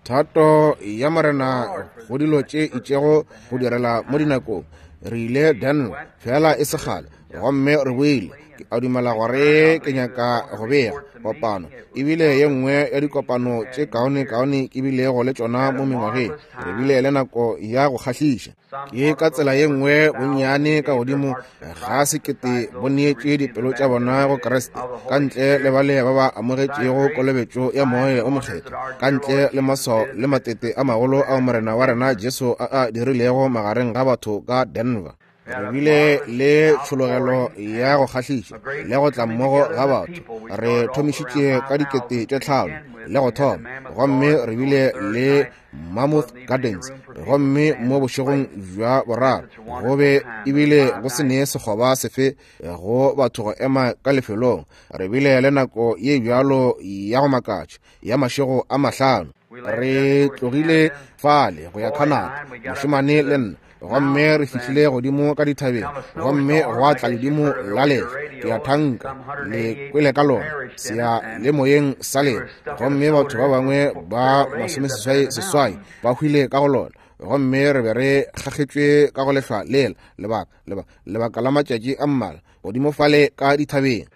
Thato ya Morena go dilo tše itšego go direla mo dinakong. Re ile Denver feela e se kgale, gomme re boile. Ke a dumela gore ke nyaka go bega kopano. E bile ye nngwe ya dikopano tše kaonekaone ke bilego le tšona mo mengwageng. Re bile le nako ya go kgahliša. Ke ka tsela ye nngwe bonnyane ka godimo ga sekete bo neetše dipelo tša bona go Kriste, ka ntle le bale ba ba amogetšego kolobetšo ya Moya o Mokgethwa, ka ntle le maswao le matete a magolo ao Morena wa rena Jesu a a dirilego magareng ga batho ka Denver. Re bile le tšhologelo ya go kgahliša le go tla mmogo ga batho. Re thomišitše ka dikete tše tlhano le go thoma, gomme re bile le Mammoth Gardens, gomme mo bošegong bja boraro go be ebile go se ne sekgoba sefe go batho go ema ka lefelong. Re bile le nako ye bjalo ya go makatša ya mašego a mahlano. Re tlogile fale go ya Canada, mošemane le nna, gomme re fihlile godimo ka dithabeng, gomme gwa tla ledimo la lehlwa. Ke a thanka le kwele ka lona seya le moyeng sa lena. Gomme batho ba bangwe ba masomeseswai seswai ba hwile ka go lona, gomme re be re kgakgetšwe ka go lehlwa lela lebaka, lebaka, lebaka la matšatši a mmalwa godimo fale ka dithabeng.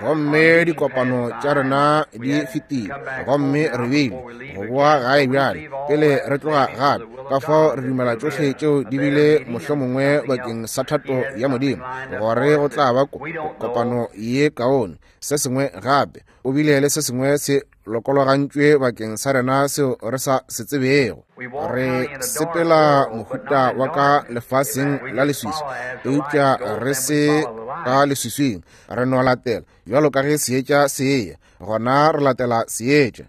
Gomme dikopano tša rena di fetile, gomme re bile go boa gae bjale pele re tloga gape. Ka fao re dumela tšohle tšeo di bile mohlomongwe bakeng sa thato ya Modimo, gore go tla ba kopano ye kaone. Se sengwe gape, o bile le se sengwe se lokologantšwe bakeng sa rena seo re sa se tsebego. Re sepela mohuta wa ka lefaseng la leswiswi, eupša re se ka leswiswing. Re no latela bjalo ka ge seetša se eya, gona re latela seetša.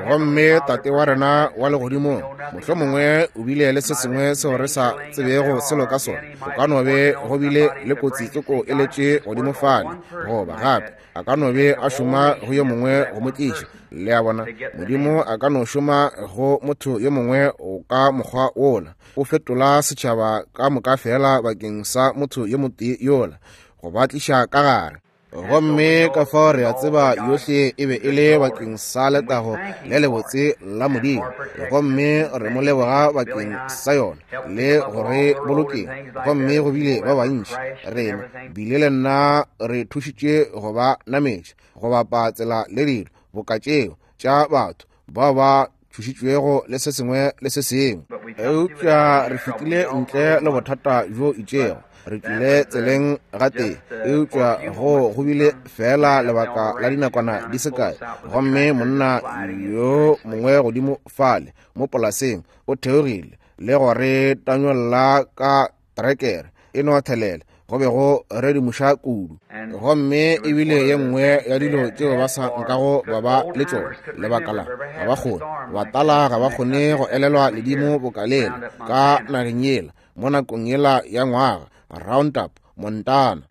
Gomme Tate wa rena wa legodimong mohlomongwe o bile le se sengwe seo re sa tsebego selo ka sona. Go ka no be go bile le kotsi tsoko e letše godimo fale, goba gape a ka no be a šoma go yo mongwe go mo tliša. Le a bona, Modimo a ka no šoma go motho yo mongwe o ka mokgwa wola, o fetola setšhaba ka moka feela bakeng sa motho yo motee yola, go ba tliša ka gare. Gomme ka fao re a tseba yohle e be e le bakeng sa letago le lebotse la Modimo, gomme re mo leboga bakeng sa yona le go re bolokeng. Gomme go bile ba bantši rena bile le nna re thušitše go ba nametša go bapa tsela le dilo boka tšeo tša batho bao ba thušitšwego le se sengwe le se sengwe. Eupša re fetile ntle le bothata bjo itšego, re tlile tseleng gatee, eupša go go bile feela lebaka la dinakwana di se kae, gomme monna yo mongwe godimo fale mo polaseng o theogile le go re tanyolla ka trekere e no thelela, go be go redimoša kudu. Gomme e bile ye nngwe ya dilo tšeo ba sa nkago ba ba le tšona, lebaka la ga ba kgone, batala ga ba kgone go elelwa ledimo boka lela ka nageng yela mo nakong yela ya ngwaga, Roundup, Montana.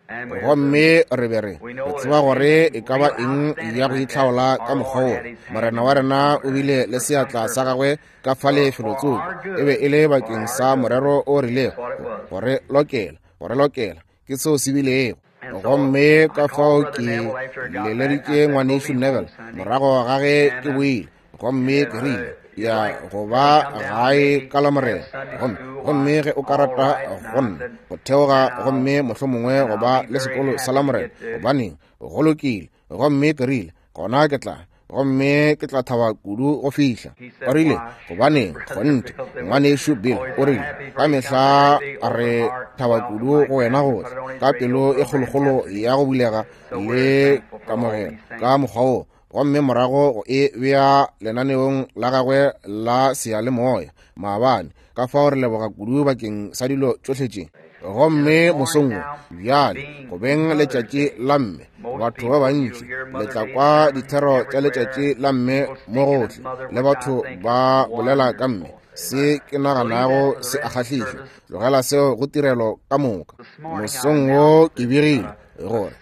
Gomme re be re re tseba gore e ka ba eng ya go itlhaola ka mokgwa wo. Morena wa rena o bile le seatla sa gagwe ka fale felotsoko, e be e le bakeng sa morero o rilego, go re lokela, go re lokela, ke seo se bilego. Gomme ka fao ke leleditše ngwanešu Neville morago ga ge ke boile, gomme ke rile, ya go ba gae ka Lamorena, gomme, gomme ge o ka rata go nna go theoga gomme mohlomongwe go ba le sekolo sa Lamorena, gobaneng, go lokile. Gomme ke rile, gona ke tla, gomme ke tla thaba kudu go fihla. O rile, gobaneng, kgonthe, ngwanešu Bill, o rile, ka mehla re thaba kudu go wena go tla, ka pelo e kgolokgolo ya go bulega le kamogelo ka mokgwa wo, gomme morago go e bea lenaneong la gagwe la seyalemoya maabane. Ka fao re leboga kudu bakeng sa dilo tšohle tše. Gomme mosong wo bjale, go beng letšatši la mme, batho ba bantši le tla kwa dithero tša letšatši la mme mo gohle, le batho ba bolela ka mme. Se ke naganago se a kgahliša. Tlogela seo go tirelo ka moka. Mosong wo ke begile gore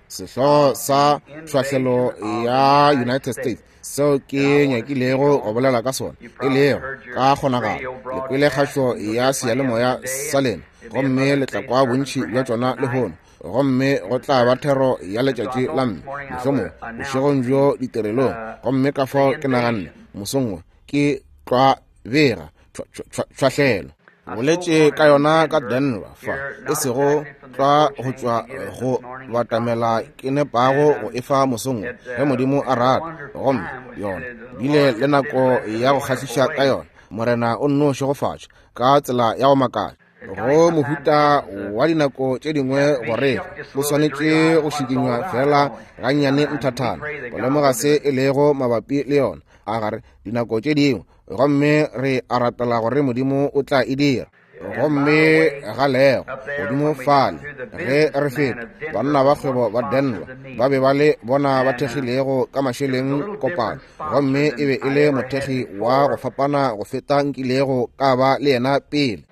sehlogo sa tlhwahlelo ya United States seo ke nyakilego go bolela ka sona, e lego ka kgonagalo le kwele kgašo ya seyalemoya sa lena, gomme le tla kwa bontši bja tšona lehono. Gomme go tla ba thero ya letšatši la mme, mohlomongwe bošegong bjo ditirelong. Gomme ka fao ke naganne mosong wo ke tlwa bega tšhwahlelo. Boletše ka yona ka Denver fa, e sego tlwa go tšwa go batamela ke nepago go efa mosong ge Modimo a rata. Gomme yona bile le nako ya go kgahliša ka yona. Morena o nno šegofatša ka tsela ya go makatša. Go mohuta wa dinako tše dingwe gore o swanetše go šikinywa fela gannyane nthathana go lemoga se e lego mabapi le yona. A gare dinako tše dingwe, gomme re a rapela gore Modimo o tla e dira. Gomme ga lego godimo fale ge re feta, banna ba kgwebo ba Denver ba be ba le bona ba thekgilego ka mašeleng kopano, gomme e be e le mothekgi wa go fapana go feta nkilego ka ba le yena pele.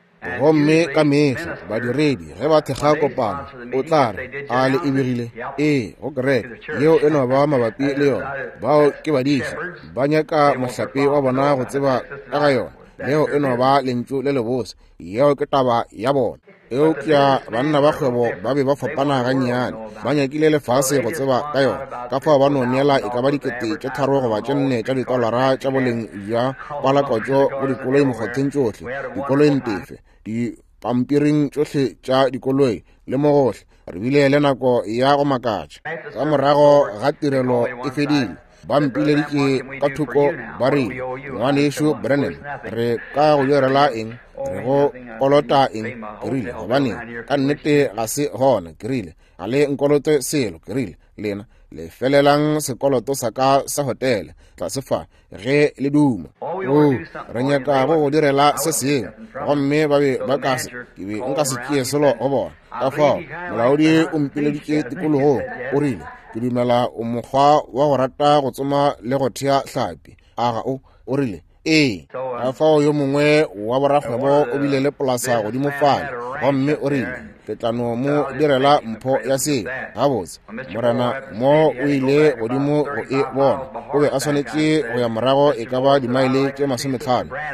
Gomme ka mehla badiredi ge ba thekga kopano, o tla re a le e begile ee go kereke yeo e no ba mabapi le yona. Bao ke badiši, ba nyaka mohlape wa bona go tseba ka ga yona. Leo e no ba lentšu le lebose, yeo ke taba ya bona. Eupša banna ba kgwebo ba be ba fapana gannyane, ba nyakile lefase go tseba ka yona. Ka fao ba no neela e ka ba 3 000 goba 4 tša ditolara tša boleng bja palakotšo go dikoloi mokgotheng tšohle, dikoloing tefe, dipampiring tšohle tša dikoloi le mo gohle. Re bile le nako ya go makatša. Ka morago ga tirelo e fedile, ba mpileditše ka thoko ba rile, Ngwanešu Branham, re ka go direla eng? Re go kolota eng? Ke rile, gobaneng, ka nnete ga se gona. Ke rile, ga le nkolote selo. Ke rile, lena le felelang sekoloto sa ka sa hotele tlase fa ge le duma. O, re nyaka go go direla se sengwe. Gomme ba be ba ka se, ke be nka se tšee selo go bona. Ka fao molaodi o mpileditše tikologong, o rile, ke dumela o mokgwa wa go rata go tsoma le go thea hlapi. A ga o? O rile, ee. Ka fao yo mongwe wa borakgwebo o bile le polasa godimo fale, gomme o rile, ke tla no mo direla mpho ya seo. Gabotse, morena mo o ile godimo go e bona. O be a swanetše go ya morago e ka ba dimaele tše 50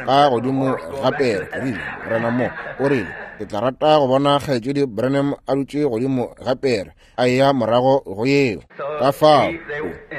ka godimo ga pere. Ke rile, morena mo, o rile, ke tla rata go bona kgaetšedi Branham a dutše godimo ga pere a eya morago go yeo. Ka fao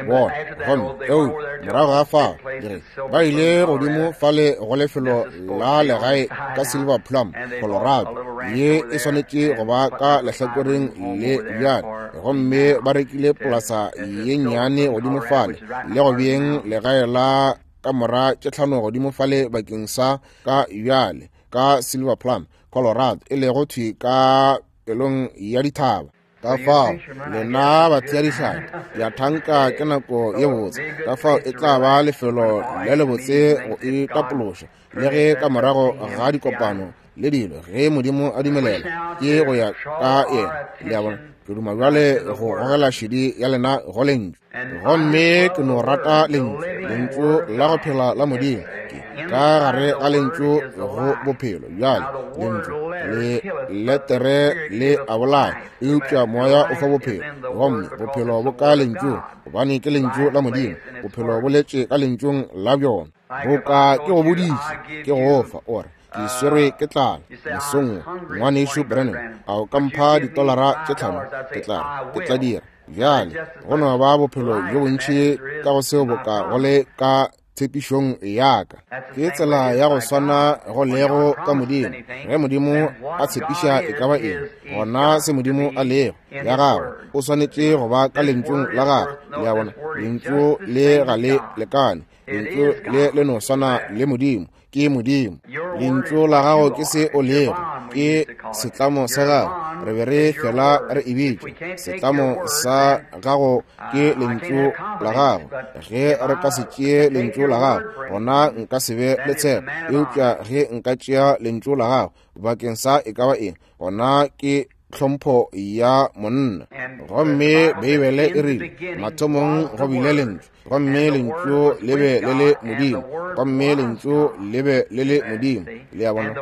bona, gomme eo morago ga fao dire ba ile godimo fale go lefelo la legae ka Silver Plum, Colorado, ye e swanetše go ba ka lehlakoreng le bjale. Gomme ba rekile polasa ye nnyane godimo fale le go beeng legae la kamora tše 5 godimo fale bakeng sa ka bjale ka Silver Plum, Colorado, e lego thwi ka pelong ya dithaba. Ka fao lena batheadihlapi ya thanka ke nako ye botse. Ka fao e tla ba lefelo le lebotse go itapološa le ge ka morago ga dikopano le dilo, ge Modimo a dumelela, ke go ya ka yena. Le a bona, ke duma bjale go gogela šedi ya lena go lentšu. Gomme ke no rata lentšu, lentšu la go phela la Modimo. Ke ka gare ga lentšu go bophelo. Bjale lentšu le letere le a bolaya, eupša moya o fa bophelo. Gomme bophelo bo ka lentšung, gobane ke lentšu la Modimo. Bophelo bo letše ka lentšung la bjona. Boka ke go boditše, ke go fa, o re, ke swerwe ke tlala mosong, ngwanešu Branham, a o ka mpha ditolara tše 5? Ke tla re, ke tla dira. Bjale go no ba bophelo bjo bontši ka go seo boka go le ka tshepišong ya ka. Ke tsela ya go swana go lego ka Modimo. Ge Modimo a tshepiša e ka ba eng, gona se Modimo a lego ya gagwe, o swanetše go ba ka lentšung la gagwe. Le a bona, lentšu le ga le lekane. Lentšu le le no swana le Modimo. Ke Modimo. Lentšu la gago ke se o lego, ke setlamo sa gago. Re be re fela re e bitša setlamo sa gago, ke lentšu la gago. Ge re ka se tšee lentšu la gago, gona nka se be le tshepo. Eupša ge nka tšea lentšu la gago bakeng sa e ka ba eng, gona ke tlhompho ya monna. Gomme Beibele e rile, mathomong go bile lentšu, gomme lentšu le be le le Modimo, gomme lentšu le be le le Modimo. Le a bona?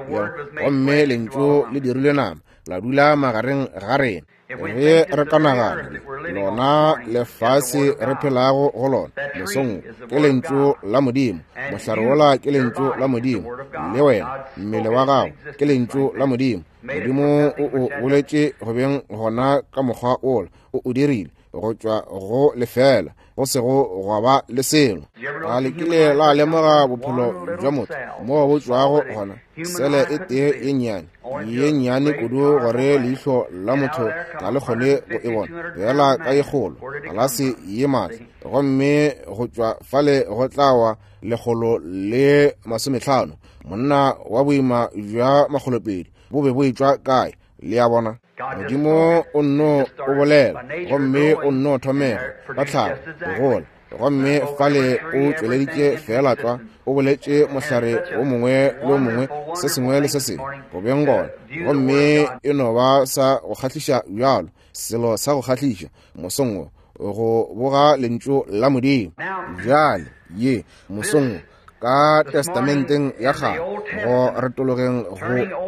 Gomme lentšu le dirilwe nama, la dula magareng ga rena. Ge re ka nagana lona lefase re phelago go lona mosong, ke lentšu la Modimo. Mohlare wola ke lentšu la Modimo, le wena mmele wa gago ke lentšu la Modimo. Modimo o o boletše go beng gona ka mokgwa wola, o o dirile go tšwa go lefela. go sego gwa ba le selo. A le kile la lemoga bophelo bja motho moo bo tšwago gona? Sele e tee ye nnyane, ye nnyane kudu gore leihlo la motho ga le kgone go e bona, fela ka ye kgolo, galase ye maatla, gomme go tšwa fale go tla wa 150, monna wa boima bja 200, bo be bo etšwa kae? Le a bona? Modimo o nno o bolela, gomme o nno thomega ka tlhago go gola, gomme fale o tšweleditše feela tlwa, o boletše mohlare o mongwe le o mongwe, se sengwe le se sengwe go beng gona, gomme e no ba sa go kgahliša bjalo, selo sa go kgahliša mosong wo, go boga lentšu la Modimo. Bjale ye mosong wo ka Testamenteng ya Kgale, go retologeng go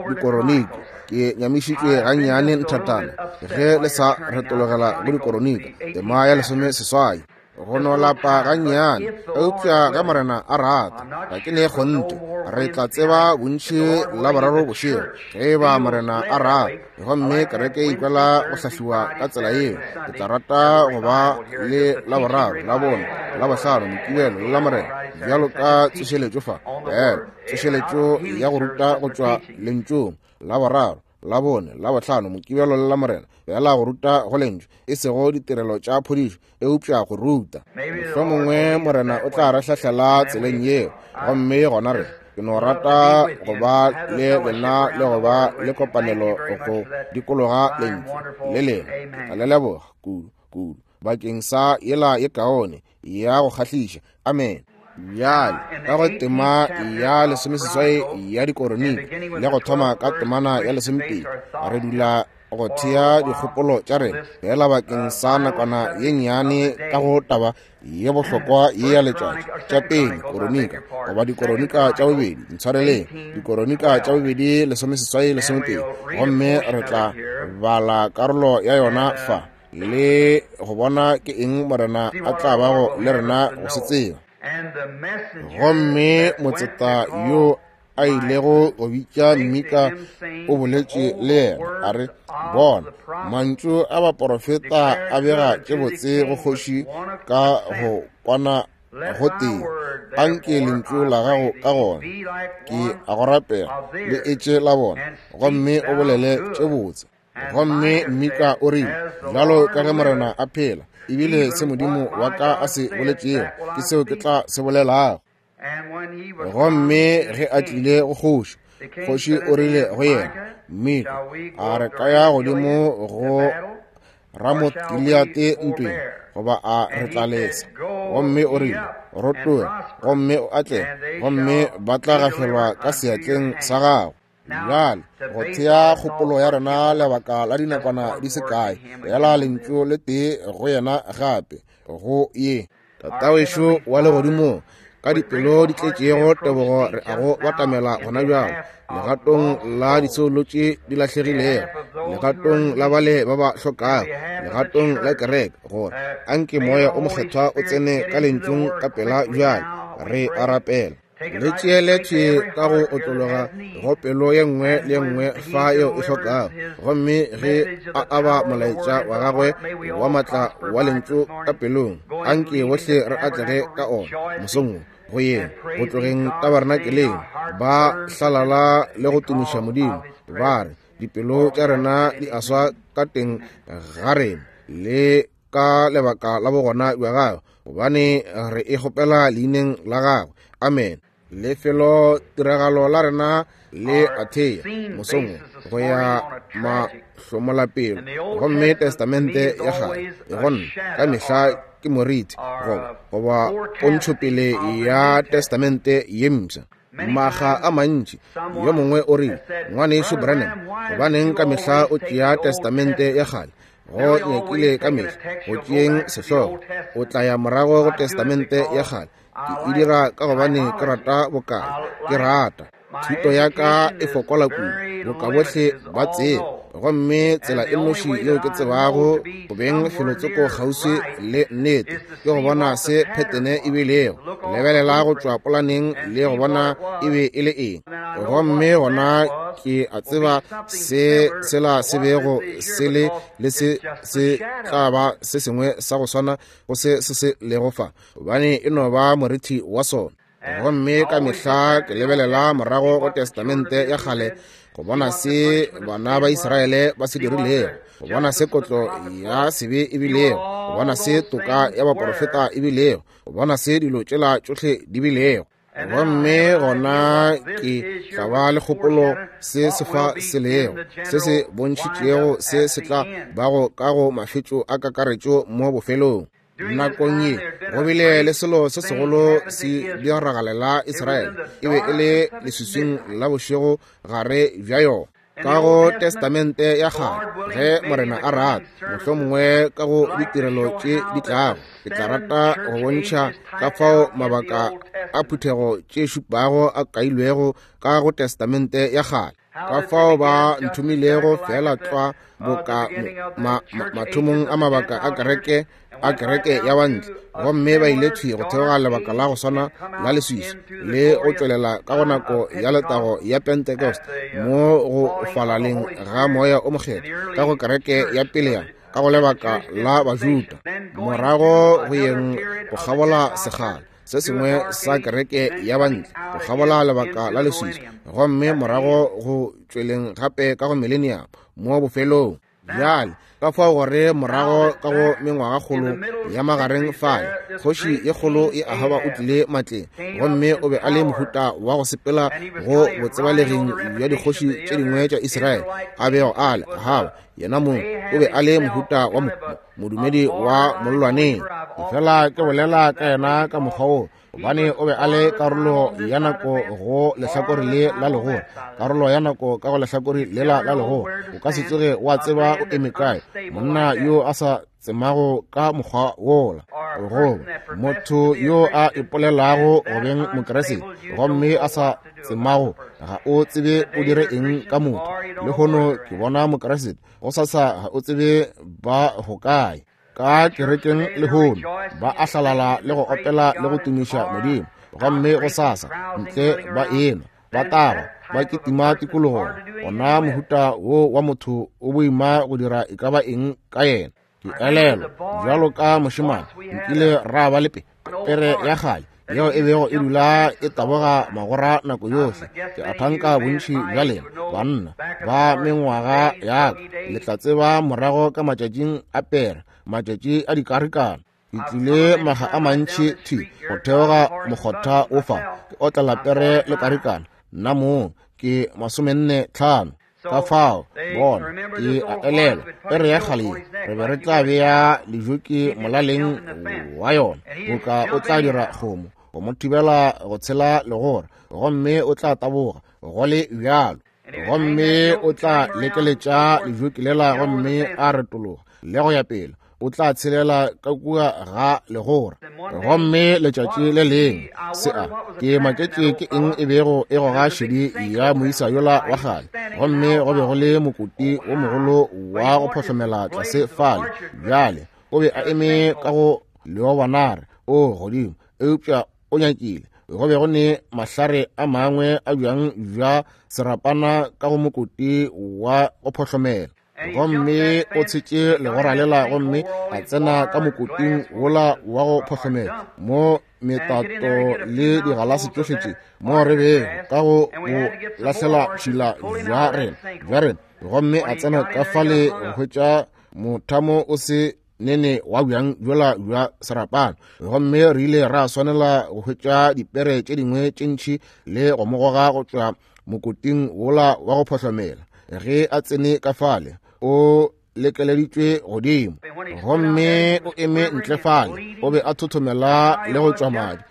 Dikoronike, ke nyamišitšwe gannyane nthatana ge le sa retologela go Dikoronike, tema ya 18. Go no lapa gannyane, eupša ge Morena a rata, ga ke ne kgonthe, re tla tseba bontši Laboraro bošego, ge e ba Morena a rata. Gomme kereke e ikwela go hlahliwa ka tsela yeo. Ke tla rata go ba le Laboraro, Labone, Labohlano, Mokibelo le Lamorena, bjalo ka tsošeletšo fa, bjalo tsošeletšo ya go ruta go tšwa Lentšung, Laboraro, Labone, Labohlano, Mokibelo le Lamorena, bjala go ruta go Lentšu, e sego ditirelo tša phodišo, eupša go ruta. Mohlomongwe Morena o tla re hlahlela tseleng yeo, gomme gona re, ke no rata go ba le lena le go ba le kopanelo go dikologa Lentšu le lena. Ke tla le leboga kudu, kudu bakeng sa yela ye kaone ya go kgahliša. Amen. Bjale ka go tema ya 18 ya Dikoronike, le go thoma ka temana ya 12, re dula go thea dikgopolo tša rena fela bakeng sa nakwana ye nnyane ka go taba ye bohlokwa ye ya letšatši. Tša pele Koronika, goba Dikoronika tša bobedi, ntshwareleng, Dikoronika tša bobedi 18 12, gomme re tla bala karolo ya yona fa le go bona ke eng Morena a tla bago le rena go se tseba. Gomme motseta yo a ilego go bitša Mika o boletše le yena a re, Bona, mantšu a baporofeta a bega tše botse go kgoši ka go kwana go tee. Anke lentšu la gago ka gona, ke a go rapela, le etše la bona, gomme o bolele tše botse. Gomme Mika o rile, Bjalo ka ge Morena a phela, ebile se Modimo wa ka a se boletšego, ke seo ke tla se bolelago. Gomme ge a tlile go kgoši, kgoši o rile go yena, Mika, a re ka ya godimo go Ramoth Gileate ntweng, goba a re tla lesa? Gomme o rile, Rotoga gomme o atlege, gomme ba tla gafelwa ka seatleng sa gago. Bjale go thea kgopolo ya rena lebaka la dinakwana di se kae, fela lentšu le tee go yena gape, go ye. Tatawešo wa legodimong, ka dipelo di tletšego tebogo re a go batamela gona bjalo, legatong la disoulo tše di lahlegilego, legatong la bale ba ba hlokago, legatong la kereke, gore anke Moya o Mokgethwa o tsene ka lentšung ka pela bjale. Re a rapela. Le tšeeletše ka go otlologa go pelo ye nngwe le ye nngwe fa yeo e hlokago. Gomme ge a aba molaetša wa gagwe wa matla wa lentšu ka pelong, anke bohle re atlege ka ona mosong wo, go yeng go tlogeng tabernakeleng, ba hlalala le go tumiša Modimo, ba re, Dipelo tša rena di a swa ka teng ga rena le ka lebaka la bogona bja gagwe, gobane re e kgopela leineng la gagwe. Amen. Lefelo tiragalo la rena le athea mosong go ya mahlomolapelo, gomme Testamente ya Kgale e gonna ka mehla ke moriti goba pontšhopele ya Testamente ye Mpsha. Maga a mantši yo mongwe o rile, Ngwanešu Branham, gobaneng ka mehla o tšea Testamente ya Kgale? Go nyakile ka mehla go tšeeng sehlogo, o tla ya morago go Testamente ya Kgale. Ke e dira ka gobane ke rata bokae, ke rata thuto ya ka e fokola kudu, boka bohle ba tseba. Gomme tsela e nnoši yeo ke tsebago go beng felotsoko kgauswi le nnete ke go bona se phethene e bilego, lebelela go tšwa polaneng le go bona e be e le eng. Gomme gona Ke a tseba se sela se bego se le, le se se tla ba se sengwe sa go swana go se se se lego fa, gobane e no ba morithi wa sona. Gomme ka mehla ke lebelela morago go Testamente ya kgale go bona se bana ba Israele ba se dirilego, go bona se kotlo ya sebe e bilego, go bona se toka ya baporofeta e bilego, go bona se dilo tšela tšohle di bilego. Gomme gona ke tla ba le kgopolo se se fa se lego, se se bontšhitšego se se tla bago ka go mafetšo a kakaretšo mo bofelong. Nakong ye go bile le selo se segolo se diragalela Israele, e be e le leswiswing la bošego gare bja yona. Ka go Testamente ya kgale, ge Morena a rata, mohlomongwe ka go ditirelo tše di tlago, ke tla rata go bontšha ka fao mabaka a phuthego tše šupago a kailwego ka go Testamente ya kgale, ka fao ba nthomilego feela tlwa boka mathomong a mabaka a kereke a kereke ya bantle, gomme ba ile thwi go theoga lebaka la go swana la leswiswi le go tšwelela ka go nako ya letago ya Pentecost mo go falaleng ga moya o mokgethwa ka go kereke ya pele ya ka go lebaka la Bajuda, morago go yeng go kgabola sekgala se sengwe sa kereke ya bantle go kgabola lebaka la leswiswi, gomme morago go tšweleng gape ka go millennium mo bofelong. Bjale ka fao gore morago ka go mengwagakgolo ya magareng fale, kgoši ye kgolo ye Ahaba o tlile matleng, gomme o be a le mohuta wa go sepela go botsebalegeng bja dikgoši tše dingwe tša Israele a bego a le. Ahaba yena mong o be a le mohuta wa modumedi wa mollwaneng. Fela ke bolela ka yena ka mokgwa wo, gobane o be a le karolo ya nako go lehlakore le la legora, karolo ya nako ka go lehlakore lela la legora. O ka se tsoge wa tseba o eme kae monna yo a sa tsemago ka mokgwa wola, goba motho yo a ipolelago go beng Mokriste gomme a sa tsemago, ga o tsebe o dire eng ka motho. Lehono ke bona Mokriste, go sasa ga o tsebe ba go kae. Ka kerekeng lehono ba a hlalala le go opela le go tumiša Modimo, gomme go sasa ntle ba enwa, ba taba, ba kitima tikologong. Gona mohuta wo wa motho o boima go dira e ka ba eng ka yena. Ke elelwa bjalo ka mošemane nkile ra ba le pere ya kgale yeo e bego e dula e taboga magora nako yohle. Ke a thanka bontši bja lena banna ba mengwaga ya ka le tla tseba morago ka matšatšing a pere, matšatši a dikarikana. Ke tlile maga a mantši thwi go theoga mokgotha o fa, ke otlela pere le karikana, nna mong ke 45. Ka fao bona ke a elelwa pere ya kgale ye re be re tla bea lejoki molaleng wa yona, boka o tla dira kgomo go mo thibela go tshela legora, gomme o tla taboga go le bjalo, gomme o tla lekeletša lejoki lela gomme a retologa le go ya pele, o tla tshelela ka kua ga legora. Gomme letšatši le lengwe se a ke maketše ke eng e bego e goga šedi ya moisa yola wa kgale, gomme go be go le mokoti wo mogolo wa go phohlomela tlase fale. Bjale o be a eme ka go leobanare o godimo, eupša o nyakile go be go ne mahlare a mangwe a bjang bja serapana ka go mokoti wa go phohlomela, gomme o tshetše legora lela gomme a tsena ka mokoting wola wa go phohlomela mo metato le digalase tšohle tše mo re bego ka go bo lahlela tšhila bja rena, gomme a tsena ka fale go hwetša mothamo o se nene wa bjang bjola bja serapana, gomme re ile ra swanela go hwetša dipere tše dingwe tše ntši le go mo goga go tšwa mokoting wola wa go phohlomela. Ge a tsene ka fale o lekeleditšwe godimo, gomme o eme ntle fale, o be a thothomela le go tšwa madi,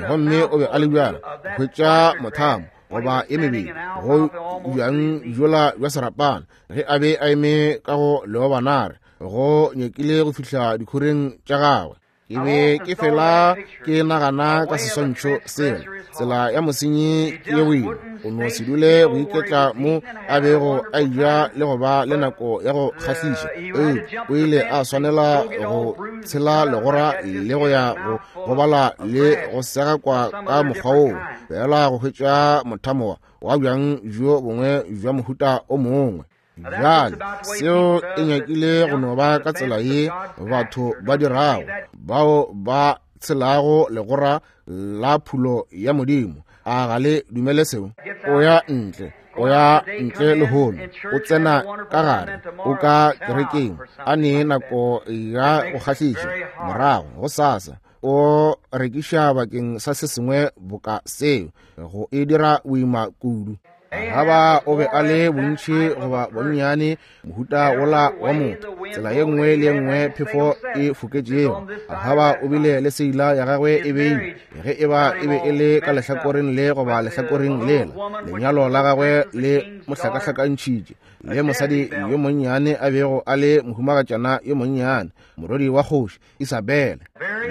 gomme o be a le bjalo hwetša mothamo goba e mebedi go bjang bjola bja serapana. Ge a be a eme ka go leobanare go nyakile go fihla dikhoreng tša gagwe. Ke be ke fela ke nagana ka seswantšho sela, tsela ya mosenyi ke ye boima, o no se dule go iketla mo a bego a eja le go ba le nako ya go kgahliša. Eupša o ile a swanela go tshela legora le go ya go gobala le go segakwa ka mokgwa woo, fela go hwetša mothamo wa. wa bjang bjo bongwe bja mohuta o mongwe. Bjale, seo e nyakile go no ba ka tsela ye batho ba dirago, bao ba tshelago legora la phulo ya Modimo. A ga le dumele seo? O ya ntle, o ya ntle lehono, o tsena ka gare, o ka kerekeng, a ne nako ya go kgahliša, morago gosasa o rekiša bakeng sa se sengwe boka seo, go e dira boima kudu. Ahaba o be a le bontši goba bonnyane mohuta wola wa motho, tsela ye nngwe le ye nngwe phefo e foketšego. Ahaba o bile le seila ya gagwe e beilwe, ge e ba e be e le ka lehlakoreng le goba lehlakoreng lela. Lenyalo la gagwe le mo hlakahlakantšhitše le mosadi yo monnyane a bego a le mohumagatšana yo monnyane, morwedi wa kgoši Isabele,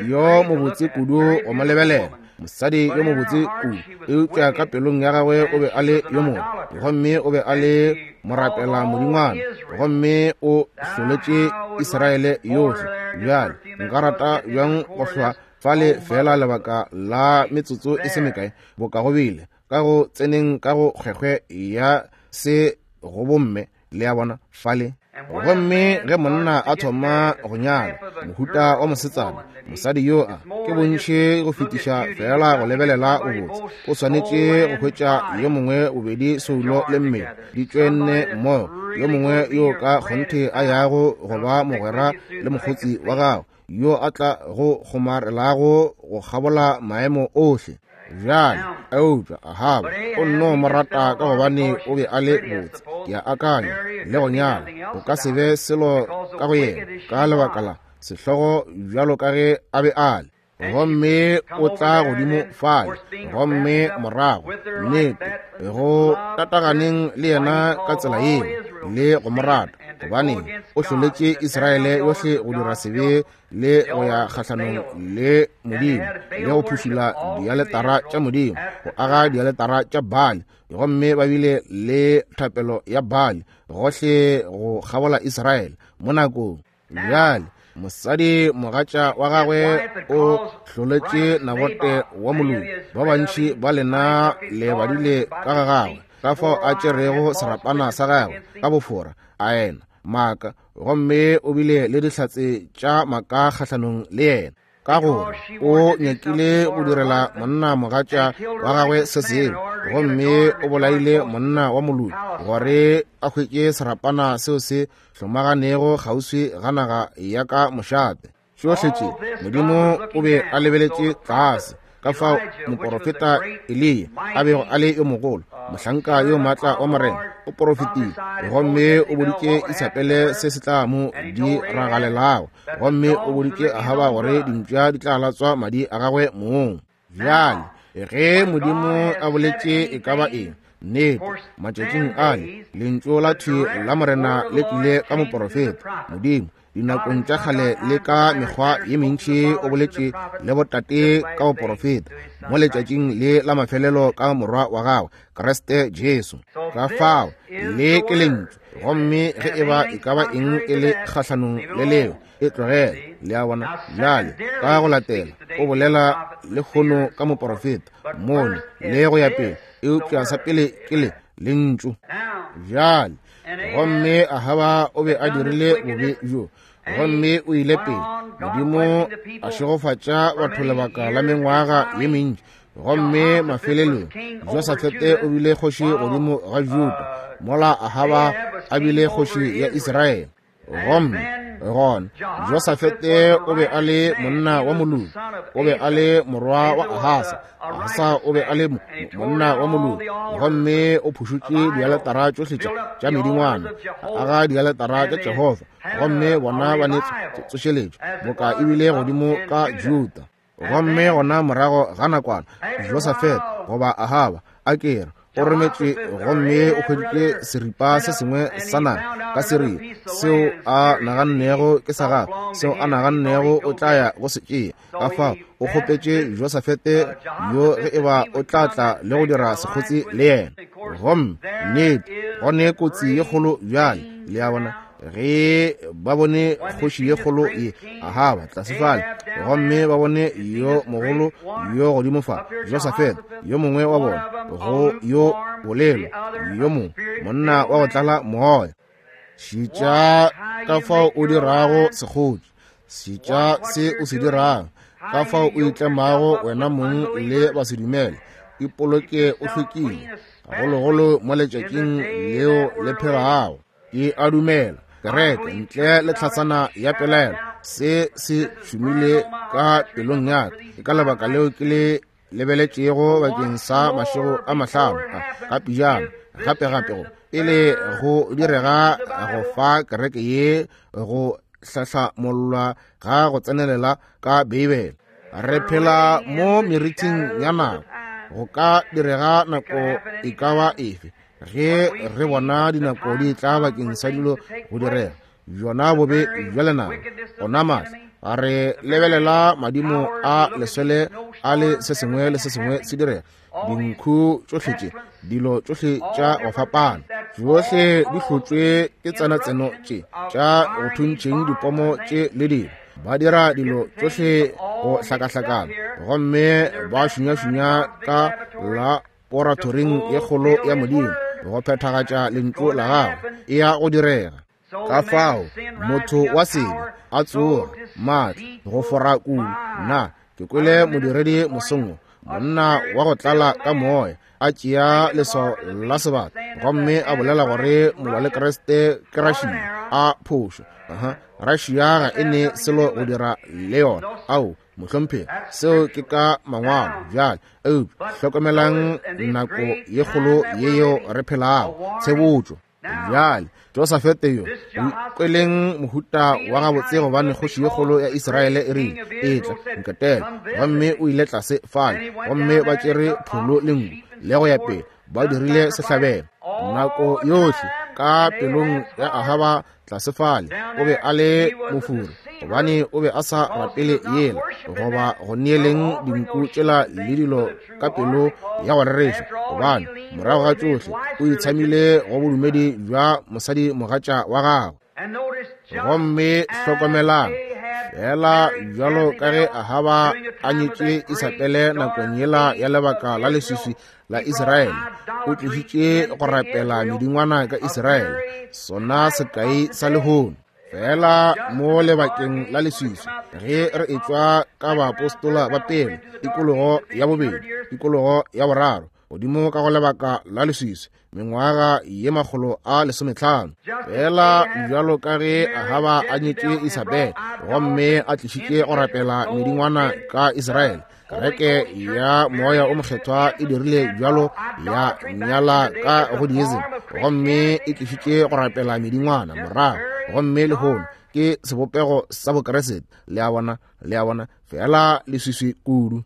yo mobotse kudu go mo lebelela, mosadi yo mobotse kudu, eupša ka pelong ya gagwe o be a le yo mobe, gomme o be a le morapela modingwana, gomme o hloletše Israele yohle. Bjale nka rata bjang go hlwa fale feela lebaka la metsotso e se mekae, boka go bile ka go tseneng ka go kgwekgwe ya se go bomme, le a bona, fale. Gomme ge monna a thoma go nyala mohuta wa mosetsana, mosadi yo a ke bontši go fetiša feela go lebelela bobotse, o swanetše go hwetša yo mongwe bobedi soulo le mmele di tšwenne mmogo, yo mongwe yo ka kgonthe a yago go ba mogwera le mokgotsi wa gago, yo a tla go kgomarelago go kgabola maemo ohle. Bjale, eupša Ahaba o nno mo rata ka gobane o be a le botse, ke a akanya, le go nyala go ka se be selo ka go yena ka lebaka la sehlogo bjalo ka ge a be a le. Gomme o tla godimo fale, gomme morago, nnete, go tataganeng le yena ka tsela yeo, le go mo rata, gobane o hloletše Israele yohle go dira sebe le go ya kgahlanong le Modimo, le go phušula dialetara tša Modimo, go aga dialetara tša Baali, gomme ba bile le thapelo ya Baali gohle go kgabola Israele mo nakong. Bjale, mosadi mogatša wa gagwe o hloletše Nabote wa moloi. Ba bantši ba lena le badile ka ga gagwe, ka fao a tšerego serapana sa gagwe ka bofora, a ena maaka, gomme o bile le dihlatse tša maaka kgahlanong le yena, ka gore o nyakile go direla monna mogatša wa gagwe se sengwe, gomme o bolaile monna wa moloi gore a hwetše serapana seo se hlomaganego kgauswi ga naga ya ka mošate. Tšohle tše Modimo o be a lebeletše tlase, ka fao moporofeta Eliya a bego a le yo mogolo, mohlanka yo maatla wa Morena, o porofetile gomme o boditše Isabele se se tla mo diragalelago, gomme o boditše Ahaba gore dimpša di tla latswa madi a gagwe mong. Bjale, ge Modimo a boletše e ka ba eng, nnete, matšatšing ale, lentšu la thwi la Morena le tlile ka moporofeta. Modimo, dinakong tša kgale le ka mekgwa ye mentši o boletše le botate ka boporofeta, mo letšatšing le la mafelelo ka Morwa wa gagwe, Kriste Jesu. Ka fao, le ke lentšu, gomme ge e ba e ka ba eng e le kgahlanong le leo, e tlogele. Le a bona? Bjale, ka go latela, o bolela lehono ka moporofeta, mono, le go ya pele, eupša sa pele ke le, lentšu. Bjale, gomme Ahaba o be a dirile bobe bjo, gomme o ile pele. Modimo a šegofatša batho lebaka la mengwaga ye mentši, gomme mafelelong Josafete o bile kgoši godimo ga Juda, mola Ahaba a bile kgoši ya Israele. Gomme gona Josafete o be a le monna wa moloki, o be a le morwa wa Ahasa. Ahasa o be a le monna wa moloki, gomme o phušutše dialetara tšohle tša medingwana, a aga dialetara tša Jehofa, gomme bona ba ne tsošeletšo boka e bile godimo ka Juda. Gomme gona morago ga nakwana, Josafete goba Ahaba a ke re o rometšwe, gomme o hweditše seripa se sengwe sa naga ka Siria seo a nagannego ke sa gagwe, seo a nagannego o tla ya go se tšea. Ka fao o kgopetše Josafete yo ge e ba o tla tla le go dira sekgotsi le yena. Gomme nnete go ne kotsi ye kgolo bjale, le a bona. Ge ba bone kgoši ye kgolo ye Ahaba tlase fale, gomme ba bone yo mogolo yo godimo fa, Josafat, yo mongwe wa bona, go yo bolelo, yo mongwe monna wa go tlala moya. Šetša ka fao o dirago sekgotši, šetša se o se dirago, ka fao o itlemago wena mong le basedumele. Ipoloke o hlwekile, gagologolo mo letšatšing leo le phelago. Ke a dumela kereke ntle le tlhatsana ya pelaelo, se se šomile ka pelong ya ka. Ke ka lebaka leo ke le lebeletšego bakeng sa mašego a mahlano ka pijama gape gape go pele go direga go fa kereke ye go hlahlamollwa ga go tsenelela ka Beibele. Re phela mo meriting ya nako, go ka direga nako e ka ba efe ge re bona dinako di tla bakeng sa dilo go direga. Bjona bobe bja lenaba ona maatla, a re lebelela madimo a leswele a le se sengwe le se sengwe se direga, dinkhu tšohle tše, dilo tšohle tša go fapana, tšohle di hlotšwe ke tsenatseno tše tša go thuntšheng dipomo tše le dilo. Ba dira dilo tšohle go hlakahlakana gomme ba šunyašunya ka la poratoring ye kgolo ya Modimo go phethagatša lentšu la gagwe. E ya go direga. Ka fao motho wa sebe a tsoga maatla go fora kudu. Nna ke kwele modiredi mosong, monna wa go tlala ka moya, a tšea leswao la sebata gomme a bolela gore molwa le Kriste ke Russia. A phošo. Russia ga e ne selo go dira le yona. Ao, mohlomphegi, seo ke ka mangwalo bjale. Eupša hlokomelang nako ye kgolo ye yeo re phelago, tshebotšo. Bjale Josafete yo o ikweleng mohuta wa gabotse gobane kgoši ye kgolo ya Israele e rile, etla nketele, gomme o ile tlase fale, gomme ba tšere pholo le nku le go ya pele, ba dirile sehlabelo. Nako yohle ka pelong ya Ahaba tlase fale o be a le mofuri, gobane o be a sa rapele yela goba go neeleng dinku tšela le dilo ka pelo ya go rereša, gobane morago ga tšohle o itshamile go bodumedi bja mosadi mogatša wa gagwe. Gomme hlokomelang, fela bjalo ka ge Ahaba a nyetše Isabele nakong yela ya lebaka la leswiswi la Israele, o tlišitše go rapela medingwana ka Israele, sona sekai sa lehono. Fela mo lebakeng la leswiswi ge re etšwa ka baapostola ba pele, tikologo ya bobedi, tikologo ya boraro, godimo ka go lebaka la leswiswi, mengwaga ye 150. Fela bjalo ka ge Ahaba a nyetše Isabele gomme a tlišitše go rapela medingwana ka Israele, kereke ya moya o mokgethwa e dirile bjalo, ya nyala ka go diism gomme e tlišitše go rapela medingwana morago, gomme lehono ke sebopego sa Bokeresete. Le a bona, le a bona, fela leswiswi kudu.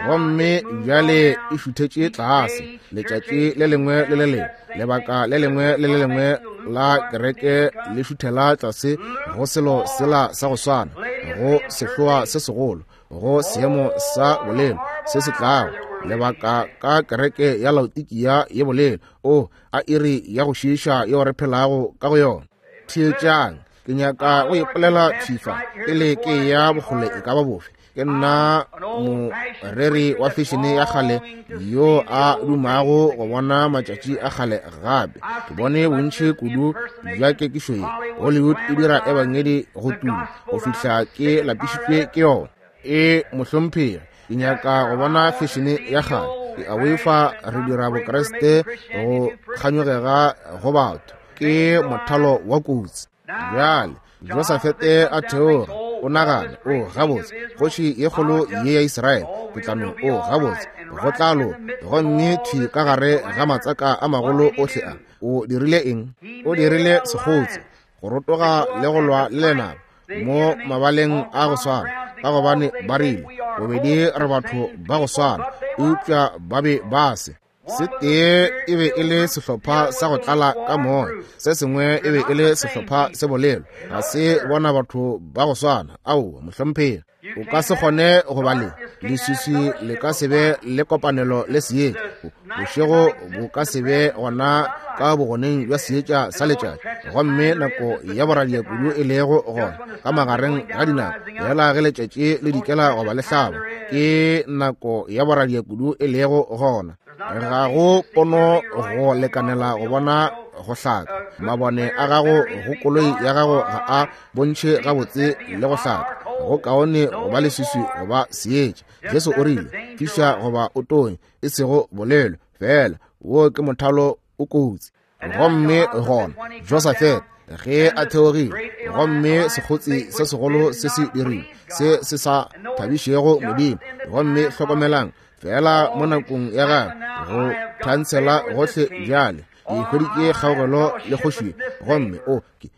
Gomme bjale e šuthetše tlase letšatši le lengwe le le lengwe, lebaka le lengwe le le lengwe la kereke le šuthela tlase go selo sela sa go swana, go sehloa se segolo, go seemo sa bolelo se se tlago, lebaka ka kereke ya Laodikia ye bolelo. O a iri ya go šiiša yeo re phelago ka go yona. Theetšang, ke nyaka go ipolela thifa pele ke ya bokgole e ka ba bofe. Ke nna moreri wa fešene ya kgale yo a dumago go bona matšatši a kgale gape. Ke bone bontši kudu bja kekišo ye. Hollywood e dira ebangedi go tuma go fihla ke lapišitšwe ke yona. E mohlomphegi, ke nyaka go bona fešene ya kgale. Ke a boifa re dira Bokriste go kganyogega go batho. Ke mothalo wa kotsi. Bjale Josafete a theoga, o nagana, o gabotse, kgoši ye kgolo ye ya Israele, ke tla no, o gabotse, go tla loka. Gomme thwi ka gare ga matsaka a magolo ohle a, o dirile eng? O dirile sekgotse, go rotoga le go lwa le lenaba mo mabaleng a go swana, ka gobane ba rile, bobedi re batho ba go swana, eupša ba be ba se. Se tee e be e le sehlopha sa go tlala ka moya, se sengwe e be e le sehlopha se bolelo. Ga se bona batho ba go swana. Aowa, mohlomphegi. O ka se kgone go ba le leswiswi, le ka se be le kopanelo le seetša. Bošego bo ka se be gona ka bogoneng bja seetša sa letšatši. Gomme nako ya boradia kudu e lego gona ka magareng ga dinako, fela ge letšatši le dikela goba le hlaba, ke nako ya boradia kudu e lego gona. Ga go pono go lekanela go bona go hlaka. Mabone a gago go koloi ya gago ga a bontšhe gabotse le go hlaka. Go kaone go ba leswiswi goba seetša. Jesu o rile, fiša goba o tonye, e sego bolelo fela. Wo ke mothalo o kotsi. Gomme gona Josafete ge a theogile, gomme sekgotsi se segolo se se dirile se se sa thabišego Modimo. Gomme hlokomelang fela mo nakong ya gagwe go thansela gohle bjale, ke hweditše kgaogelo le kgoši, gomme o ke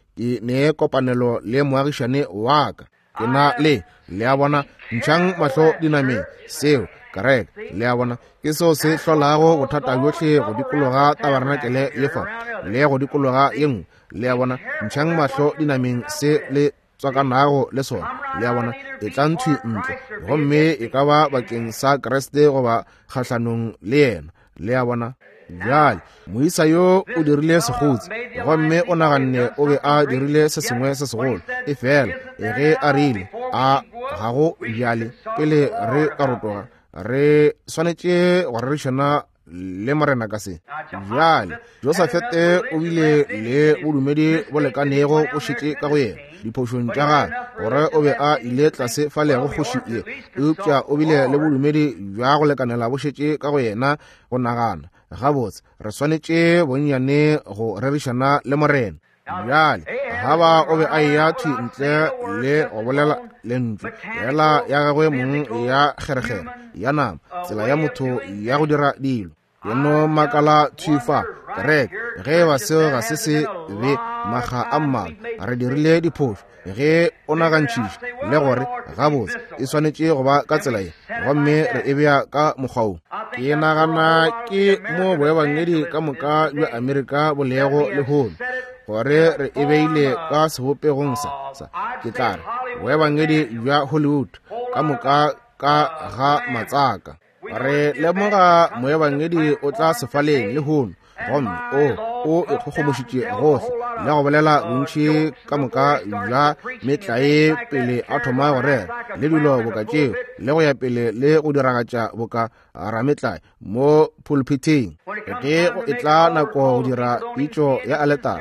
ne kopanelo le moagišane wa ka. Ke na le, le a bona, ntšhang mahlo dinameng, seo, kereke, le a bona, ke seo se hlolago bothata bjohle go dikologa tabarenakele ye fa, le go dikologa ye nngwe, le a bona, ntšhang mahlo dinameng se le tswakanago le sona, le a bona, e tla nthwi ntle, gomme e ka ba bakeng sa Kriste goba kgahlanong le yena, le a bona. Bjale moisa yo o dirile sekgotsi, gomme o naganne o be a dirile se sengwe se segolo, efela ge a rile a ga go bjale pele re ka rotoga re swanetše go rerišana le Morena ka se. Bjale Josafete o bile le bodumedi bo lekanego bo šetše ka go yena diphošong tša gagwe, gore o be a ile tlase fale go kgoši ye, eupša o bile le bodumedi bja go lekanela bo šetše ka go yena go nagana, gabotse, re swanetše bonnyane go rerišana le Morena. Bjale Ahaba o be a eya thwi ntle le go bolela lentšu yela ya gagwe mong ya kgerekgere ya nama, tsela ya motho ya go dira dilo. Ke no makala thwi fa, kereke, ge eba seo ga se se be makga a mmalwa re dirile diphošo, ge o nagantšhiša le gore gabotse e swanetše go ba ka tsela ye, gomme re e bea ka mokgwa wo. Ke nagana ke mo boebangedi ka moka bja Amerika bo lego lehono, gore re e beile ka sebopegong sa, sa, ke tla re, boebangedi bja Hollywood, ka moka ka ga matsaka. Re lemoga moebangedi o tla sefaleng lehono, gomme o o ikgogomošitše gohle le go bolela bontši ka moka bja metlae pele a thoma go rera, le dilo boka tšeo, le go ya pele le go diragatša boka rametlae mo pulpithing. Ge go etla nako go dira pitšo ya aletara,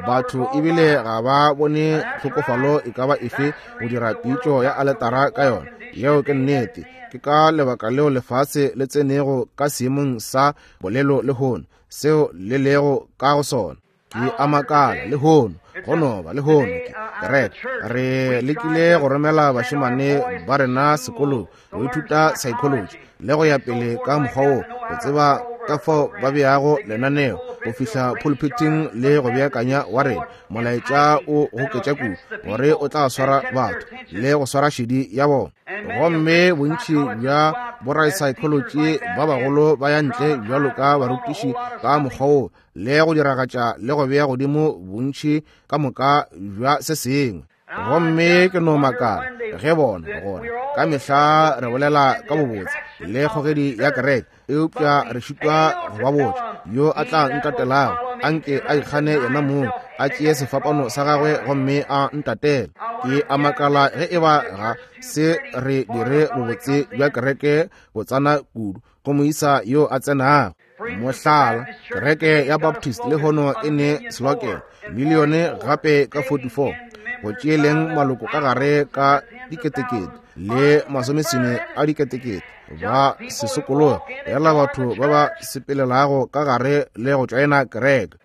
batho ebile ga ba bone tlhokofalo e ka ba efe go dira pitšo ya aletara ka yona. Yeo ke nnete. Ke ka lebaka leo lefase le tsenego ka seemong sa bolelo lehono, seo le lego ka go sona. Ke a makala lehono, go no ba lehono ke kereke. Re lekile go romela bašemane ba rena sekolong go ithuta psychology le go ya pele ka mokgwa wo, go tseba ka fao ba beago lenaneo go fihla pulpiting le go beakanya wa rena molaetša o goketša kudu gore o tla swara batho le go swara šedi ya bona. Gomme bontši bja borasaekholoji ba bagolo ba ya ntle bjalo ka barutiši ka mokgwa wo le go diragatša le go bea godimo bontši ka moka bja se sengwe. Gomme ke no makala ge bona gore ka mehla re bolela ka bobotse le kgogedi ya kereke, eupša re šitwa go ba botša. Yo a tla ntatelago, a nke a ikgane yena mong, a tšee sefapano sa gagwe gomme a ntatele. Ke a makala ge e ba ga se re dire bobotse bja kereke botsana kudu go moisa yo a tsenago. Mohlala, kereke ya Baptist lehono e ne selokelo milione gape ka 44 go tšeeleng maloko ka gare ka diketekete le masomesome a diketekete ba se sokologa, yela batho ba ba sepelelago ka gare le go tšoena kereke.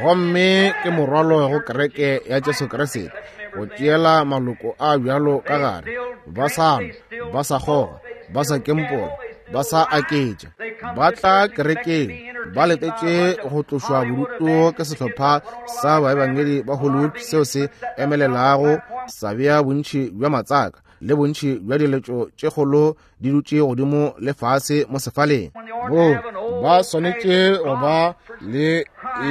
Gomme ke morwalo go kereke ya Jesu Kriste go tšeela maloko a bjalo ka gare, ba sa nwa, ba sa kgoga, ba sa kempola, ba sa aketša. Ba tla kerekeng ba letetše go tlošwa bodutu ke sehlopha sa baebangedi ba Hollywood seo se emelelago sa bea bontši bja matsaka. le bontši bja diletšo tše kgolo di dutše godimo le fase mo sefaleng. Moo ba swanetše go ba le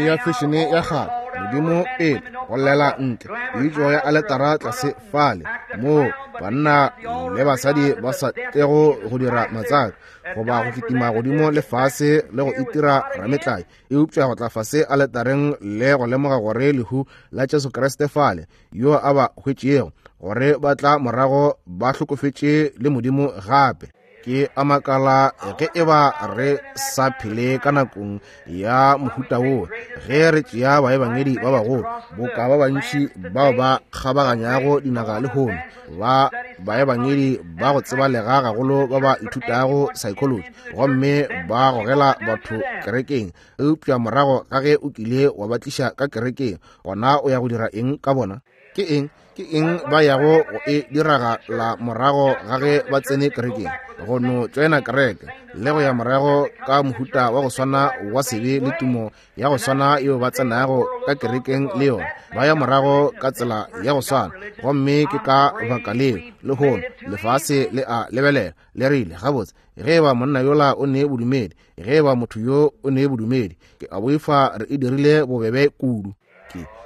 ya fešene ya kgale, Modimo pele, go llela ntle, pitšo ya aletara tlase fale, moo banna le basadi ba sa tlego go dira matsaka goba go kitima godimo le fase le go itira rametlae, eupša go tla fase aletareng le go lemoga gore lehu la Jesu Kriste fale, yo a ba hwetšego, gore ba tla morago ba hlokofetše le Modimo gape. Ke a makala ge e ba re sa phele ka nakong ya mohuta wo, ge re tšea baebangedi ba bagolo boka ba bantši bao ba kgabaganyago dinaga lehono, ba baebangedi ba go tsebalega gagolo ba ba ithutago psychology gomme ba gogela batho kerekeng, eupša morago ga ge o kile wa ba tliša ka kerekeng, gona o ya go dira eng ka bona? Ke eng, ke eng ba yago go e diragala morago ga ge ba tsene kerekeng? Go no tšoena kereke le go ya morago ka mohuta wa go swana wa sebe le tumo ya go swana yeo ba tsenago ka kerekeng le yona, ba ya morago ka tsela ya go swana. Gomme ke ka baka leo lehono lefase le a lebelela le rile, gabotse, ge e ba monna yola o ne bodumedi, ge e ba motho yo o ne bodumedi, ke a boifa re e dirile bobebe kudu.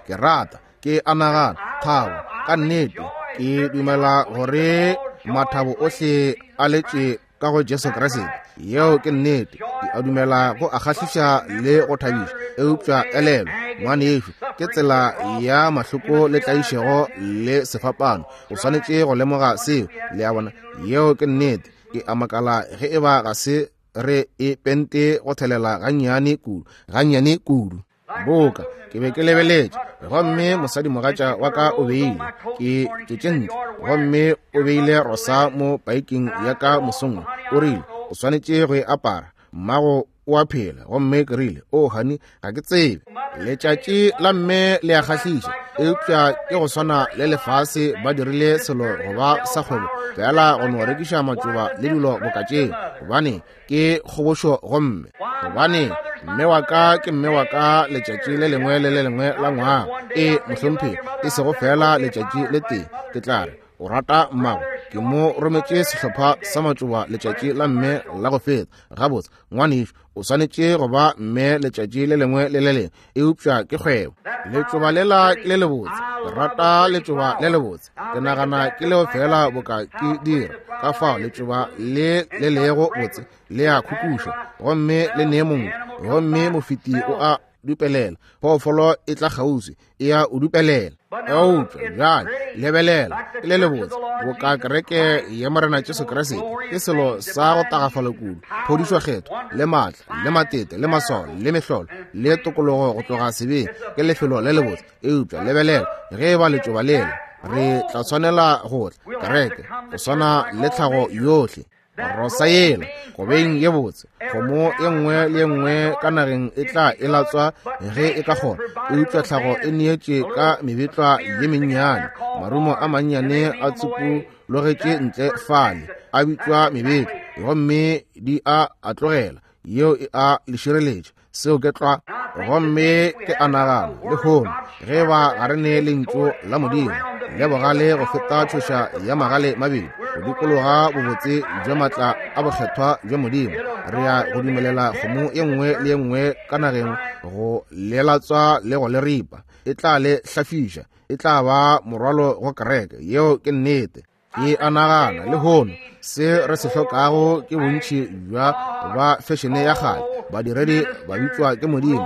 Ke rata, ke a nagana, thabo, ka nnete, ke dumela gore mathabo ohle a letše ka go Jesu Kriste. Yeo ke nnete. Ke a dumela go a kgahliša le go thabiša, eupša elelwa, ngwanešu, ke tsela ya mahloko le tlaišego le sefapano. O swanetše go lemoga seo, le a bona. Yeo ke nnete. Ke a makala ge e ba ga se re e pente go thelela gannyane kudu, gannyane kudu. Boka ke be ke lebeletše, gomme mosadimogatša wa ka o beile, ke tšwetše ntle, gomme o beile rosa mo paiking ya ka mosong, o rile, o swanetše go e apara, mmago o a phela. Gomme ke rile, o honey, ga ke tsebe. Letšatši la mme le a kgahliša, eupša ke go swana le lefase, ba dirile selo go ba sa kgwebo fela go no rekiša matšoba le dilo boka tšeo, gobane ke kgobošo gomme gobane mme wa ka ke mme wa ka letšatši le lengwe le le lengwe la ngwaga. E mohlomphegi, e sego fela letšatši le tee. Ke tla re o rata mmago, ke mo rometše sehlopha sa matšoba letšatši la mme la go feta. Gabotse, ngwanešu, o swanetše go ba mme letšatši le lengwe le le lengwe, eupša ke kgwebo. Letšoba lela ke le lebotse, ke rata letšoba le lebotse, ke nagana ke leo fela boka ke dira. Ka fao letšoba le le lego botse le a khukuša, gomme le nee mongwe, gomme mofeti o a dupelela, phoofolo e tla kgauswi e a o dupelela. Eupša bjale lebelela, ke le lebotse boka kereke ya Morena Jesu Kriste, ke selo sa go tagafala kudu, phodišo kgetho le maatla le matete le maswao le mehlolo le tokologo go tloga sebeng, ke lefelo le lebotse. Eupša lebelela, ge e ba letšoba lela, re tla tshwanela go tla kereke go swana le tlhago yohle. Rosa yela go beng ye botse, kgomo ye nngwe le ye nngwe ka nageng e tla e latswa ge e ka kgona, eupša tlhago e neetše ka mebetlwa ye mennyane, marumo a mannyane a tsupologetše ntle fale, a bitšwa mebetlwa, gomme di a a tlogela, yeo e a le šireletša. Seo ke tlwa. Gomme ke a nagana lehono, ge ba ga re ne lentšu la Modimo le bogale go feta tšhoša ya magale mabedi, go dikologa bobotse bja maatla a bokgethwa bja Modimo, re ya go dumelela kgomo ye nngwe le ye nngwe ka nageng go le latswa le go le ripa, e tla le hlafiša, e tla ba morwalo go kereke. Yeo ke nnete. Ke a nagana lehono se re se hlokago ke bontši bja ba fešene ya kgale, badiredi ba bitšwa ke Modimo,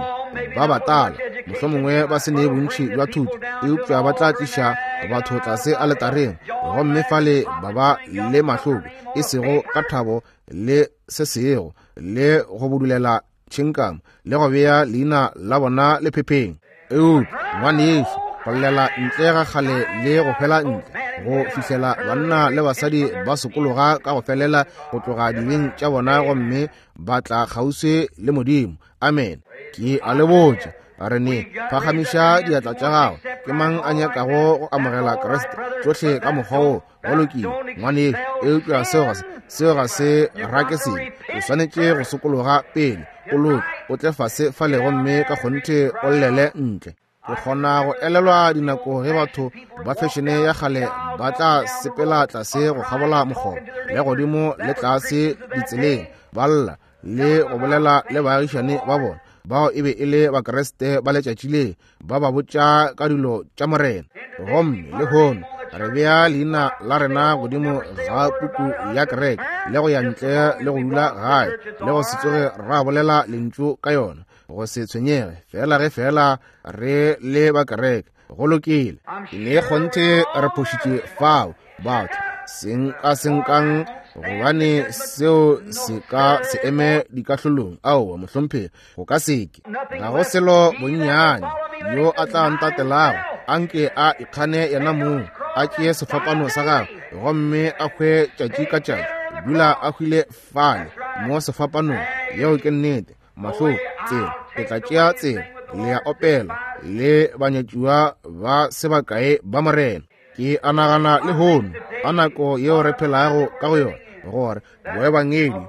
ba batala, mohlomongwe ba se ne bontši bja thuto, eupša ba tla tliša batho tlase aletareng, gomme fale ba ba le mahloko, e sego ka thabo le se sego, le go budulela tšhinkamo le go bea leina la bona lephepheng. Eupša ngwanešu, go llela ntle ga kgale le go hwela ntle, go fihlela banna le basadi ba sokologa ka go felela go tloga dibeng tša bona gomme ba tla kgauswi le Modimo. Amen. Ke a le botša, re ne phagamiša diatla tša gago. Ke mang a nyakago go amogela Kriste tšohle ka mokgwa wo? Go lokile, ngwanešu, eupša seo ga se, seo ga se rake sebe. O swanetše go sokologa pele, o loke, o tle fase fale gomme ka kgonthe o llele ntle. Ke kgona go elelwa dinako ge batho ba fešene ya kgale ba tla sepela tlase go kgabola mokgobo, le godimo le tlase ditseleng, ba lla le go bolela le baagišane ba bona, bao e be e le Bakriste ba letšatši le, ba ba botša ka dilo tša Morena. Gomme lehono re bea leina la rena godimo ga puku ya kereke, le go ya ntle le go dula gae, le go se tsoge ra bolela lentšu ka yona, go se tshwenyege, fela ge fela re le ba kereke. Go lokile. Ke ne kgonthe re phošitše fao, batho seng ka senkang, gobane seo se ka se eme dikahlolong. Aowa, mohlomphegi, go ka seke. Ga go selo bonnyane yo a tla ntatelago, anke a ikgane yena mong, a tšee sefapano sa gagwe, gomme a hwe tšatši ka tšatši. Dula a hwile fale mo sefapanong. Yeo ke nnete. Mahloko, tsela, ke tla tšea tsela. Le a opela le banyatšiwa ba se bakae ba Morena. Ke a nagana lehono, a nako yeo re phelago ka go yona, gore boebangedi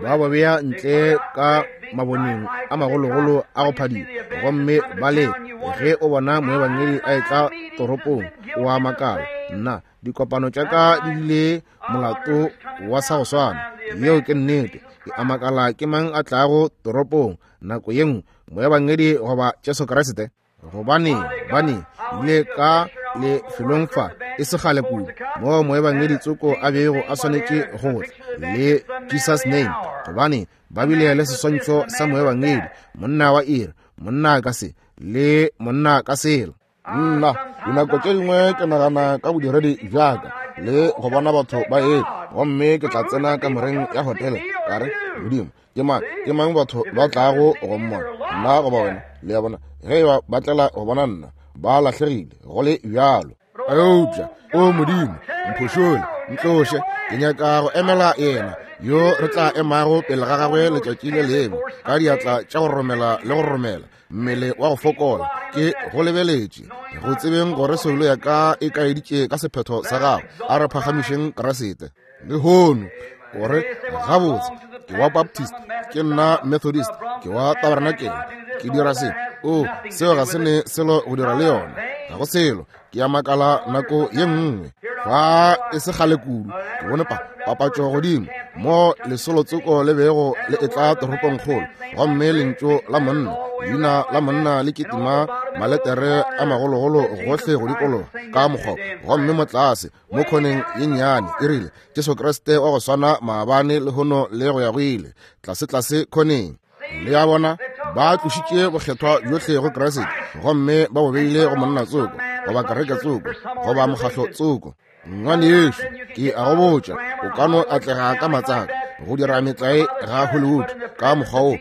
ba ba bea ntle ka maboneng a magologolo a go phadima, gomme ba le ge o bona moebangedi a etla toropong, o a makala, nna dikopano tša ka di bile molato wa sa go swana. Yeo ke nnete. Ke a makala ke mang a tlago toropong nako ye nngwe, moebangedi goba Jesu Kriste? Gobane bane ile ka lefelong fa e se kgale kudu, moo moebangedi tsoko a bego a swanetše go tla le Jesus name, gobane ba bile le seswantšho sa moebangedi, monna wa iri, monna ka se le monna ka sela. Nna dinako tše dingwe ke nagana ka bodiredi bjaka le go bona batho ba etla, gomme ke tla tsena kamoreng ya hotele ka re, Modimo, ke mang, ke mang batho ba tlago go mmona, nna goba wena? Le a bona, ge eba ba tlela go bona nna, ba lahlegile go le bjalo. Eupša, o Modimo, mphošole, ntloše, ke nyaka go emela yena yo re tla emago pele ga gagwe letšatši le lengwe, ka diatla tša go romela le go romela, mmele wa go fokola. Ke go lebeletše, go tsebeng gore soulo ya ka e kaeditše ka sephetho sa gago. A re phagamišeng Kriste lehono. O re, gabotse, ke wa Baptist, ke nna Methodist, ke wa Tabernacle, ke dira se. O, seo ga se ne selo go dira le yona. Ga go selo. Ke a makala nako ye nngwe, fa e se kgale kudu, ke bone papatšo godimo mo lesolo tsoko le bego le etla toropongkgolo, gomme lentšu la monna, leina la monna le kitima maletere a magologolo gohle go dikologa ka mokgwa, gomme mo tlase mo khoneng ye nnyane e rile, Jesu Kriste wa go swana maabane, lehono le go ya go ile, tlase-tlase khoneng. Le a bona, ba tlošitše bokgethwa bjohle go Kriste gomme ba bo beile go monna tsoko, goba kereke tsoko, goba mokgahlo tsoko. Ngwanešu, ke a go botša, o ka no atlega ka matsaka go dira metlae ga Hollywood ka mokgwa wo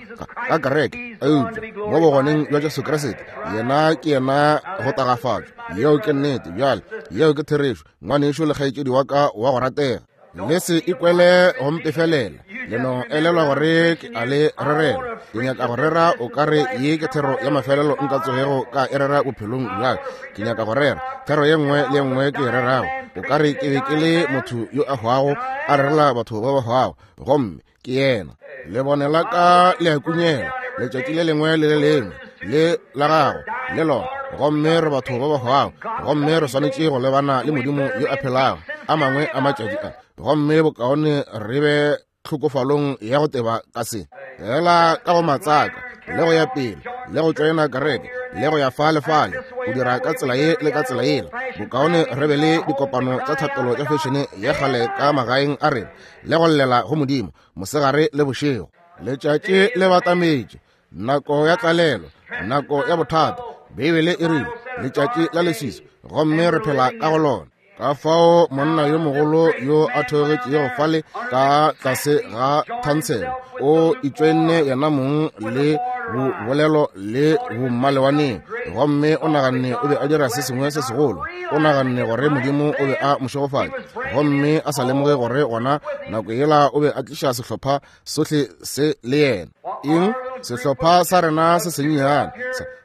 ka kereke, eupša mo bogoneng bja Jesu Kriste, yena ke yena go tagafatšwa. Yeo ke nnete. Bjale, yeo ke therešo, ngwanešu le kgaetšedi wa ka wa go ratega. Le se ikwele go mpefelela, le no elelwa gore ke a le rerela. Ke nyaka go rera o ka re ye ke thero ya mafelelo nka tsogego ka e rera bophelong bja ka. Ke nyaka go rera thero ye nngwe le ye nngwe ke e rerago, o ka re ke be ke le motho yo a hwago a rerela batho ba ba hwago, gomme ke yena. Lebone la ka le a kunyela letšatši le lengwe le le lengwe, le la gago le lona, gomme re batho ba ba hwago, gomme re swanetše go lebana le Modimo yo a phelago a mangwe a matšatši a, gomme bokaone re be tlhokofalong ya go teba ka se fela ka go matsaka le go ya pele le go tšoena kereke le go ya fa le fale go dira ka tsela ye le ka tsela yela. Bokaone re be le dikopano tša thapelo tša fešene ya kgale ka magaeng a rena le go llela go Modimo mosegare le bošego. Letšatši le batametše, nako ya tlalelo, nako ya bothata. Beibele e rile letšatši la leswiswi, gomme re phela ka go lona. Ka fao monna yo mogolo yo a theogetšego fale ka tlase ga thansele o itšoenne yena mong le bobolelo le bommalewaneng, gomme o naganne o be a dira se sengwe se segolo. O naganne gore Modimo o be a mo šegofatša, gomme a sa lemoge gore gona nako yela o be a tliša sehlopha sohle se le yena. Eng? Sehlopha sa rena se sennyane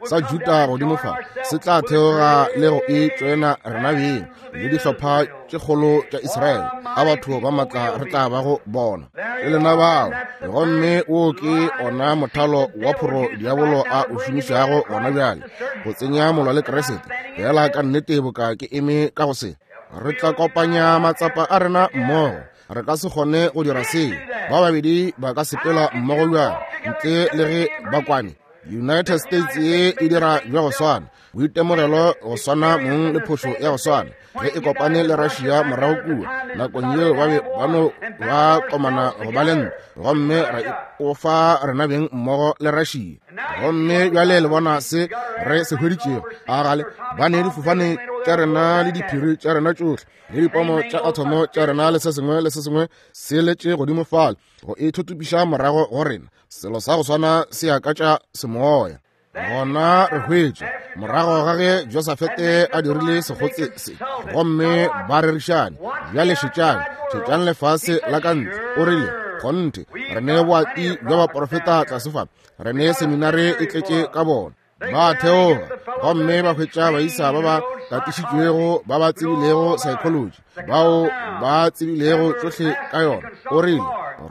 sa Juda godimo fa se tla theoga le go e tšoena rena beng le dihlopha tše kgolo tša Israele. A batho ba matla re tla ba go bona. Ke lena bao. Gomme wo ke ona mothalo wa phoro diabolo a o šomišago gona bjale go tsenya molwa le Kriste. Fela ka nnete boka ke eme ka go se. Re tla kopanya matsapa a rena mmogo. Re ka se kgone go dira seo. Ba babedi ba ka sepela mmogo bjang ntle le ge ba kwane? United States ye e dira bja go swana, boitemogelo go swana mong le phošo ya go swana ge e kopane le Russia morago kua nakong yeo ba be ba no ba komana go ba le ntwa, gomme ra ikofa rena beng mmogo le Russia. Gomme bjale le bona se re se hweditšego. A gale ba ne difofane tša rena le diphiri tša rena tšohle le dipomo tša athomo tša rena le se sengwe le se sengwe se letše godimo fale go e thuthupiša morago go rena. Selo sa go swana se ya ka tša semoya. Gona re hwetše morago ga ge Josafete a dirile sekgotse se, gomme ba rerišane. Bjale šetšang, šetšang lefase la ka ntle. O rile, kgonthe, re ne boati bja baprofeta tlase fa, re ne seminare e tletše ka bona. Ba theoga gomme ba hwetša baisa ba ba katišitšwego, ba ba tsebilego psychology, bao ba tsebilego tšohle ka yona. O rile,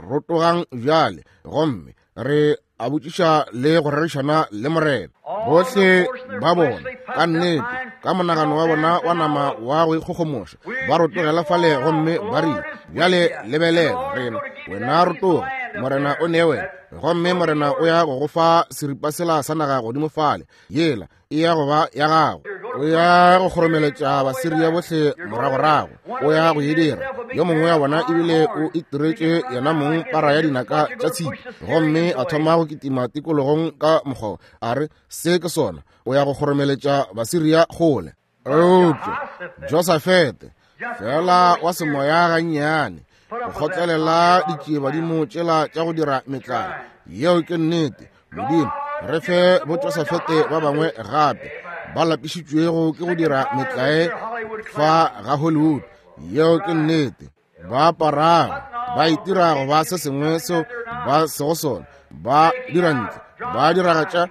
rotogang bjale, gomme re a botšiša le go rerišana le Morena. Bohle ba bona ka nnete ka monagano wa bona wa nama wa go ikgogomoša ba rotogela fale gomme ba rile, bjale lebelela rena, wena rotoga, Morena o ne wena, gomme Morena o ya go go fa seripa sela sa naga godimo fale, yela e ya go ba ya gago. O ya go kgoromeletša Basiria bohle moragorago, o ya go e dira. Yo mongwe wa bona ebile o itiretše yena mong para ya dinaka tša tshipi, gomme a thoma go kitima tikologong ka mokgwa, a re, se ke sona, o ya go kgoromeletša Basiria kgole. Eupša Josafete, fela wa semoya gannyane, go kgotlelela ditšiebadimo tšela tša go dira metlae. Yeo ke nnete. Modimo, re fe boJosafete ba bangwe gape ba lapišitšwego ke go dira metlae fa ga Hollywood. Yeo ke nnete. Ba aparago, ba itira go ba se sengwe seo ba sego sona, ba dira ntle, ba diragatša,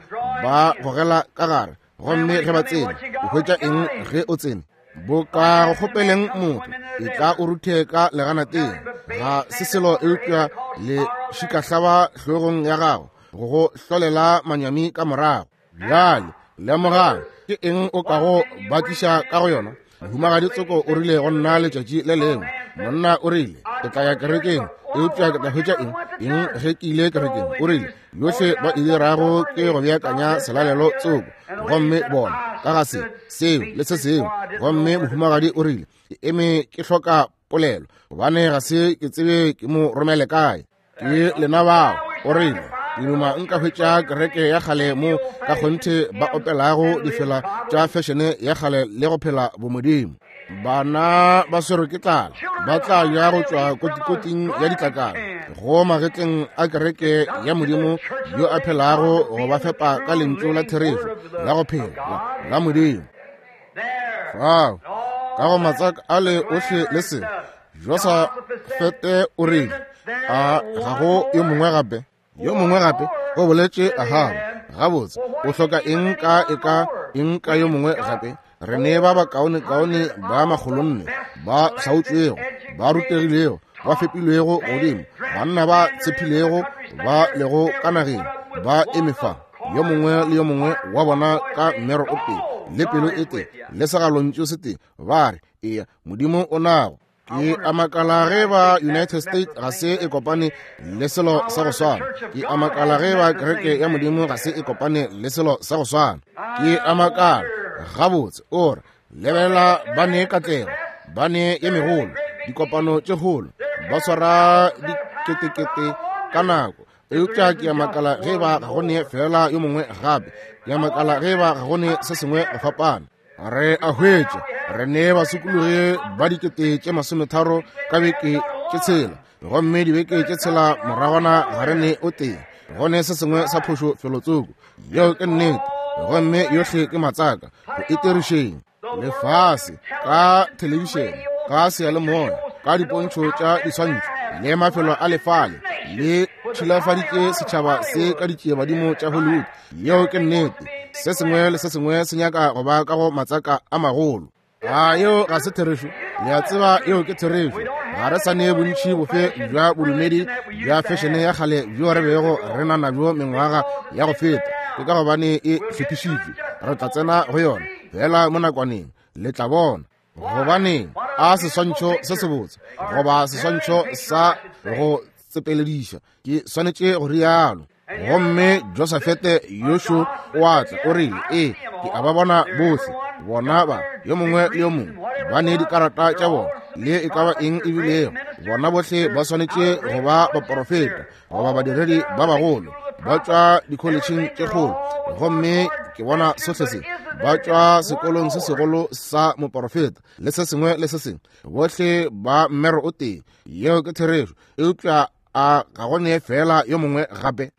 ba gogela ka gare. Gomme ge ba tsene, o hwetša eng ge o tsene? Boka go kgopeleng motho, e tla o ruthe ka leganateng. Ga se selo eupša le šikahlaba hlogong ya gago go go hlolela manyami ka morago. Bjale lemogang, ke eng o kago ba tliša ka go yona? Mohumagadi Tsoko o rile go nna letšatši le lengwe, monna o rile, ke tla ya kerekeng, eupša ke tla hwetša eng? Eng ge ke ile kerekeng? O rile, yohle ba e dirago ke go beakanya selalelo tsoko, gomme bona ka ga se, seo le se sengwe. Gomme mohumagadi o rile, ke eme ke hloka polelo, gobane ga se ke tsebe ke mo romele kae. Ke lena bao. O rile, ke duma nka hwetša kereke ya kgale mo ka kgonthe ba opelago difela tša fešene ya kgale le go phela bomodimo. Bana ba swerwe ke tlala, ba tla ja go tšwa kotikoting ya ditlakala go magetleng a kereke ya Modimo yo a phelago go ba fepa ka lentšu la therešo la go phela la Modimo. Fao ka go matsaka a le ohle le se, Josafete o rile, a ga go yo mongwe gape? Yo mongwe gape o boletše Ahaba. Gabotse, o hloka eng ka e ka eng ka yo mongwe gape? Re ne ba bakaonekaone ba makgolonne ba hlaotšwego, ba rutegilego, ba fepilwego godimo, banna ba tshephilego ba lego ka nageng, ba eme fa, yo mongwe le yo mongwe wa bona ka mmero o tee le pelo e tee le segalontšu se tee, ba re, eya, Modimo o nago. Ke a makala ge ba United States ga se e kopane le selo sa go swana. Ke a makala ge ba kereke ya Modimo ga se e kopane le selo sa go swana. Ke a makala. Gabotse, o re, lebelela, ba ne katlego, ba ne ye megolo, dikopano tše kgolo, ba swara diketekete ka nako. Eupša ke a makala ge ba ga go ne fela yo mongwe gape. Ke a makala ge ba ga go ne se sengwe go fapana. Re a hwetša re ne basokologi ba 30,000 ka beke tše tshela, gomme dibeke tše tshela moragwana ga re ne o tee. Go ne se sengwe sa phošo felotsoko. Yeo ke nnete. Gomme yohle ke matsaka go itirišeng lefase ka thelebišene, ka seyalemoya, ka dipontšho tša diswantšho le mafelo a lefale le tšhilafaditše setšhaba se ka ditšiebadimo tša Hollywood. Yeo ke nnete. Se sengwe le se sengwe se nyaka go ba ka go matsaka a magolo. A yeo ga se therešo? Le a tseba yeo ke therešo. Ga re sa ne bontši bofe bja bodumedi bja fešene ya kgale bjo re bego re na nabjo mengwaga ya go feta. Ke ka gobane e hlophišitšwe. Re tla tsena go yona fela mo nakwaneng, le tla bona. Gobaneng, a seswantšho se sebotse, goba seswantšho sa go tsepelediša, ke swanetše go rialo. Gomme Josafete Yoshu o a tla, o rile, Ee, ke a ba bona bohle, bona ba, yo mongwe le yo mongwe, ba ne dikarata tša bona, le e ka ba eng e bilego. Bona bohle ba swanetše go ba baporofeta goba badiredi ba bagolo, ba tšwa dikholetšheng tše kgolo, gomme ke bona sohle se, ba tšwa sekolong se segolo sa moporofeta, le se sengwe le se sengwe, bohle ba mmero o tee. Yeo ke therešo. Eupša a ga go ne fela yo mongwe gape?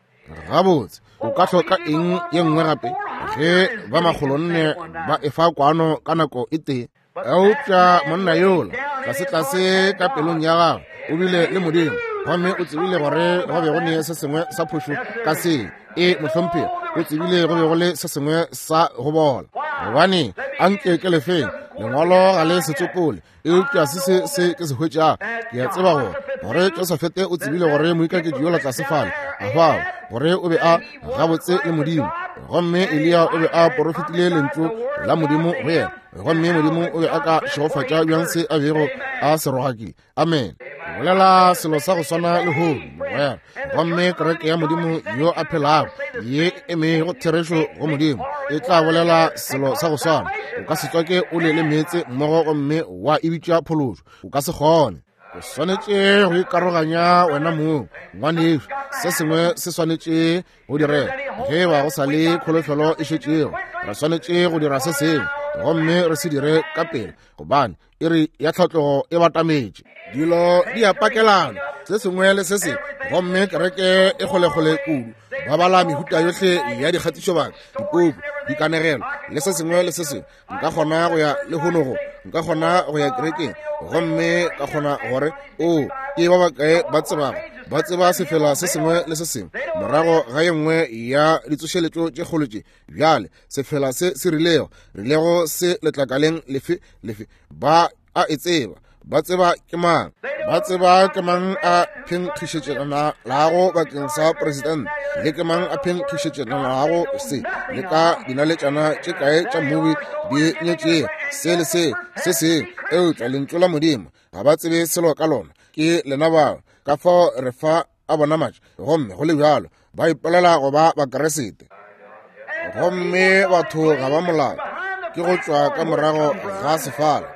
Gabotse, o ka hloka eng ye nngwe gape ge ba makgolonne ba efa kwano ka nako e tee? Eupša monna yola tlasetlase ka pelong ya gagwe o bile le Modimo, gomme o tsebile gore go be go ne se sengwe sa phošo ka se. E, mohlomphegi, o tsebile go be go le se sengwe sa go bola. Gobane a nke ke lefeng, lengwalo ga le se tsopole, eupša se se se ke se hwetšago, ke a tseba gore gore Josafete o tsebile gore moikaketši yola tlase fale a hwago, gore o be a gabotse le Modimo, gomme Eliya o be a porofetile lentšu la Modimo go yena, gomme Modimo o be a ka šegofatša bjang se a bego a se rogakile. Amen. Bolela selo sa go swana lehono, mogwera. Gomme kereke ya Modimo yo a phelago ye e emego therešo go Modimo e tla bolela selo sa go swana. O ka se tswake ole le meetse mmogo gomme wa e bitša phološo. O ka se kgone. O swanetše go ikaroganya wena mong, ngwanešu. Se sengwe se swanetše go direga. Ge e ba go sa le kholofelo e šetšego, re swanetše go dira se sengwe, gomme re se dire ka pela, gobane iri ya tlhatlogo e batametše. Dilo di a pakelana, se sengwe le se sengwe, gomme kereke e kgolekgole kudu. Ba bala mehuta yohle ya dikgatišobaka, dipuku, dikanegelo, le se sengwe le se sengwe. Nka kgona go ya lehono go, nka kgona go ya kerekeng gomme ka kgona gore, o, ke ba bakae ba tsebago, ba tseba sefela se sengwe le se sengwe morago ga ye nngwe ya ditsošeletšo tše kgolo tše. Bjale sefela se se rilego, rilego se letlakaleng lefe lefe, ba a e tseba. Ba tseba ke mang, ba tseba ke mang a phenkgišetšelanago bakeng sa presidente, le ke mang a phenkgišetšelanago se, le ka dinaletšana tše kae tša mmubi di nyetšego, se le se, se sengwe. Eupša lentšu la Modimo ga ba tsebe selo ka lona. Ke lena bao. Ka fao re fa a bona matša, gomme go le bjalo ba ipolela go ba Bakeresete. Gomme batho ga ba molao, ke go tšwa ka morago ga sefala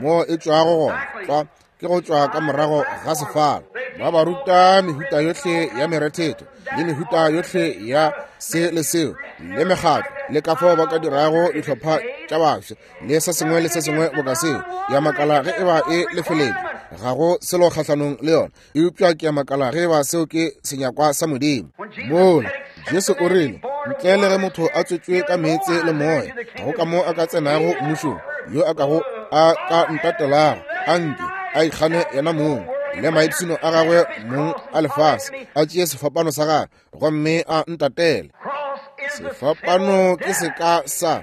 mo e tšwago gona, tlwa ke go tšwa ka morago ga sefala. Ba ba ruta mehuta yohle ya merethetho le mehuta yohle ya se le seo le mekgatlo, le ka fao ba ka dirago dihlopha tša bafsa le se sengwe le se sengwe boka seo. Ya makala ge e ba e lefeletšwe, ga go selo kgahlanong le yona. Eupša ke a makala ge eba seo ke senyakwa sa Modimo. Mola, Jesu o rile, ntle le ge motho a tswetšwe ka meetse le moya, ga go ka mo a ka tsenago mmušong. Yo a kago a ka ntatelago, a nke a ikgane yena mong le maipshino a gagwe mong a lefase, a tšee sefapano sa gagwe gomme a ntatele. Sefapano ke seka sa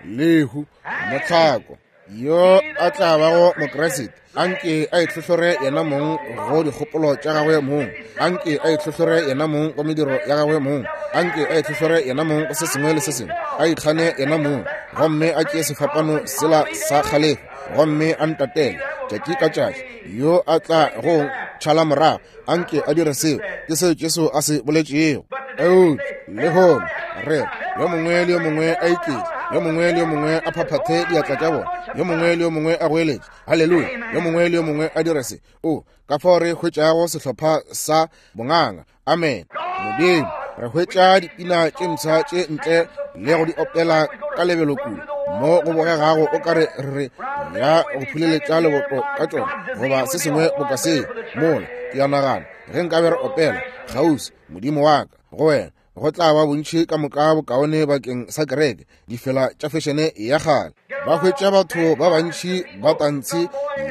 lehu, mohlako. Yo a tla bago Mokriste, anke a itlhohlore yena mong go dikgopolo tša gagwe mong, anke a itlhohlore yena mong go mediro ya gagwe mong, anke a itlhohlore yena mong go se sengwe le se sengwe, a ikgane yena mong, gomme a tšee sefapano sela sa kgalefo, gomme a ntatele tšatši ka tšatši. Yo a tla go tšhala morago, anke a dire seo. Ke seo Jesu a se boletšego. Eupša lehono re yo mongwe le yo mongwe a iketše, yo mongwe le yo mongwe a phaphathe diatla tša bona, yo mongwe le yo mongwe a goeletše haleluya, yo mongwe le yo mongwe a dire se. O, ka fao re hwetšago sehlopha sa bonganga. Amen. Modimo, re hwetša dipina tše mpsha tše ntle le go di opela ka lebelo kudu mo go bogegago o ka re re ya go phuleletša leboto ka tšona goba se sengwe boka seo. Mola ke a nagana ge nkabe re opela kgauswi, Modimo wa ka, go wena. Go tla ba bontši ka moka bokaone bakeng sa kereke, difela tša fešene ya kgale. Ba hwetša batho ba bantši ba tantshi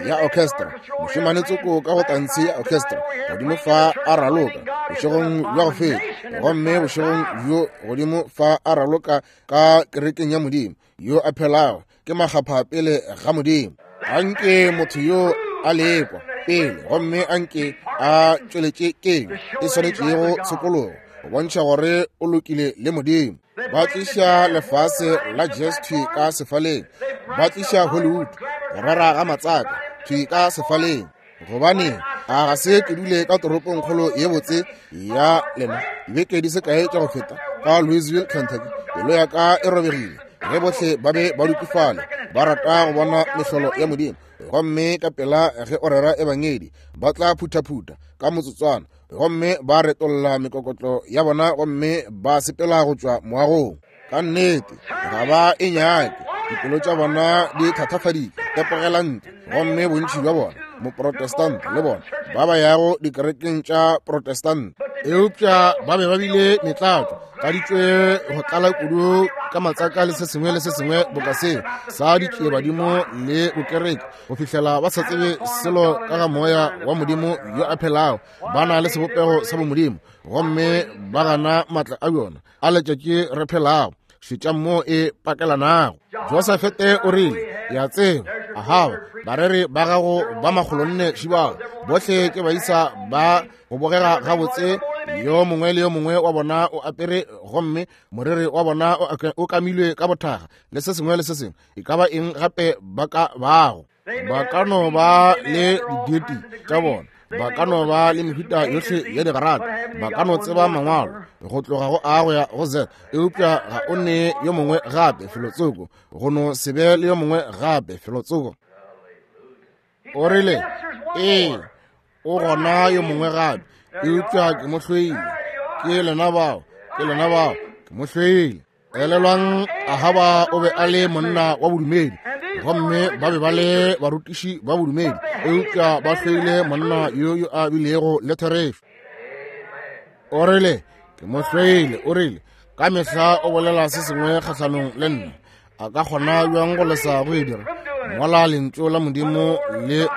ya orchestra, mošemane tsoko ka go tantshi ya orchestra godimo fa a raloka bošegong bja go feta, gomme bošegong bjo godimo fa a raloka ka kerekeng ya Modimo yo a phelago, ke makgapha pele ga Modimo. Anke motho yo a lekwa pele, gomme anke a tšweletše keng e swanetšego tshokologo go bontšha gore o lokile le Modimo. Ba tliša lefase la jazz thwi ka sefaleng, ba tliša Hollywood go rera ga matsaka thwi ka sefaleng. Gobane a ga se ke dule ka toropongkgolo ye botse ya lena dibeke di se kae tša go feta ka Louisville, Kentucky, pelo ya ka e robegile ge bohle ba be ba dutše fale ba rata go bona mehlolo ya Modimo. Gomme ka pela ge o rera ebangedi, ba tla phuthaphutha ka motsotswana gomme ba retolla mekokotlo ya bona gomme ba sepela go tšwa moagong. Ka nnete ga ba e nyake, dipelo tša bona di thatafaditšwe, tepogela ntle. Gomme bontši bja bona moprotestant le bona ba ba yago dikerekeng tša protestant, eupša ba be ba bile metlatšo tladitšwe go tlala kudu ka matsaka le se sengwe le se sengwe boka seo sa ditšiebadimo le bokereke, go fihlela ba sa tsebe selo ka ga moya wa Modimo yo a phelago. Ba na le sebopego sa bomodimo gomme ba gana maatla a yona a letšatši re phelago. Šetšang mo e pakelanago. Josafete o rile, ya tseba Ahaba, bareri ba gago ba makgolonne šibao bohle ke baisa ba go bogega gabotse, yo mongwe le yo mongwe wa bona o apere gomme moriri wa bona o kamilwe ka bothaga le se sengwe le se sengwe, e ka ba eng gape ba ka bago. Ba ka no ba le diditi tša bona, ba ka no ba le mehuta yohle ya digarata, ba ka no tseba mangwalo go tloga go A go ya go Z, eupša ga o ne yo mongwe gape felotsoko, go no se be le yo mongwe gape felotsoko. O rile, ee, o gona yo mongwe gape, eupša ke mo hloile. Ke lena bao, ke lena bao, ke mo hloile. Elelwang, Ahaba o be a le monna wa bodumedi, gomme ba be ba le barutiši ba bodumedi, eupša ba hloile monna yo yo a bilego le therešo. O rile, ke mo hloile. O rile, ka mehla o bolela se sengwe kgahlanong le nna. A ka kgona bjang go lesa go e dira mola lentšu la Modimo le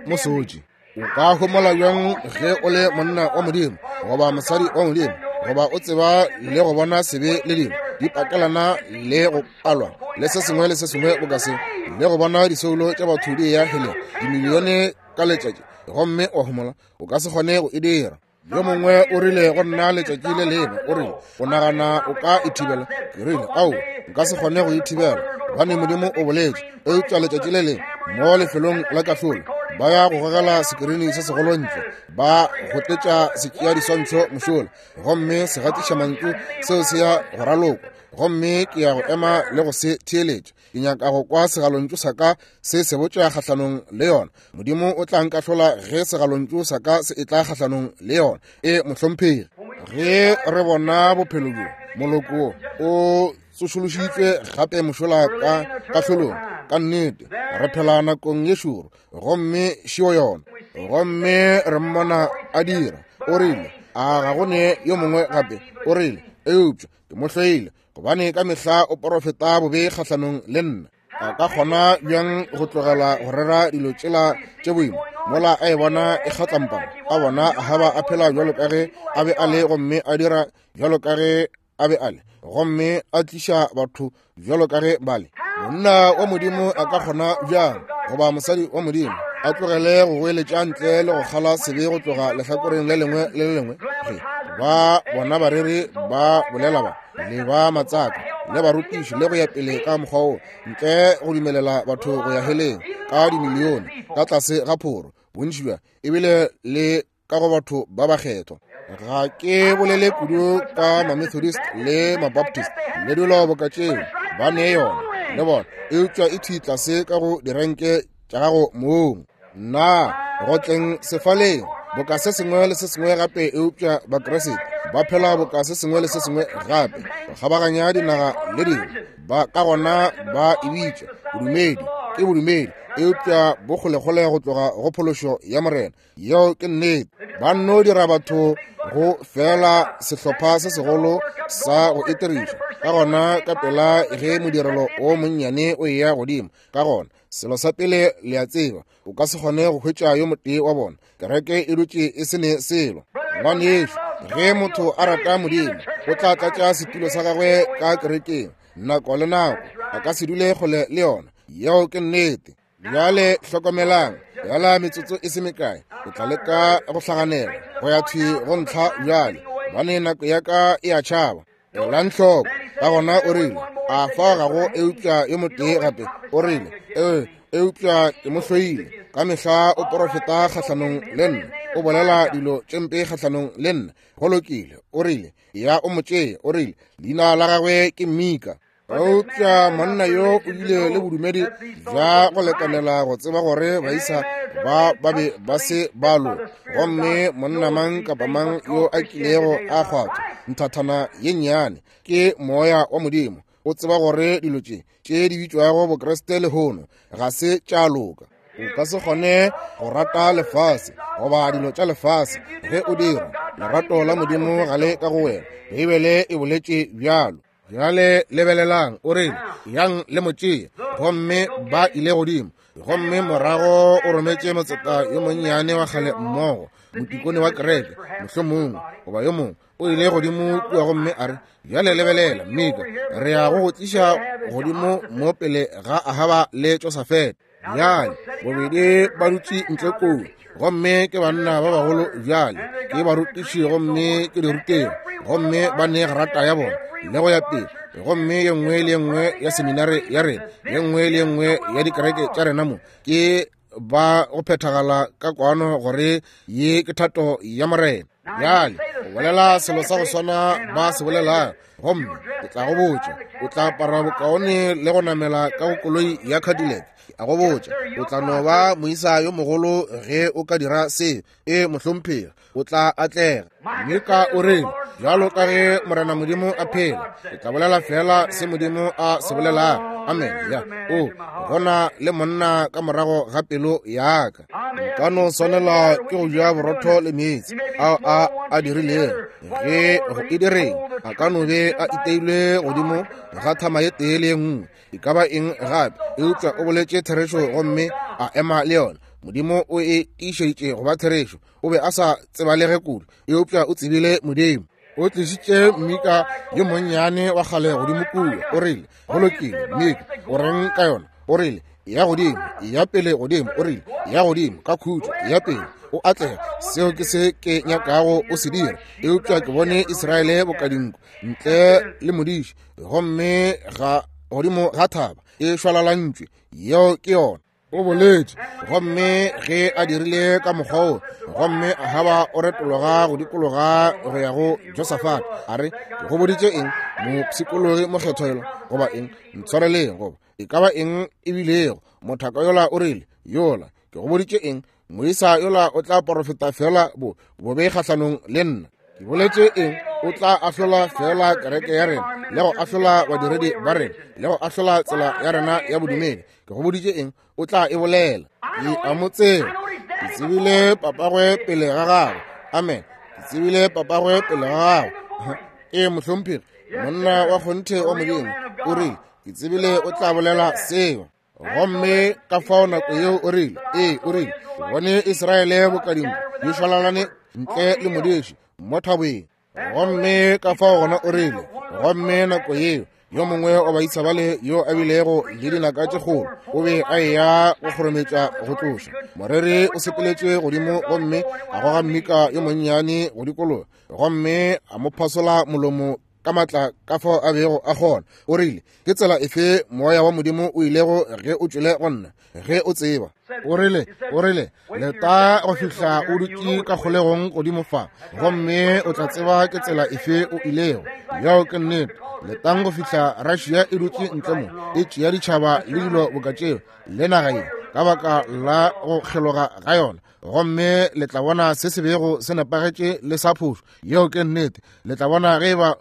mo sotše? O ka homola bjang ge o le monna wa Modimo goba mosadi wa Modimo, goba o tseba le go bona sebe le dilo di pakelana le go palwa le se sengwe le se sengwe boka se, le go bona disoulo tša batho di eya heleng dimilione ka letšatši, gomme wa homola? O ka se kgone go e dira. Yo mongwe o rile go nna letšatši le lengwe, o rile, o nagana o ka e thibela? Ke rile, ao, nka se kgone go e thibela, gobane Modimo o boletše. Eupša letšatši le lengwe mo lefelong la kahlolo, ba ya go gogela sekirini se segolo ntle, ba gotletša setšea diswantšho mošola, gomme segatišamantšu seo se ya go ralokwa, gomme ke ya go ema le go se theeletša. Ke nyaka go kwa segalontšu sa ka se se botša kgahlanong le yona. Modimo o tla nkahlola ge segalontšu sa ka se etla kgahlanong le yona. E, mohlomphegi. Ge re bona bophelo bjo, moloko o tsošološitšwe gape mošola ka kahlolong, ka nnete re phela nakong ye šoro, gomme šeo yona. Gomme re mmona a dira. O rile, a ga go ne yo mongwe gape? O rile, eupša ke mo hloile, gobane ka mehla o porofeta bobe kgahlanong le nna. A ka kgona bjang go tlogela go rera dilo tšela tše boima mola a e bona e kgatlampana, a bona Ahaba a phela bjalo ka ge a be a le, gomme a dira bjalo ka ge a be a le, gomme a tliša batho bjalo ka ge ba le? Monna wa Modimo a ka kgona bjang, goba mosadi wa Modimo, a tlogele go goeletša ntle le go kgala sebe go tloga lehlakoreng le lengwe le le lengwe? Ge ba bona bareri ba bolela ba le ba matsaka le barutiši le go ya pele ka mokgwa wo, ntle go dumelela batho go ya heleng ka dimilione ka tlase ga phoro, bontši bja ebile le ka go batho ba bakgethwa. Ga ke bolele kudu ka Mamethodist le Mabaptist le dilo boka tšeo, ba ne yona le bona, eupša e thwi tlase ka go direnke tša gago mong. Nna go tleng sefaleng boka se sengwe le se sengwe gape, eupša Bakriste ba phela boka se sengwe le se sengwe gape, go kgabaganya dinaga le dingwe, ba ka gona ba e bitša bodumedi. Ke bodumedi, eupša bo kgolekgole go tloga go phološo ya Morena. Yeo ke nnete. Ba nno dira batho Go fela sehlopha se segolo sa go itiriša. Ka gona ka pela ge modirelo o monnyane o eya godimo, ka gona selo sa pele le a tseba, o ka se kgone go hwetša yo motee wa bona. Kereke e dutše e se ne selo. Ngwanešu, ge motho a rata Modimo, o tla tlatša setulo sa gagwe ka kerekeng nako le nako, a ka se dule kgole le yona. Yeo ke nnete. Bjale hlokomelang, bjala metsotso e se mekae, ke tla leka go hlaganela go ya thwi go ntlha bjale, gobane nako ya ka e a tšhaba. Elang hloko. Ka gona o rile, a fa ga go eupša yo motee gape. O rile, ee, eupša ke mo hloile. Ka mehla o porofeta kgahlanong le nna, o bolela dilo tše mpe kgahlanong le nna. Go lokile, o rile, ya o mo tšee. O rile, leina la gagwe ke Mika. Eupša monna yo o bile le bodumedi bja go lekanela go tseba gore baisa ba ba be ba se ba loka. Gomme monna mang kapa mang yo a kilego a kgwathwa nthathana ye nnyane ke moya wa Modimo, o tseba gore dilo tše tše di bitšwago Bokriste lehono ga se tša loka. O ka se kgone go rata lefase goba dilo tša lefase. Ge o dira, lerato la Modimo ga le ka go wena. Beibele e boletše bjalo. Bjale lebelelang, o rile, yang le mo tšee. Gomme ba ile godimo. Gomme morago o rometše motseta yo monnyane wa kgale mmogo, motikone wa kereke, mohlomongwe, goba yo mongwe. O ile godimo kua gomme a re, bjale lebelela, Mika, re ya go go tliša godimo mo pele ga Ahaba le Josafete. Bjale, bobedi ba dutše ntle koo, gomme ke banna ba bagolo bjale, ke barutiši gomme ke dirutegi, gomme ba ne grata ya bona le go ya pele, gomme ye nngwe le ye nngwe ya seminare ya rena, ye nngwe le ye nngwe ya dikereke tša rena mo, ke ba go phethagala ka kwano gore ye ke thato ya Morena. Bjale o bolela selo sa go swana ba se bolelago, gomme ke tla go botša, o tla apara bokaone le go namela ka go koloi ya Cadillac. Ke a go botša, o tla no ba moisa yo mogolo ge o ka dira seo. E, mohlomphegi, o tla atlega. Mika o rile, bjalo ka ge Morena Modimo a phela, ke tla bolela fela se Modimo a se bolelago. Amen. Ya, o gona le monna ka morago ga pelo ya ka. Nka no swanela ke go ja borotho le meetse ao a a dirilego. Ge go e direng, a ka no be a iteilwe godimo ga thama ye tee le ye nngwe, e ka ba eng gape, eupša o boletše therešo gomme a ema le yona. Modimo o e tiišeditše go ba therešo. O be a sa tsebalege kudu, eupša o tsebile Modimo. O tlišitše Mika yo monnyane wa kgale godimo kua. O rile, go lokile, Mika, o reng ka yona? O rile, ya godimo, ya pele godimo. O rile, ya godimo ka khutšo, ya pele o atlega. Seo ke se ke nyakago o se dira. Eupša ke bone Israele boka dinku ntle le modiši, gomme ga godimo ga thaba e šwalalantšwe. Yeo ke yona. O boletše, gomme ge a dirile ka mokgwa wo, gomme Ahaba o retologa go dikologa go ya go Josafat, a re, ke go boditše eng, mopshikologi mokgethwa yola, goba eng, ntshwareleng, goba e ka ba eng e bilego, mothaka yola o rile, yola, ke go boditše eng, moisa yola o tla porofeta fela bo bobe kgahlanong le nna. Ke boletše eng, o tla ahlola fela kereke ya rena, le go ahlola badiredi ba rena, le go ahlola tsela ya rena ya bodumedi. Ke go boditše eng, o tla e bolela. Ke a mo tseba, ke tsebile papagwe pele ga gagwe. Amen. Ke tsebile papagwe pele ga gagwe. Ee, mohlomphegi, monna wa kgonthe wa Modimo, o rile, ke tsebile o tla bolela seo. Gomme ka fao nako yeo o rile, ee, o rile, ke bone Israele bokadimo di šwalalane ntle le modiši mo thabeng. Gomme ka fao gona o rile, gomme nako yeo yo mongwe wa baisa bale yo a bilego le dinaka tše kgolo o be a eya go kgorometša go tloša moreri, o sepeletše godimo gomme a goga Mika yo monnyane go dikologa gomme a mo phasola molomo ka matla ka fao a bego a kgona. O rile, ke tsela efe moya wa Modimo o ilego ge o tšwele go nna, ge o tseba? O rile, o rile, leta go fihla o dutše ka kgolegong godimo fa, gomme o tla tseba ke tsela efe o ilego. Yeo ke nnete. Letang go fihla Russia e dutše ntle mo, e tšea ditšhaba le dilo boka tšeo, le naga ye, ka baka la go kgeloga ga yona, gomme le tla bona se se bego se nepagetše le sa phošo. Yeo ke nnete. Le tla bona ge eba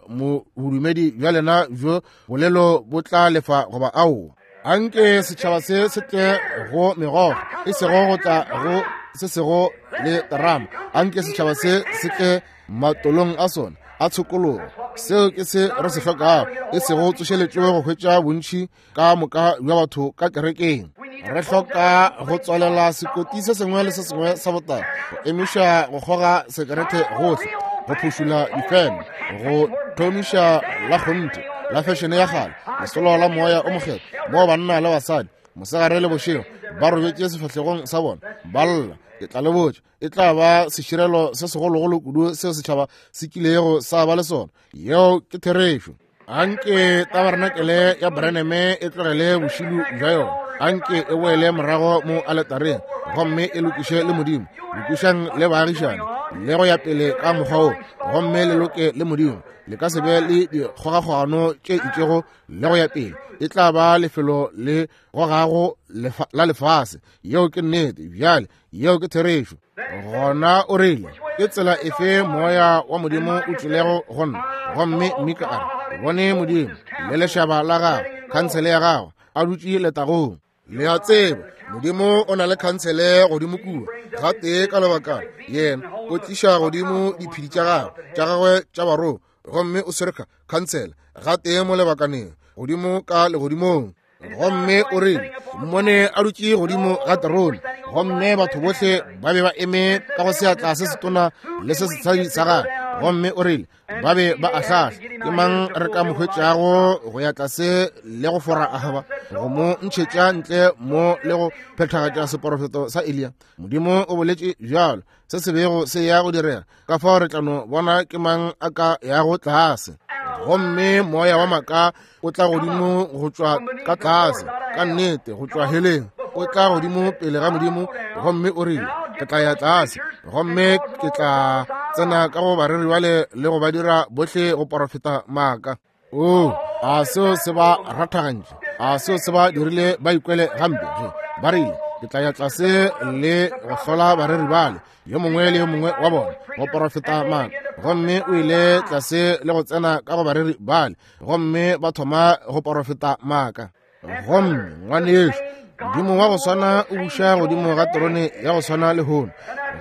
bodumedi bja lena bjo bolelo bo tla lefa goba aowa. Anke setšhaba se se tle go megogo, e sego go tla go se sego le terama. Anke setšhaba se se tle matolong a sona a tshokologo. Seo ke se re se hlokago, e sego tsošeletšo go hwetša bontši ka moka bja batho ka kerekeng. Re hloka go tswalela sekoti se sengwe le se sengwe sa botala, go emiša go kgoga sekerete gohle, go phušula difeme, go thomiša la kgonthe la fešene ya kgale, lesolo la moya o mokgethwa, moo banna le basadi mosegare le bošego ba robetše sefahlegong sa bona ba lla. Ke tla le botša, e tla ba seširelo se segologolo kudu seo setšhaba se kilego sa ba le sona. Yeo ke therešo. Anke tabarenakele ya Branham e tlogele bošilu bja yona. Anke e boele morago mo aletareng gomme e lokiše le Modimo. Lokišang le baagišane le go ya pele ka mokgwa wo, gomme le loke le Modimo. Le ka se be le dikgogakgogano tše itšego le go ya pele. E tla ba lefelo le gogago la lefase. Yeo ke nnete. Bjale, yeo ke therešo. Gona o rile, ke tsela efe moya wa Modimo o tšwelego go nna? Gomme Mika a re, bone Modimo le lešaba la gagwe, khansele ya gagwe, a dutše letagong. Le a tseba, Modimo o na le khansele godimo kua, gatee ka lebakana. Yena o tliša godimo diphedi tša gagwe, tša gagwe tša barongwa, gomme o swere khansele gatee mo lebakaneng, godimo ka legodimong. Gomme o rile, mmone a dutše godimo ga terone, gomme batho bohle ba be ba eme ka go seatla se setona le se setshadi sa gagwe. Gomme o rile, ba be ba ahlahla, ke mang re ka mo hwetšago go ya tlase le go fora Ahaba, go mo ntšhetša ntle mo le go phethagatša seporofeto sa Eliya? Modimo o boletše bjalo, se se bego se ya go direga. Ka fao re tla no bona ke mang a ka yago tlase. Gomme moya wa maaka o tla godimo go tšwa ka tlase, ka nnete go tšwa heleng, o tla godimo pele ga Modimo, gomme o rile, ke tla ya tlase gomme ke tla tsena ka go bareri bale le go ba dira bohle go porofeta maaka. O, a seo se ba rathagantše, a seo se ba dirile ba ikwele gampe ge ba rile, ke tla ya tlase le go hlola bareri bale, yo mongwe le yo mongwe wa bona go porofeta maaka. Gomme o ile tlase le go tsena ka go bareri bale, gomme ba thoma go porofeta maaka. Gomme ngwanešu, Modimo wa go swana o buša godimo ga terone ya go swana lehono,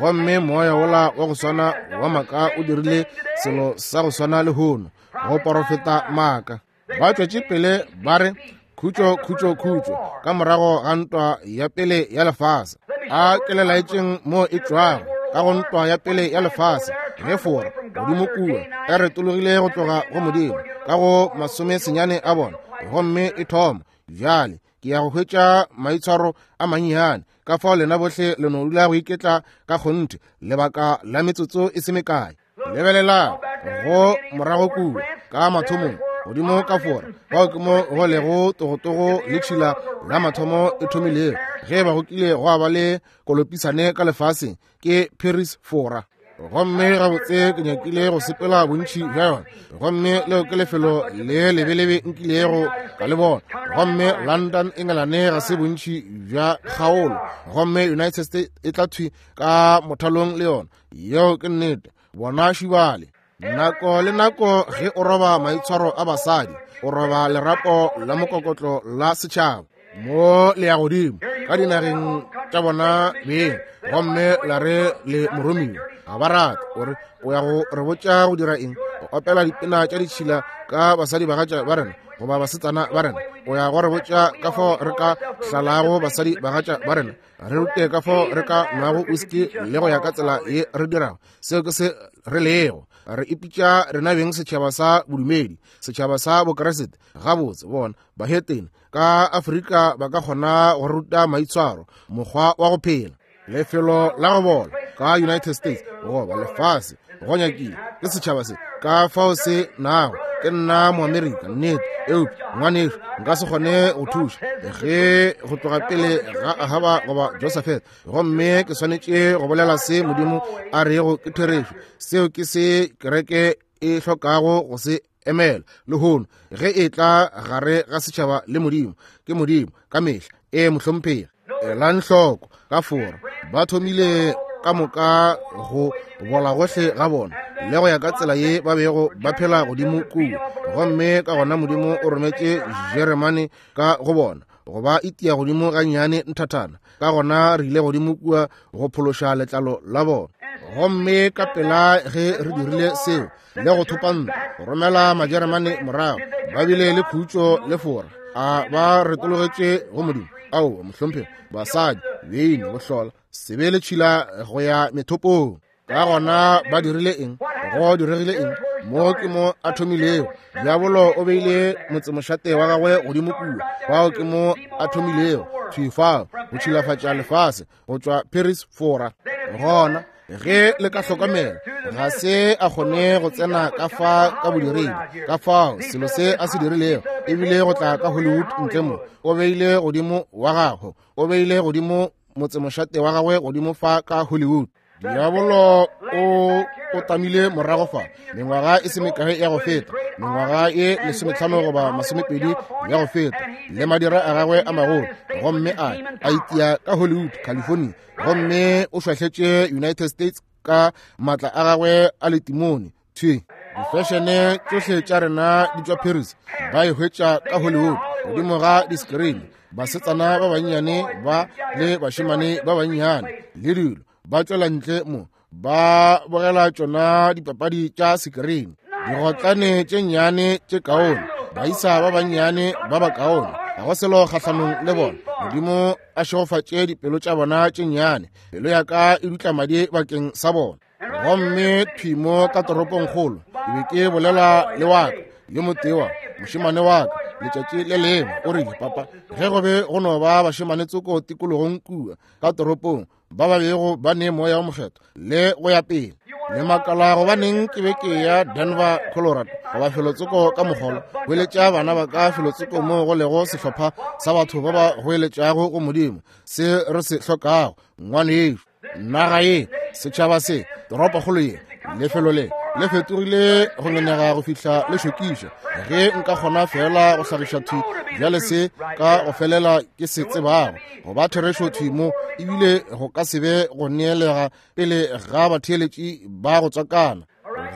gomme moya wola wa go swana wa maaka o dirile selo sa go swana lehono, go porofeta maaka. Ba tšwetše pele ba re, khutšo, khutšo, khutšo, ka morago ga ntwa ya pele ya lefase. A ke le laetšeng mo e tšwago, ka go ntwa ya pele ya lefase, ge Fora godimo kua e retologile go tloga go Modimo ka go 19 a bona, gomme e thoma. Bjale ke ya go hwetša maitshwaro a mannyane, ka fao lena bohle le no dula go iketla ka kgonthe lebaka la metsotso e se mekae. Lebelelang go morago kua ka mathomong godimo ka Fora, fao ke mo go lego togotogo le tšhila la mathomo e thomilego. Ge ba go kile gwa ba le kolopisane ka lefaseng, ke Paris, Fora. Gomme gabotse ke nyakile go sepela bontši bja yona, gomme leo ke lefelo le lebelebe nkilego ka le bona. Gomme London, Engelane ga se bontši bja kgaolo, gomme United States e tla thwi ka mothalong le yona. Yeo ke nnete. Bona šibale. Nako le nako ge o roba maitshwaro a basadi, o roba lerapo la mokokotlo la setšhaba. Mo le ya godimo ka dinageng tša bona beng, gomme la re le moromiwa ga ba rate. O re o ya go re botša go dira eng? O opela dipina tša ditšhila ka basadi bagatša ba rena goba basetsana ba rena. O ya go re botša ka fao re ka hlalago basadi bagatša ba rena, re rute ka fao re ka nwago whisky le go ya ka tsela ye re dirago. Seo ke se re lego. Re ipitša rena beng setšhaba sa bodumedi, setšhaba sa Bokriste. Gabotse, bona bahetene ka Afrika ba ka kgona go ruta maitshwaro, mokgwa wa go phela, lefelo la go bola ka United States goba lefase go nyakile ke setšhaba se ka fao se nago. Ke nna Moamerika, nnete, eupša ngwanešu nka se kgone go thuša ge go tloga pele ga Ahaba goba Josafat, gomme ke swanetše go bolela se Modimo a rego ke therešo. Seo ke se kereke e hlokago go se emela lehono ge e tla gare ga setšhaba le Modimo. Ke Modimo ka mehla. E mohlomphegi. Elang hloko, ka Fora ba thomile ka moka go bola gohle ga bona le go ya ka tsela ye ba bego ba phela godimo kua, gomme ka gona Modimo o rometše Jeremane ka go bona go ba itia godimo gannyane nthathana. Ka gona re ile godimo kua go phološa letlalo la bona. Gomme ka pela ge re dirile seo le go thopa ntwa, go romela Majeremane morago, ba bile le khutšo le Fora. A ba retologetše go Modimo? Aowa, mohlomphegi. Basadi, beine, bohlola, sebe le tšhila go ya methopong. Ka gona ba dirile eng? Go diregile eng? Mo ke mo a thomilego. Diabolo o beile motsemošate wa gagwe godimo kua. Fao ke mo a thomilego. Thwi fao, go tšhilafatša lefase, go tšwa Paris, Fora. Gona, ge le ka hlokomela, ga se a kgone go tsena ka fa ka bodiredi. Ka fao, selo se a se dirilego, ebile go tla ka Hollywood ntle mo, o beile godimo wa gagwe, o beile godimo motsemošate wa gagwe godimo fa ka Hollywood. Diabolo o o tamile morago fa mengwaga e se mekae ya go feta, mengwaga ye 15 goba 20 ya go feta, le madira a gagwe a magolo, gomme a a itia ka Hollywood, California, gomme o šwahletše United States ka maatla a gagwe a letimone. Thwi difešene tšohle tša rena di tšwa Paris, ba e hwetša ka Hollywood godimo ga di-screen. Basetsana ba bannyane ba le bašemane ba bannyane le dilo ba tšwela ntle mo ba bogela tšona dipapadi tša sekerini, digotlane tše nnyane tše kaone, baisa ba bannyane ba ba kaone, ga go selo kgahlanong le bona. Modimo a šegofatše dipelo tša bona tše nnyane. Pelo ya ka e dutla madi bakeng sa bona. Gomme thwi mo ka toropongkgolo, ke be ke bolela le wa ka yo motee wa mošemane wa ka letšatši le lengwe, o rile, Papa, ge go be go no ba bašemane tsoko tikologong kua ka toropong ba ba bego ba ne Moya wo Mokgethwa le go ya pele, le makala gobaneng ke be ke ya Denver, Colorado, goba felotsoko ka mogolo, goeletša bana ba ka felotsoko moo go lego sehlopha sa batho ba ba goeletšago go Modimo, se re se hlokago, ngwanešu. Naga ye, setšhaba se, toropokgolo ye, lefelo le le fetogile go ngenega go fihla le šokiša. Ge nka kgona fela go hlagiša thwi bjale se ka go felela ke se tsebago go ba therešo thwi mo, ebile go ka se be go neelega pele ga batheeletši ba go tswakana,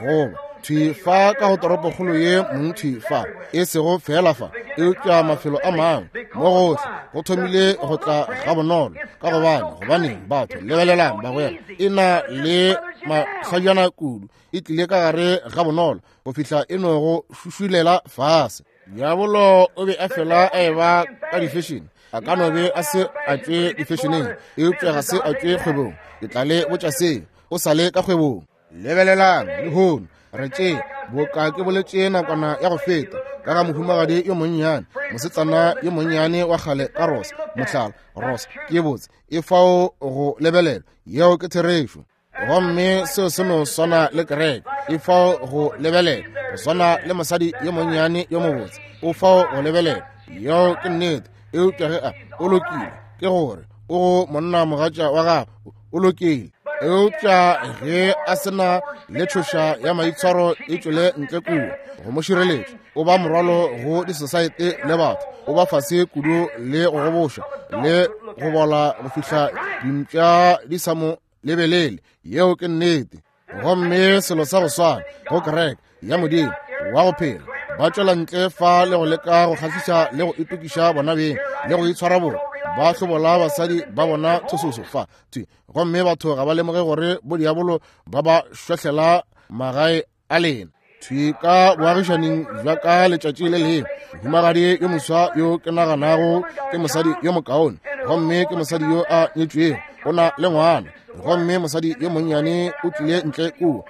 goba thwi fa ka go toropokgolo ye mong thwi fa, e sego fela fa, eupša mafelo a mangwe mo gohle go thomile go tla gabonolo. Ka gobane, gobaneng batho, lebelelang bagwera, e na le mahlajana kudu, e tlile ka gare gabonolo go fihla e no go šušulela fase. Diabolo o be a fela a eba ka difešene, a ka no be a se a tšwe difešeneng, eupša ga se a tšwe kgwebong. Ke tla le botša seo, o sa le ka kgwebong. Lebelelang lehono, re tše boka ke boletše nakwana ya go feta ka ga mohumagadi yo monnyane, mosetsana yo monnyane wa kgale ka Rosa, mohlala. Rosa ke botse, e fao go lebelelwa, yeo ke therešo. Gomme seo se no swana le kereke, e fao go lebelela, go swana le mosadi yo monnyane yo mobotse, o fao go lebelela, yeo ke nnete. Eupša ge a o lokile, ke gore o go monna mogatša wa gagwe, o lokile. Eupša ge a se na le tšhoša ya maitshwaro e tšwele ntle kua go mo šireletša, o ba morwalo go disosaete le batho, o ba fase kudu le go goboša le go bola go fihla dimpša di sa mo lebelele. Yeo ke nnete. Gomme selo sa go swana go kereke ya Modimo wa go phela, ba tšwela ntle fa le go leka go kgahliša le go itokiša bona beng le go itshwara bona, ba hlobola basadi ba bona thososo fa thwi, gomme batho ga ba lemoge gore bodiabolo ba ba šwahlela magae a lena. Thwi ka boagišaning bja ka letšatši le lengwe, mohumagadi yo moswa yo ke naganago ke mosadi yo mokaone, gomme ke mosadi yo a nyetšwego, o na le ngwana, gomme mosadi yo monnyane o tlile ntle kua,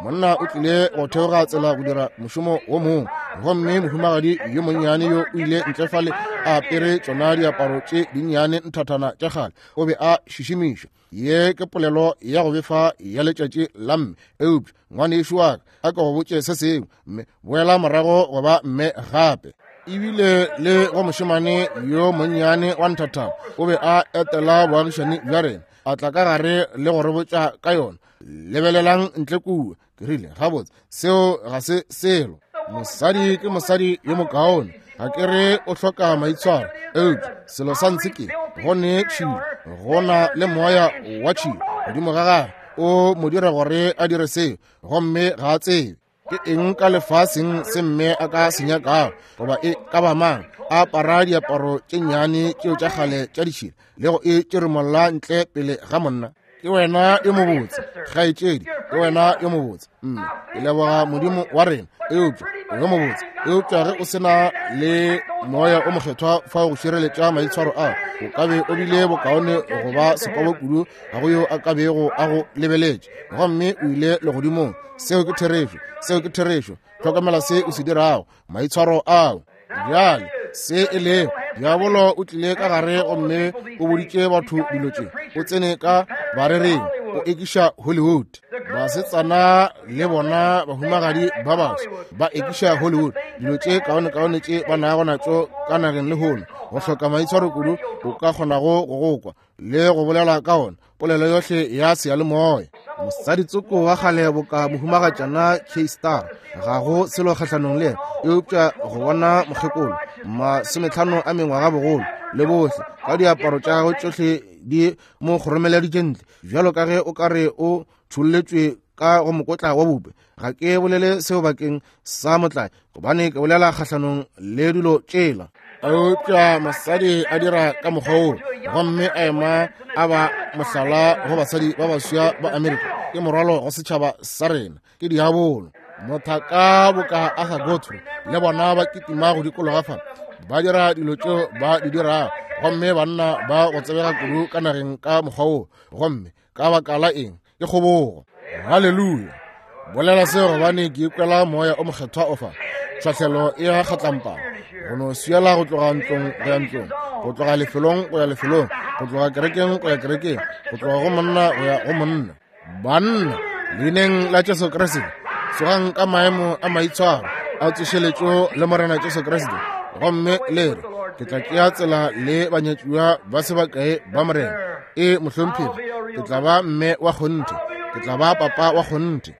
monna o tlile go theoga tsela go dira mošomo wo mongwe, gomme mohumagadi yo monnyane yo o ile ntle fale a apere tšona diaparo tše dinnyane nthathana tša kgale, o be a šišimiša. Ye ke polelo ya go befa ya letšatši la mme, eupša ngwanešu wa ka a ke go botše se sengwe, mme boela morago go ba mme gape. Ebile le go mošemane yo monnyane wa nthathana o be a etela boagišani bja rena, a tla ka gare le go re botša ka yona. Lebelelang ntle kua. Ke rile, gabotse, seo ga se selo. Mosadi ke mosadi yo mokaone, ga ke re o hloka maitshwaro, eupša selo sa ntshe ke go ne tšhilo, go na le moya wa tšhilo godimo ga gagwe, o mo dira gore a dire seo, gomme ga a tsebe ke eng ka lefaseng se mme a ka se nyakago, goba e ka ba mang a apara diaparo tše nnyane tšeo tša kgale tša ditšhila le go e tšeremolla ntle pele ga monna. Ke wena yo mobotse, kgaetšedi, ke wena yo mobotse. Mme ke leboga Modimo wa rena, eupša o yo mobotse. Eupša ge o se na le Moya o Mokgethwa fao go šireletša maitshwaro ao, o ka be o bile bokaone go ba sekobo kudu, ga go yo a ka bego a go lebeletše, gomme o ile legodimong. Seo ke therešo, seo ke therešo. Hlokomela se o se dirago, maitshwaro ao. Bjale se e lego, diabolo o tlile ka gare gomme o boditše batho dilo tše, o tsene ka barereng, o ekiša Hollywood. Basetsana le bona bahumagadi ba baswa ba ekiša Hollywood, dilo tše kaonekaone tše ba nago natšo ka nageng lehono, go hloka maitshwaro kudu o ka kgonago go go kwa le go bolela ka ona, polelo yohle ya seyalemoya. Mosadi tsoko wa kgale boka mohumagatšana K Star, ga go selo kgahlanong le yena, eupša go bona mokgekolo 50 a mengwaga bogolo le bohle ka diaparo tša gagwe tšohle di mo kgoromeleditše ntle bjalo ka ge o ka re o tšholletšwe ka go mokotla wa bupe. Ga ke bolele seo bakeng sa motlae, gobane ke bolela kgahlanong le dilo tšela. Eupša mosadi a dira ka mokgwa woo, gomme a ema a ba mohlala go basadi ba baswa ba Amerika, ke morwalo go setšhaba sa rena, ke diabolo. Mothaka boka Arthur Godfrey le bona ba kitima go dikologa fa, ba dira dilo tšeo ba di dirago, gomme banna ba go tsebega kudu ka nageng ka mokgwa woo, gomme ka baka la eng? Ke kgobogo. Haleluya! Bolela seo gobane ke ikwela Moya o Mokgethwa o fa. Tlhahlelo e ya kgatlampana, go no swiela go tloga ntlong go ya ntlong, go tloga lefelong go ya lefelong, go tloga kerekeng go ya kerekeng, go tloga go monna go ya go monna. Banna, leineng la Jesu Kriste, tsogang ka maemo a maitshwaro a tsošeletšo le Morena Jesu Kriste, gomme le re, ke tla tšea tsela le banyatšiwa ba se bakae ba Morena. E mohlomphegi, ke tla ba mme wa kgonthe, ke tla ba papa wa kgonthe.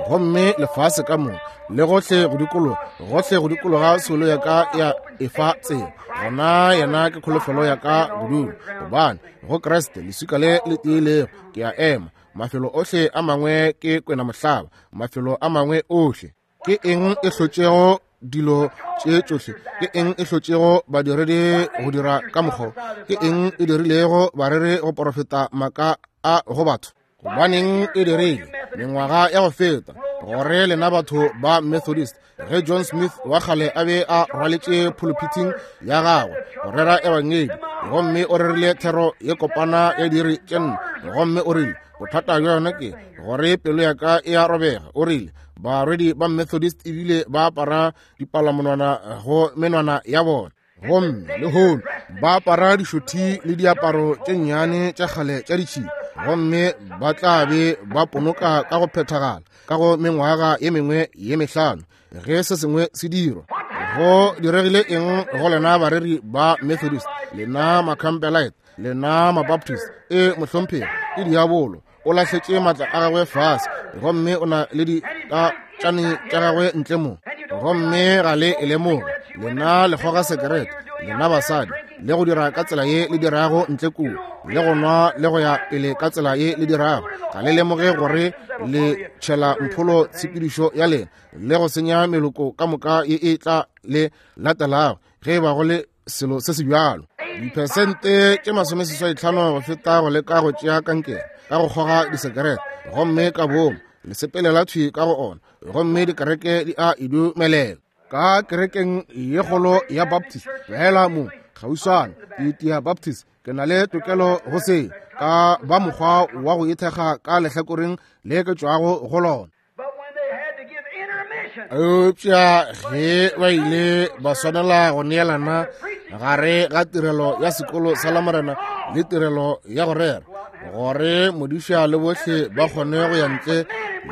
Gomme lefase ka moka le gohle go dikologa, gohle go dikologa soulo ya ka ya efa tsela, gona yena ke kholofelo ya ka bodulo, gobane go Kriste leswika le le tiilego ke a ema. Mafelo ohle a mangwe ke kwena mohlaba, mafelo a mangwe ohle. Ke eng e hlotšego dilo tše tšohle? Ke eng e hlotšego badiredi go dira ka mokgwa? Ke eng e dirilego bareri go porofeta maaka a go batho? Gobaneng e dirile mengwaga ya go feta gore lena batho ba Methodist, ge John Smith wa kgale a be a rwaletše pulpiting ya gagwe go rera ebangedi, gomme o rerile thero ye kopana ya diiri tše 4, gomme o rile, bothata bja yona ke gore pelo ya ka e a robega. O rile barwedi ba Methodist ebile ba apara dipalamonwana go menwana ya bona, gomme lehono ba apara dišothi le diaparo tše nnyane tša kgale tša ditšhila, gomme ba tla be ba ponoka ka go phethagala ka go mengwaga ye mengwe ye 5 ge se sengwe se dirwa. Go diregile eng go lena bareri ba Methodist, lena Macampbellite, lena Mabaptist? E mohlomphegi, ke diabolo o lahletše maatla a gagwe fase, gomme o na le ditatšane tša gagwe ntle mo, gomme ga le e lemoge. Lena le kgoga sekerete, lena basadi, le go dira ka tsela ye le dirago ntle kua, le go nwa le go ya pele ka tsela ye le dirago, ga le lemoge gore le tšhela mpholo tshepedišo ya lena le go senya meloko ka moka ye e tla le latelago ge e ba go le selo se se bjalo. Diphesente tše 85 go feta go leka go tšea kankere ka go kgoga disekerete, gomme ka boomo le sepelela thwi ka go ona, gomme dikereke di a e dumelela. Ka kerekeng ye kgolo ya Baptist fela mo kgauswana, ke itia Baptist, ke na le tokelo go se ka ba mokgwa wa go ithekga ka lehlakoreng le ke tšwago go lona. Eupša ge ba ile ba swanela go neelana gare ga tirelo ya sekolo sa Lamorena le tirelo ya go rera, gore modiša le bohle ba kgone go ya ntle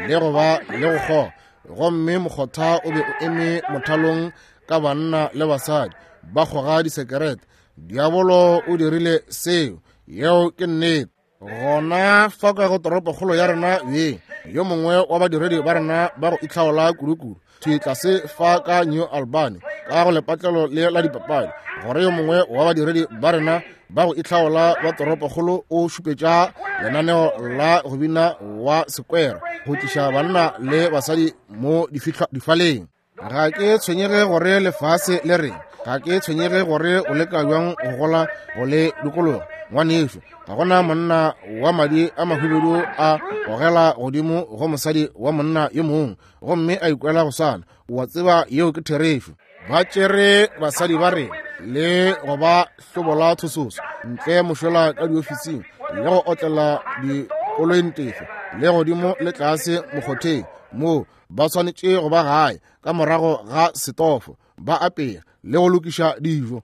le go ba le go kgoga, gomme mokgotha o be o eme mothalong ka banna le basadi ba kgoga disekerete, diabolo o dirile seo. Yeo ke nnete. Gona fa ka go toropokgolo ya rena beng, yo mongwe wa badiredi ba rena ba go itlhaola kudu-kudu thwi tlase fa ka New Albany ka go lepatlelo le la dipapadi, gore yo mongwe wa badiredi ba rena ba go itlhaola ba toropokgolo o šupetša lenaneo la go bina wa sekwera go tliša banna le basadi mo difaleng. Ga ke tshwenyege gore lefase le reng, ga ke tshwenyege gore o leka bjang go gola go le dikologa. Ngwanešu, ga gona monna wa madi a mahubedu a gogela godimo go mosadi wa monna yo mongwe gomme a ikwela go swana. Wa tseba yeo ke therešo. Ba tšere basadi ba rena le go ba hlobola thososo ntle mošola ka diofising le go otlela dikolointefe le godimo le tlase mokgotheng moo ba swanetše go ba gae ka morago ga setofo ba apea le go lokiša dijo.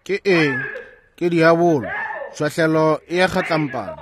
Ke eng? Ke diabolo. Tšhwahlelo e ya kgatlampana.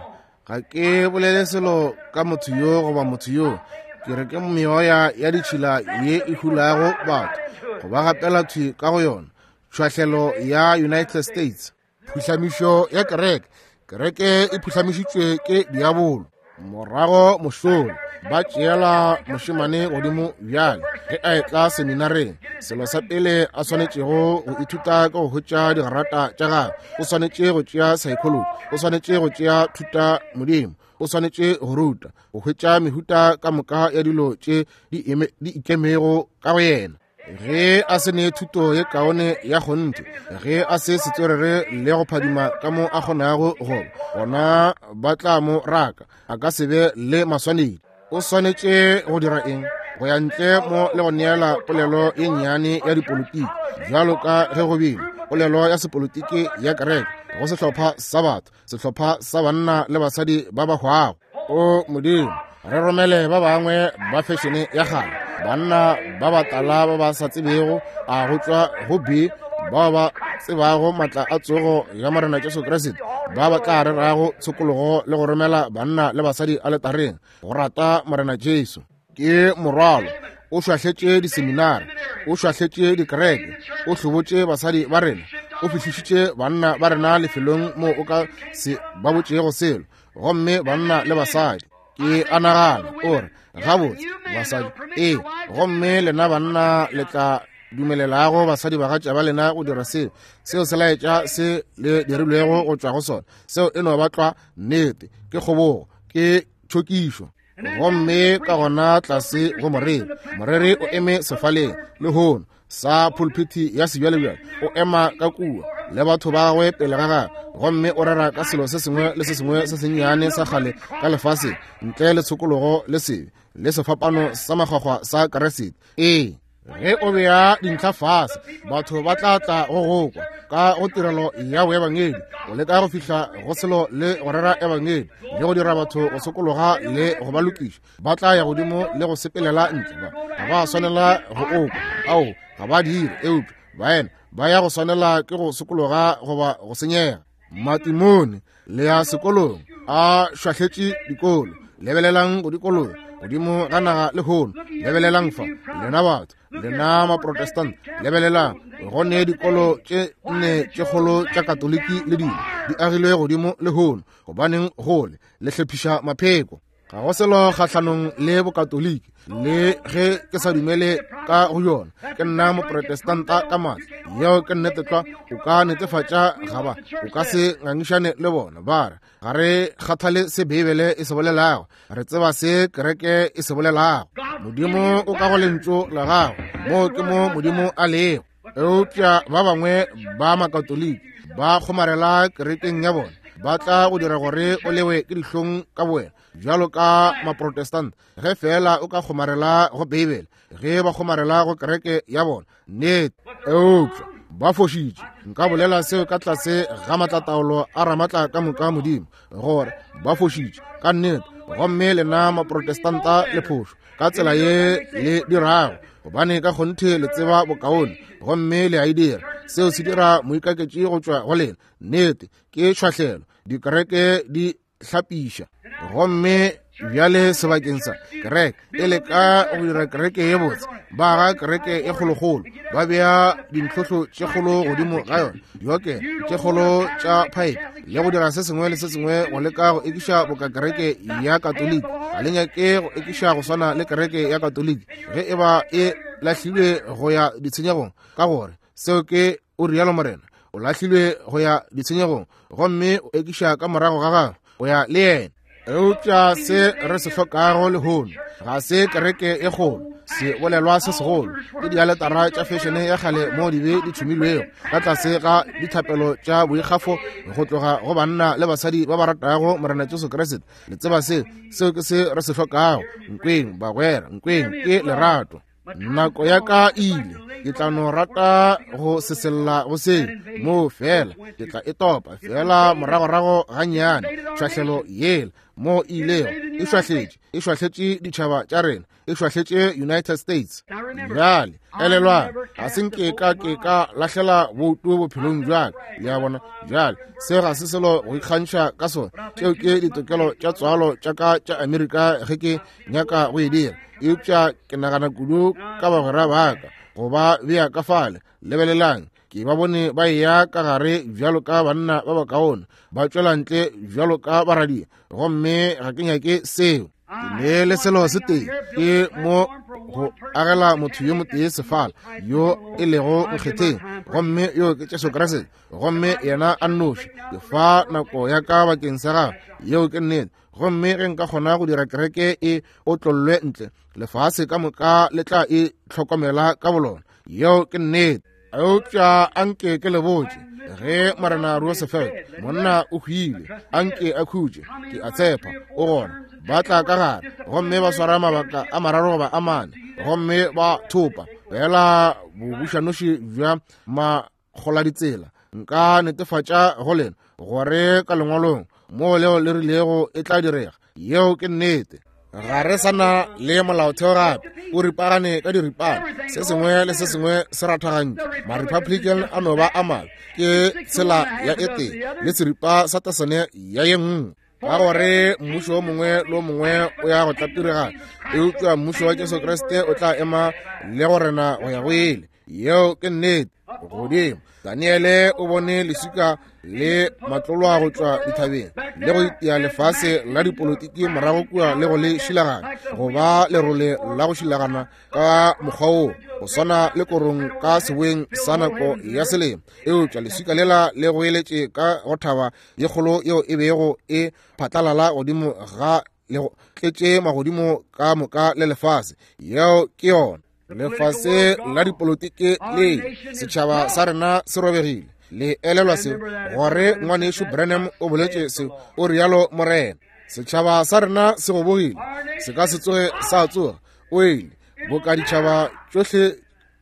Ga ke bolele selo ka motho yo goba motho yo. Ke re ke meoya ya ditšhila ye e hulago batho go ba gapela thwi ka go yona. Tšhwahlelo ya United States. Phuhlamišo ya kereke. Kereke e phuhlamišitšwe ke diabolo. Morago mošola ba tšeela mošemane godimo bjale ge a etla seminareng. Selo sa pele a swanetšego go ithuta ke go hwetša digrata tša gagwe. O swanetše go tšea psychology, o swanetše go tšea thuta modimo, o swanetše go ruta, go hwetša mehuta ka moka ya dilo tše di ikemego ka go yena. Ge a se ne thuto ye kaone ya kgonthe, ge a se setswerere le go phadima ka mo a kgonago go, gona ba tla mo raka, a ka se be le maswanedi. O swanetše go dira eng? Go ya ntle mo le go neela polelo ye nnyane ya dipolitiki, bjalo ka ge go bile polelo ya sepolitiki ya kereke go sehlopha sa batho, sehlopha sa banna le basadi ba ba hwago. O Modimo, re romele ba bangwe ba fešene ya kgale, banna ba batala ba ba sa tsebego a go tšwa go B, bao ba tsebago matla a tsogo ya Morena Jesu Kriste, ba ba tla rerago tshokologo le go romela banna le basadi aletareng go rata Morena Jesu. Ke morwalo. O šwahletše diseminari, o šwahletše dikereke, o hlobotše basadi ba rena, o fihlišitše banna ba rena lefelong moo o ka se ba botšego selo, gomme banna le basadi. Ke a nagana, o re, gabotse, basadi, ee, gomme lena banna le tla dumelelago basadi bagatša ba lena go dira seo, seo se laetša se le dirilwego go tšwa go sona. Seo e no ba tlwa nnete, ke kgobogo, ke tšhokišo. Gomme ka gona tlase go moreri, moreri o eme sefaleng lehono sa pulpiti ya sebjalebjale, o ema ka kua le batho ba gagwe pele ga gagwe, gomme o rera ka selo se sengwe le se sengwe se sennyane sa kgale ka lefaseng ntle le tshokologo le sebe le sefapano sa makgwakgwa sa Kriste. Ee, ge o bea dintlha fase, batho ba tla tla go go kwa ka go tirelo ya boebangedi, o leka go fihla go selo le go rera ebangedi le go dira batho go sokologa le go ba lokiša. Ba tla ya godimo le go sepelela ntle, ba ga ba swanela go okwa, ao ga ba dire, eupša baena ba ya go swanela ke go sokologa goba go senyega. Matimone le ya sekolong a šwahletše dikolo. Lebelelang go dikologa godimo ga naga lehono. Lebelelang fa, lena batho, lena Maprotestant, lebelelang go ne dikolo tše nne tše kgolo tša Katoliki le dilo di agilwe godimo lehono. Gobaneng gole le hlephiša mapheko? Ga go selo kgahlanong le Bokatoliki, le ge ke sa dumele ka go yona. Ke nna Moprotestanta ka maatla. Yeo ke nnete tlwa. O ka netefatša ga ba, o ka se ngangišane le bona. Ba re, ga re kgathale se Beibele e se bolelago, re tseba se kereke e se bolelago. Modimo o ka go lentšu la gago, moo ke mo Modimo a lego. Eupša ba bangwe ba Makatoliki ba kgomarela kerekeng ya bona, ba tla go dira gore o lewe ke dihlong ka bowena bjalo ka Maprotestant, ge feela o ka kgomarela go Beibele, ge ba kgomarela go kereke ya bona. Nnete. Eupša ba fošitše. Nka bolela seo ka tlase ga matlataolo a Ramatla ka moka Modimo, gore ba fošitše ka nnete. Gomme lena Maprotestanta le phošo ka tsela ye le dirago, gobane ka kgonthe le tseba bokaone gomme le a e dira. Seo se dira moikaketši go tšwa go lena. Nnete, ke tšhwahlelo. Dikereke di hlapiša. Gomme bjale sebakeng sa kereke e leka go dira kereke ye botse, ba aga kereke e kgolokgolo, ba bea dintlhohlo tše kgolo godimo ga yona, diokelo tše kgolo tša phaepe, le go dira se sengwe le se sengwe go leka go ekiša boka kereke ya Katoliki. Ga le nyake go ekiša go swana le kereke ya Katoliki ge e ba e lahlilwe go ya ditshenyegong, ka gore seo ke o rialo Morena, o lahlilwe go ya ditshenyegong, gomme o ekiša ka morago ga gagwe go ya le yena. Eupša se re se hlokago lehono ga se kereke e kgolo, se bolelwa se segolo, ke dialetara tša fešene ya kgale moo dibe di tšhumilwego ka tlase ga dithapelo tša boikgafo go tloga go banna le basadi ba ba ratago Morena Jesu Kriste. Le tseba se, seo ke se re se hlokago. Nkweng, bagwera, nkweng, ke lerato. Nako ya ka e ile, ke tla no rata go sesella go se moo fela, ke tla e topa fela moragorago gannyane. Šwahlelo yela mo e ilego, e šwahletše, e šwahletše ditšhaba tša rena, e šwahletše United States. Bjale elelwang, ga se nke ka ke ka lahlela boutu bophelong bja ka, le a bona. Bjale se ga se selo go ikgantšha ka sona, tšeo ke ditokelo tša tswalo tša ka tša Amerika ge ke nyaka go e dira, eupša ke nagana kudu ka bagwera ba ka go ba bea ka fale. Lebelelang, ke ba bone ba eya ka gare bjalo ka banna ba bakaone, ba tšwela ntle bjalo ka baradia, gomme ga ke nyake seo. Ke ne le selo se tee, ke mo go agela motho yo motee sefala yo e lego nkgetheng, gomme yo ke Jesu Kriste, gomme yena a nnoši. Ke fa nako ya ka bakeng sa gagwe, yeo ke nnete. Gomme ge nka kgona go dira kereke e otlollwe ntle, lefase ka moka le tla e hlokomela ka bolona. Yeo ke nnete. Eupša anke ke le botše, ge Morena Roosevelt, monna o hwile, anke a khutše, ke a tshepa o gona, ba tla ka gare gomme ba swara mabaka a mararo goba a mane, gomme ba thopa fela bobušanoši bja makgoladitsela. Nka netefatša go lena gore ka lengwalong moo leo le rilego e tla direga. Yeo ke nnete. Ga re sa na le molaotheo gape, o ripagane ka diripana, se sengwe le se sengwe se rathagantšwe. Ma-Republican a no ba a mabe, ke tshela ya e tee le seripa sa tasene ya ye nngwe, ka gore mmušo o mongwe le o mongwe o ya go tlapiregana, eupša mmušo wa Jesu Kriste o tla ema le go rena go ya go ile. Yeo ke nnete. Godimo Daniele o bone leswika le matlolwa go tšwa dithabeng le go itia lefase la dipolotiki morago kua le go le šilagana go ba lerole la go šilagana ka mokgwa wo go swana le korong ka seboeng sa nako ya selemo. Eupša leswika lela le goeletše ka go thaba ye kgolo yeo e bego e phatlalala godimo ga le go tletše magodimo ka moka le lefase. Yeo ke yona. Lefase la dipolotiki le setšhaba sa rena se robegile. Le elelwa se, gore ngwanešu Branham o boletše se, o rialo Morena. Setšhaba sa rena se gobogile, se ka se tsoge sa tsoga. O ile boka ditšhaba tšohle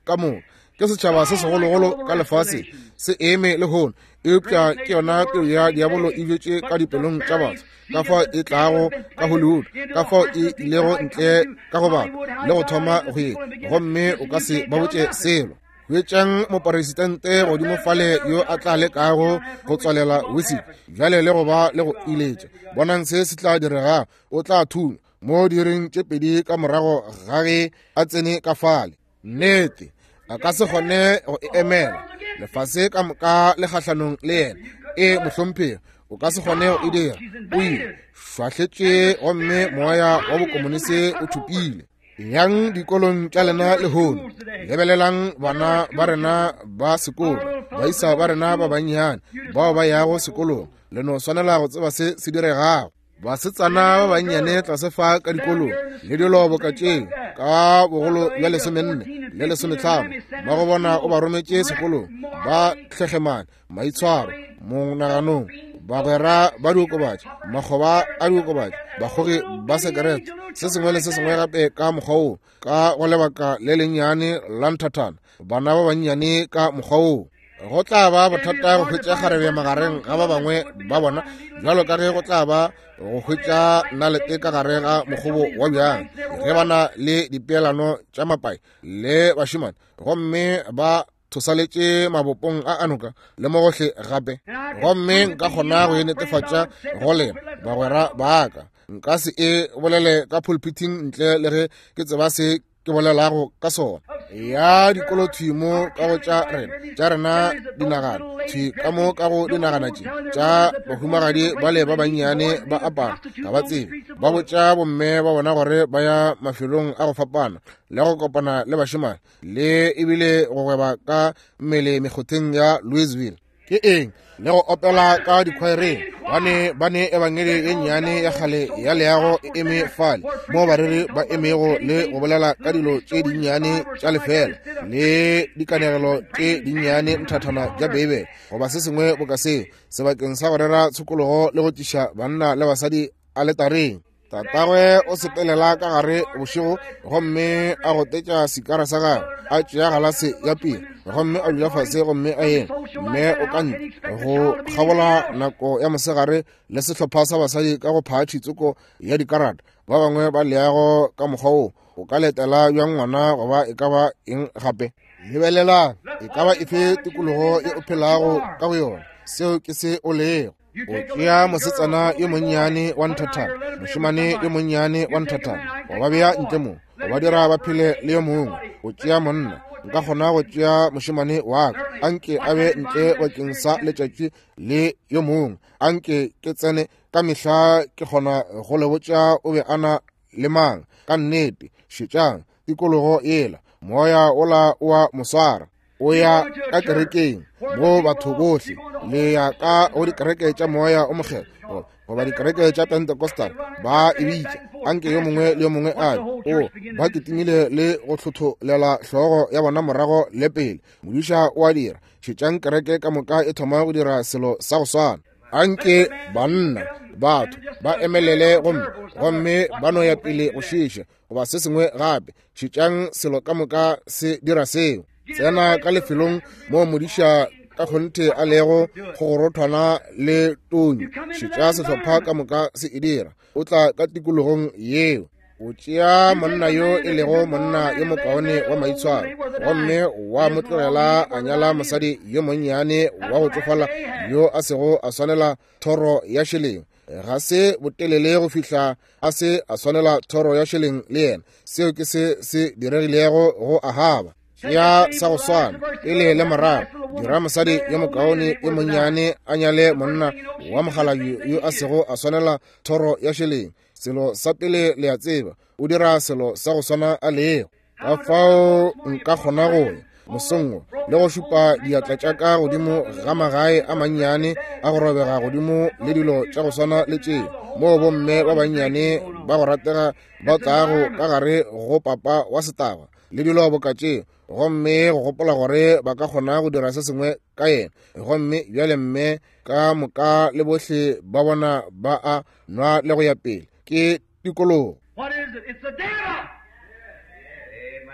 ka moka, ke setšhaba se segologolo ka lefaseng se eme lehono, eupša ke yona peu ya diabolo e bjetše ka dipelong tša batho, ka fao e tlago ka Hollywood, ka fao e ilego ntle ka go batho le go thoma go ye, gomme o ka se ba botše selo. Hwetšang moporesitente godimo fale yo a tla lekago go tswalela whisky bjale le go ba le go iletša. Bonang se se tla diregago. O tla thunywa mo diiring tše pedi ka morago ga ge a tsene ka fale. Nnete, a ka se kgone go e emela. Lefase ka moka le kgahlanong le yena. E, mohlomphegi, o ka se kgone go e dira. O ile šwahletše gomme moya wa bokomonisi o thopile. Yang dikolong tša lena lehono, lebelelang bana ba rena ba sekolo, baisa ba rena ba bannyane bao ba yago sekolong. Le no swanela go tseba se se diregago. Basetsana ba bannyane tlase fa ka dikolong le dilo boka tšeo, ka bogolo bja 14 le 15, mmago bona o ba rometše sekolong, ba tlhehlemane maitshwaro monaganong, bagwera ba diokobatši, makgoba a diokobatši, bakgogi ba sekerete, se sengwe le se sengwe gape ka mokgwa woo, ka go lebaka le lennyane la nthathana, bana ba bannyane ka mokgwa woo. Go tla ba bothata go hwetša kgarebe magareng ga ba bangwe ba bona, bjalo ka ge go tla ba go hwetša nalete ka gare ga mokgobo wa bjang, ge ba na le dipeelano tša mapai le bašemane, gomme ba thosaletše mabopong a anoka le mo gohle gape. Gomme nka kgona go e netefatša go lena bagwera ba ka. Nka se e bolele ka pulpiting ntle le ge ke tseba se ke bolelago ka sona. Ya dikolo thwi mo ka go tša rena, tša rena dinagana thwi ka mo ka go dinagana tše tša bahumagadi bale ba bannyane ba apara, ga ba tsebe, ba botša bomme ba bona gore ba ya mafelong a go fapana le go kopana le bašemane le ebile go gweba ka mmele mekgotheng ya Louisville. Ke eng? Le go opela ka dikhwaereng, bane ba ne ebangedi ye nnyane ya kgale ya leago e eme fale, moo bareri ba emego le go bolela ka dilo tše dinnyane tša lefela le dikanegelo tše dinnyane nthathana tša Beibele goba se sengwe boka seo, sebakeng sa go rera tshokologo le go tliša banna le basadi aletareng. Tatagwe o sepelela ka gare bošego gomme a gotetša sikara sa gagwe, a tšea galase ya piri gomme a dula fase gomme a ema. Mme o ka ntle go kgabola nako ya mosegare le sehlopha sa basadi ka go phatši tsoko ya dikarata, ba bangwe ba leago ka mokgwa wo. O ka letela bjang ngwana goba e ka ba eng gape? Lebelelang, e ka ba efe tikologo ye o phelago ka go yona, seo ke se o lego. O tšea mosetsana yo monnyane wa nthathana, mošemane yo monnyane wa nthathana, wa ba bea ntle mo, wa ba dira ba phele le yo mongwe. O tšea monna, nka kgona go tšea mošemane wa ka, a nke a be ntle bakeng sa letšatši le yo mongwe, a nke ke tsene ka mehla, ke kgona go le botša o be a na le mang. Ka nnete, šetšang tikologo yela, moya wola o a mo swara. O ya ka kerekeng mo batho bohle le ya ka go dikereke tša moya o mokgethwa goba dikereke tša Pentecostal ba e bitša, anke yo mongwe le yo mongwe a re o ba kitimile le go hlotholela hlogo ya bona morago le pele. Modiša o a dira. Šetšang kereke ka moka e thoma go dira selo sa go swana. Anke banna batho ba emelele gomme gomme ba no ya pele go šiša goba se sengwe gape. Šetšang selo ka moka se dira seo. Tsena ka lefelong moo modiša ka kgonthe a lego kgogorothwana le tonyo. Šetša sehlopha ka moka se e dira. O tla ka tikologong yeo. O tšea monna yo e lego monna yo mokaone wa maitshwaro gomme wa mo tlogela a nyala mosadi yo monnyane wa go tsofala yo a sego a swanela thoro ya šeleng. Ga se botelele go fihla a se a swanela thoro ya šeleng le yena. Seo ke se se diregilego go Ahaba. Ya sa go swana pele le morago, dira mosadi yo mokaone yo monnyane a nyale monna wa mokgalabje yo a sego a swanela thoro ya šeleng. Selo sa pele le a tseba, o dira selo sa go swana a lego. Ka fao nka kgona go ya mosong wo le go šupa diatla tša ka godimo ga magae a mannyane a go robega godimo le dilo tša go swana le tšeo, moo bomme ba bannyane ba go ratega ba tlago ka gare go papa wa setaba le dilo boka tšeo, gomme go gopola gore ba ka kgona go dira se sengwe ka yena. Gomme bjale mme ka moka le bohle ba bona ba a nwa le go ya pele. Ke tikologo.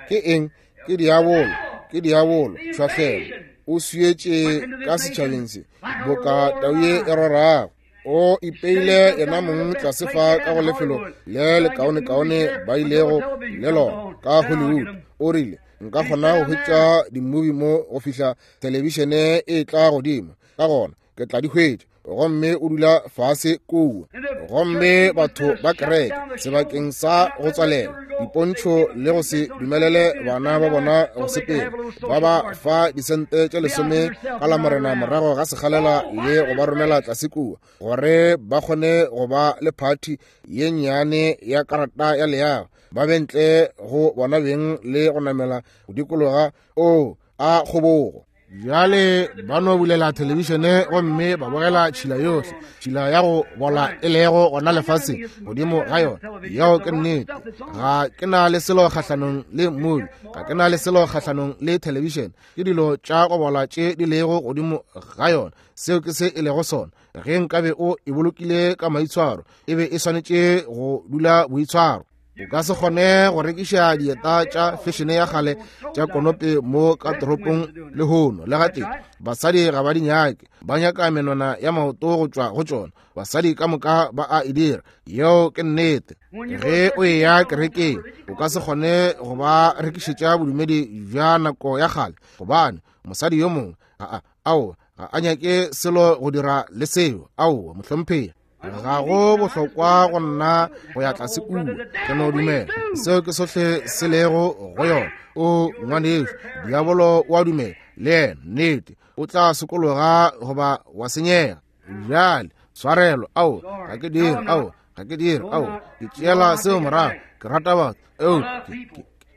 Ke eng? Ke diabolo. Ke diabolo. Tšhwahlelo. O swietše ka setšhabeng se boka tau ye e rorago. O ipeile yena mong tlase fa ka go lefelo le lekaonekaone ba ilego le lona ka Hollywood. O rile, nka kgona go hwetša dimubi mo go fihla thelebišene e tla godimo, ka gona ke tla di hwetša. Gomme o dula fase kua. Gomme batho ba kereke sebakeng sa go tswalela dipontšho le go se dumelele bana ba bona go sepela, ba ba fa disente tše 10 ka Lamorena morago ga sekgalela le go ba romela tlase kua gore ba kgone go ba le phathi ye nnyane ya karata ya leago, ba be ntle go bona beng le go namela go dikologa. O a kgobogo. Bjale ba no bulela thelebišene gomme ba bogela tšhila yohle, tšhila ya go bola e lego gona lefaseng godimo ga yona. Yeo ke nnete. Ga ke na le selo kgahlanong le mmudi, ga ke na le selo kgahlanong le thelebišene. Ke dilo tša go bola tše di lego godimo ga yona. Seo ke se e lego sona. Ge nkabe o e bolokile ka maitshwaro, e be e swanetše go dula boitshwaro. O ka se kgone go rekiša dieta tša fešene ya kgale tša konope mo ka toropong lehono le gatee. Basadi ga ba di nyake, ba nyaka menwana ya maoto go tšwa go tšona. Basadi ka moka ba a e dira. Yeo ke nnete. Ge o eya kerekeng, o ka se kgone go ba rekišetša bodumedi bja nako ya kgale, gobane mosadi yo mongwe ga a, aowa, ga a nyake selo go dira le seo. Aowa, mohlomphegi. Ga go bohlokwa go nna go ya tlase kua. Ke no dumela seo ke sohle se lego go yona. O ngwanešu, diabolo o a dumela le yena, nnete, o tla sokologa goba wa senyega. Bjale tshwarelo, ao ga ke dire, ao ga ke dire, ao ke tšeela seo morago. Ke rata batho, eo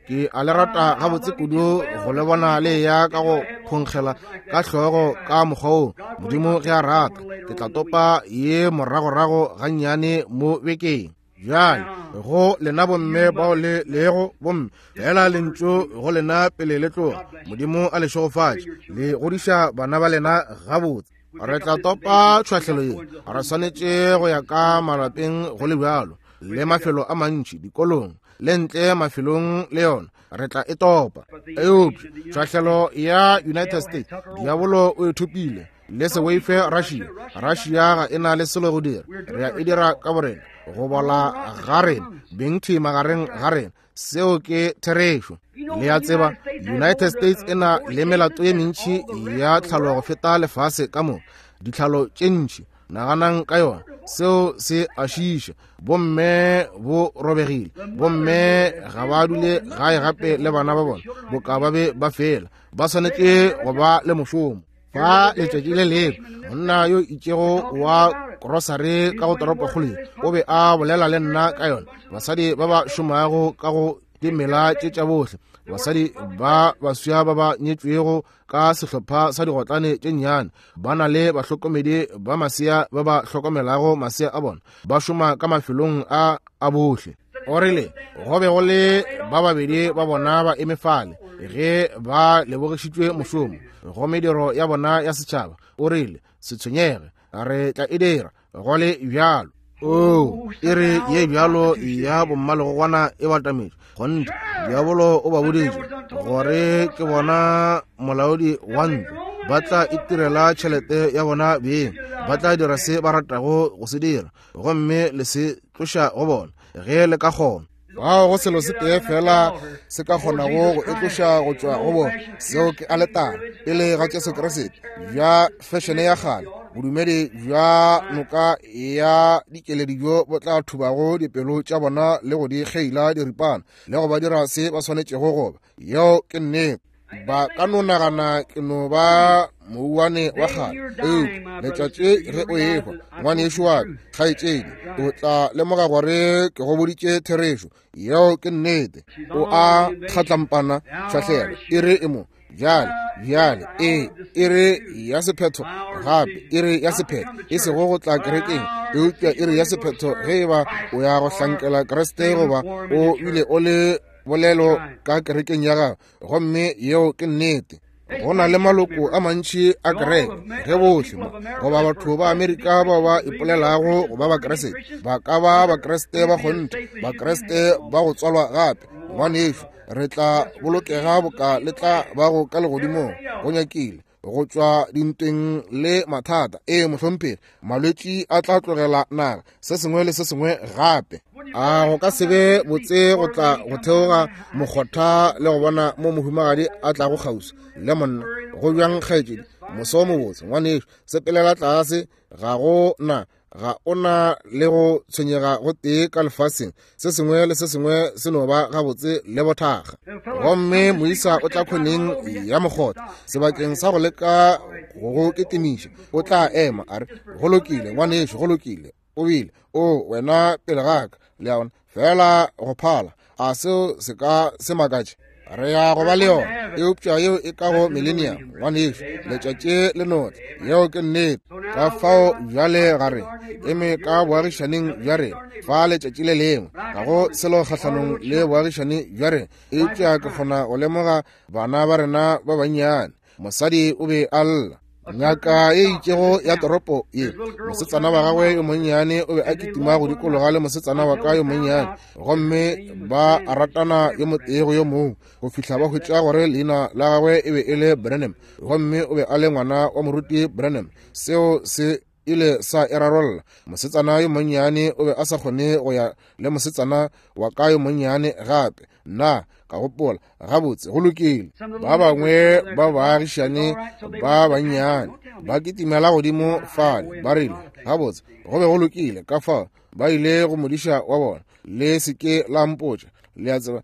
Ke a le rata gabotse kudu go le bona le ya ka go phonkgela ka hlogo ka mokgwa wo. Modimo ge a rata, ke tla topa ye moragorago gannyane mo bekeng. Bjale go lena bomme bao le lego bomme, fela lentšu go lena pele le tloga. Modimo a le šegofatše, le godiša bana ba lena gabotse. Re tla topa tšhwahlelo ye. Re swanetše go ya ka malapeng go le bjalo, le mafelo a mantši, dikolong, le ntle mafelong le yona re tla e topa. Eupša tšhwahlelo ya United States, diabolo o e thopile. Le se boife Russia. Russia ga e na le selo go dira. Re a e dira ka borena, go bola ga rena, beng thwi magareng ga rena. Seo ke therešo. Le a tseba, United States e na le melato ye mentši ya tlhalo go feta lefase ka moka, ditlhalo tše ntši. Naganang ka yona, seo se a šiiša. Bomme bo robegile, bomme ga ba dule gae gape le bana ba bona, boka ba be ba fela. Ba swanetše go ba le mošomo. Fa letšatši le lengwe monna yo itšego wa krosare ka go toropokgolo ye o be a bolela le nna ka yona, basadi ba ba šomago ka go dimela tše tša bohle, basadi ba baswa ba ba nyetšwego ka sehlopha sa digotlane tše nnyane, ba na le bahlokomedi ba masea ba ba hlokomelago masea a bona, ba šoma ka mafelong a a bohle. O rile go be go le ba babedi ba bona ba eme fale ge ba lebogišitšwe mošomo go mediro ya bona ya setšhaba. O rile, se tshwenyege, re tla e dira go le bjalo. Oo, e re ye bjalo ya bommalegogwana e batametše. Kgonthe, diabolo o ba boditše gore ke bona molaodi wa ntlo, ba tla itirela tšhelete ya bona beng, ba tla dira se ba ratago go se dira, gomme le se tloša go bona ge le ka kgona. Bao go selo se tee fela se ka kgonago go e tloša go tšwa go bona, seo ke aletara pele ga Jesu Kriste, bja fešene ya kgale, bodumedi bja noka ya dikeledi bjo bo tla thubago dipelo tša bona le go di kgeila diripana le go ba dira se ba swanetšego go ba. Yeo ke nnete. Ba ka no nagana ke no ba mouwane wa kgale, eupša letšatši ge o ehwa, ngwanešu wa ka, kgaetšedi, o tla lemoga gore ke go boditše therešo. Yeo ke nnete. O a kgatlampana, šwahlelo, e re e mo bjale, bjale, ee, e re ya sephetho gape, e re ya sephetho, e sego go tla kerekeng, eupša e re ya sephetho ge e ba o ya go hlankela Kriste goba o bile o le bolelo ka kerekeng ya gago. Gomme yeo ke nnete. Go na le maloko a mantši a kereke, ge bohle mo goba batho ba Amerika bao ba ipolelago go ba Bakriste ba ka ba Bakriste ba kgonthe, Bakriste ba go tswalwa gape. Ngwanešu, re tla bolokega boka le tla bago ka legodimong, go nyakile go tšwa dintweng le mathata. Ee, mohlomphegi, malwetši a tla tlogela naga, se sengwe le se sengwe gape. A go ka se be botse go tla go theoga mokgotha le go bona mo mohumagadi a tlago kgauswi le monna? Go bjang, kgaetšedi? Moso o mobotse, ngwanešu. Sepelela tlase, ga go na ga o na le go tshwenyega go tee ka lefaseng, se sengwe le se sengwe se no ba gabotse le bothakga. Gomme moisa o tla khoneng ya mokgotha, sebakeng sa go leka go go ketemiša, o tla ema a re, go lokile ngwanešu, go lokile, o bile o wena pele ga ka, le a bona, fela go phala. A seo se ka se makatše? Re ya go ba le yona, eupša yeo e ka go millennium, ngwanešu, letšatši le notla. Yeo ke nnete. Ka fao bjale ga re eme ka boagišaneng bja rena fa letšatši le lengwe, ga go selo kgahlanong le boagišane bja rena, eupša ke kgona go lemoga bana ba rena ba bannyane. Mosadi o be a lla. Ngaka e itšego ya toropo ye, mosetsana wa gagwe yo monnyane o be a kitima go dikologa le mosetsana wa ka yo monnyane, gomme ba ratana yo motee go yo mongwe go fihla ba hwetša gore leina la gagwe e be e le Branham, gomme o be a le ngwana wa moruti Branham. Seo se ile sa e rarolla. Mosetsana yo monnyane o be a sa kgone go ya le mosetsana wa ka yo monnyane gape. Nna ka gopola, gabotse, go lokile. Ba bangwe ba baagišane ba bannyane ba kitimela godimo fale, ba rile, gabotse, go be go lokile. Ka fao ba ile go modiša wa bona. Le se ke la mpotša, le a tseba,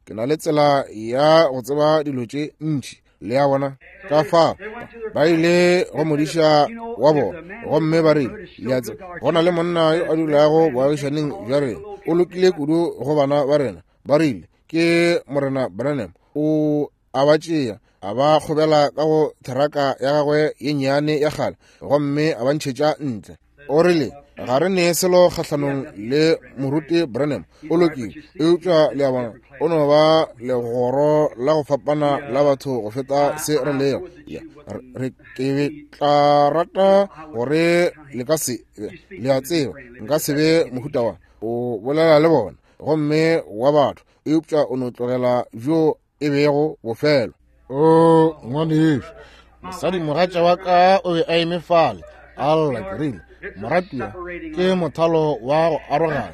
ke na le tsela ya go tseba dilo tše ntši, le a bona. Ka fao ba ile go modiša wa bona, gomme ba rile, le a tseba, go na le monna yo a dulago boagišaneng bja rena, o lokile kudu go bana ba rena. Ba rile, Ke Morena Branham. O a ba tšea, a ba kgobela ka go theraka ya gagwe ye nnyane ya kgale, gomme a ba ntšhetša ntle. O rile, ga re ne selo kgahlanong le Moruti Branham, o lokile, eupša le a bona, o no ba legoro la go fapana la batho go feta se re lego. Ya, re ke tla rata gore le ka se be, le a tseba, nka se be mohuta wa o bolela le bona, gomme wa batho, eupša o no tlogela bjo e bego bofelo. O ngwanešu, mosadi mogatša wa ka o be a eme fale a lla. Ke rile, moratiwa, ke mothalo wa go arogana.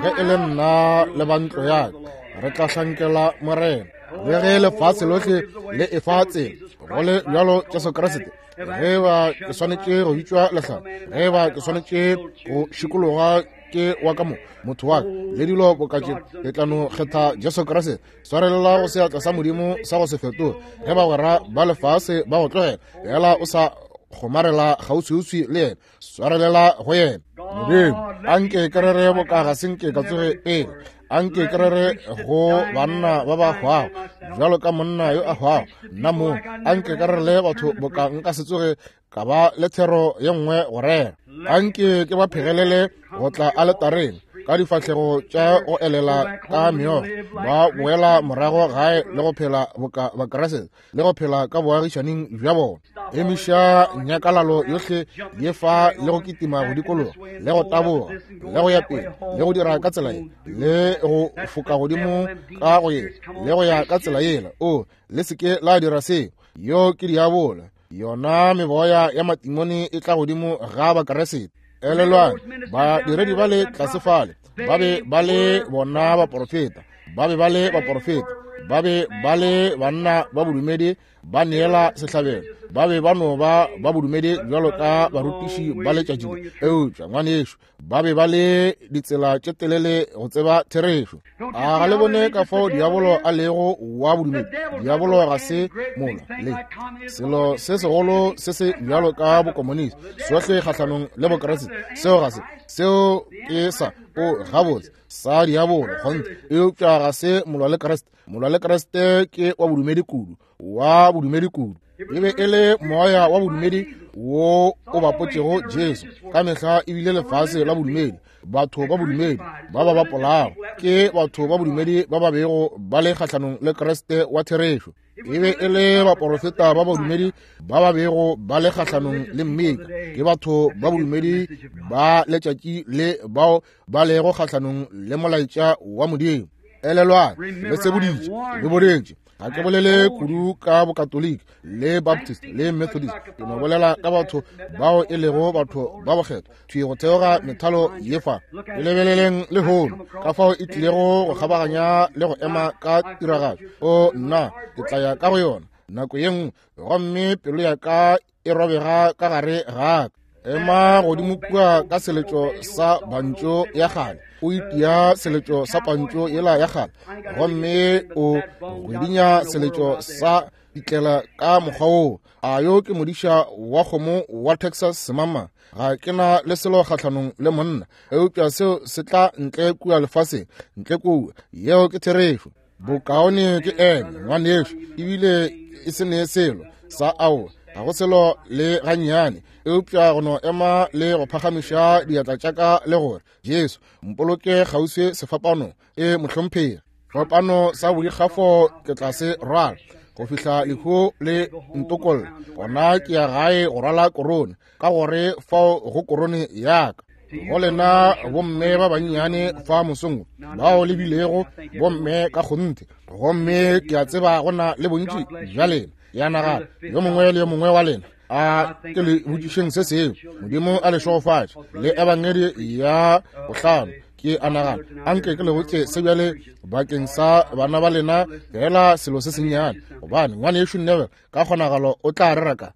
Ge e le nna le ba ntlo ya ka, re tla hlankela Morena. Le ge lefase lohle le efa tsela, go le bjalo Jesu Kriste. Ge ba ke swanetše go bitšwa lehlala, ge ba ke swanetše go šikologa ke wa ka mo motho wa ka le dilo boka tše, ke tla no kgetha Jesu Kriste. Swarelela go seatla sa Modimo sa go se fetoge. Ge bagwera ba lefase ba go tlogela, fela o sa kgomarela kgauswiuswi le yena, swarelela go yena. Modimo, anke ke rere boka ga se nke ka tsoge pele. Anke ke rere go banna ba ba hwago bjalo ka monna yo a hwago, nna mong. Anke ke rerele batho boka nka se tsoge ka ba le thero ye nngwe go rera. Anke ke ba phegelele go tla aletareng ka difahlego tša go elela ka meokgo, ba boela morago gae le go phela boka Bakriste le go phela ka boagišaning bja bona. Emiša nyakalalo yohle ye fa le go kitima go dikologa le go taboga le go ya pele le go dira ka tsela ye le go foka godimo ka go ye le go ya ka tsela yela. O le se ke la dira seo. Yo ke diabola. Yona meboya ya matimone e tla godimo ga Bakriste. Elelwang, badiredi ba le tlase fale ba be ba le bona baporofeta, ba be ba le baporofeta, ba be ba le banna ba bodumedi, ba neela sehlabelo, ba be ba no ba ba bodumedi bjalo ka barutiši ba letšatši le. Eupša ngwanešu, ba be ba le ditsela tše telele go tseba therešo. A ga le bone ka fao diabolo a lego wa bodumedi? Diabolo ga se mola le selo se segolo se se bjalo ka bokomonisi, sohle kgahlanong le Bokriste. Seo ga se, seo ke sa o gabotse sa diabolo kgonthe, eupša ga se molwa le Kriste. Molwa le Kriste ke wa bodumedi kudu, wa bodumedi kudu. E be e le moya wa bodumedi wo o bapotšego Jesu. Ka mehla e bile lefase la bodumedi, batho ba bodumedi ba ba bapolago ke batho ba bodumedi ba ba bego ba le kgahlanong le Kriste wa therešo. E be e le baporofeta ba bodumedi ba ba bego ba le kgahlanong le Mmika. Ke batho ba bodumedi ba letšatši le bao ba lego kgahlanong le molaetša wa Modimo. Elelwang, le seboditše, le bodetše. Ga ke bolele kudu ka Bokatoliki le Baptist le Methodist, ke no bolela ka batho bao e lego batho ba bokgethwa thwi go theoga methalo ye fa. E lebeleleng lehono ka fao e tlilego go kgabaganya le go ema ka tiragatšo. O nna, ke tla ya ka go yona nako ye nngwe, gomme pelo ya ka e robega ka gare ga ka. Ema godimo kua ka seletšo sa bantšo ya kgale, o itia seletšo sa pantšo yela ya kgale, gomme o gwedinya seletšo sa ditlela ka mokgwa woo. A yo ke modiša wa kgomo wa Texas semama? Ga ke na le selo kgahlanong le monna, eupša seo se tla ntle kua lefaseng, ntle kua. Yeo ke therešo. Bokaone ke eme ngwanešu, ebile e se ne selo sa ao, ga go selo le gannyane, eupša go no ema le go phagamiša diatla tša ka le gore, Jesu, mpoloke kgauswi sefapanong. E mohlomphegi, fapano sa boikgafo ke tla se rwala go fihla lehu le ntokolla. Gona ke ya gae go rwala korone, ka gore fao go korone ya ka. Go lena bomme ba bannyane fa mosong bao le bilego bomme ka kgonthe, gomme ke a tseba go na le bontši bja lena, ya nagana yo mongwe le yo mongwe wa lena a ke le botšišeng se sengwe. Modimo a le šegofatše le ebangedi ya bohlano. Ke a nagana anke ke le botše se bjale bakeng sa bana ba lena, fela selo se sennyane, gobane ngwanešu Neville ka kgonagalo o tla rera ka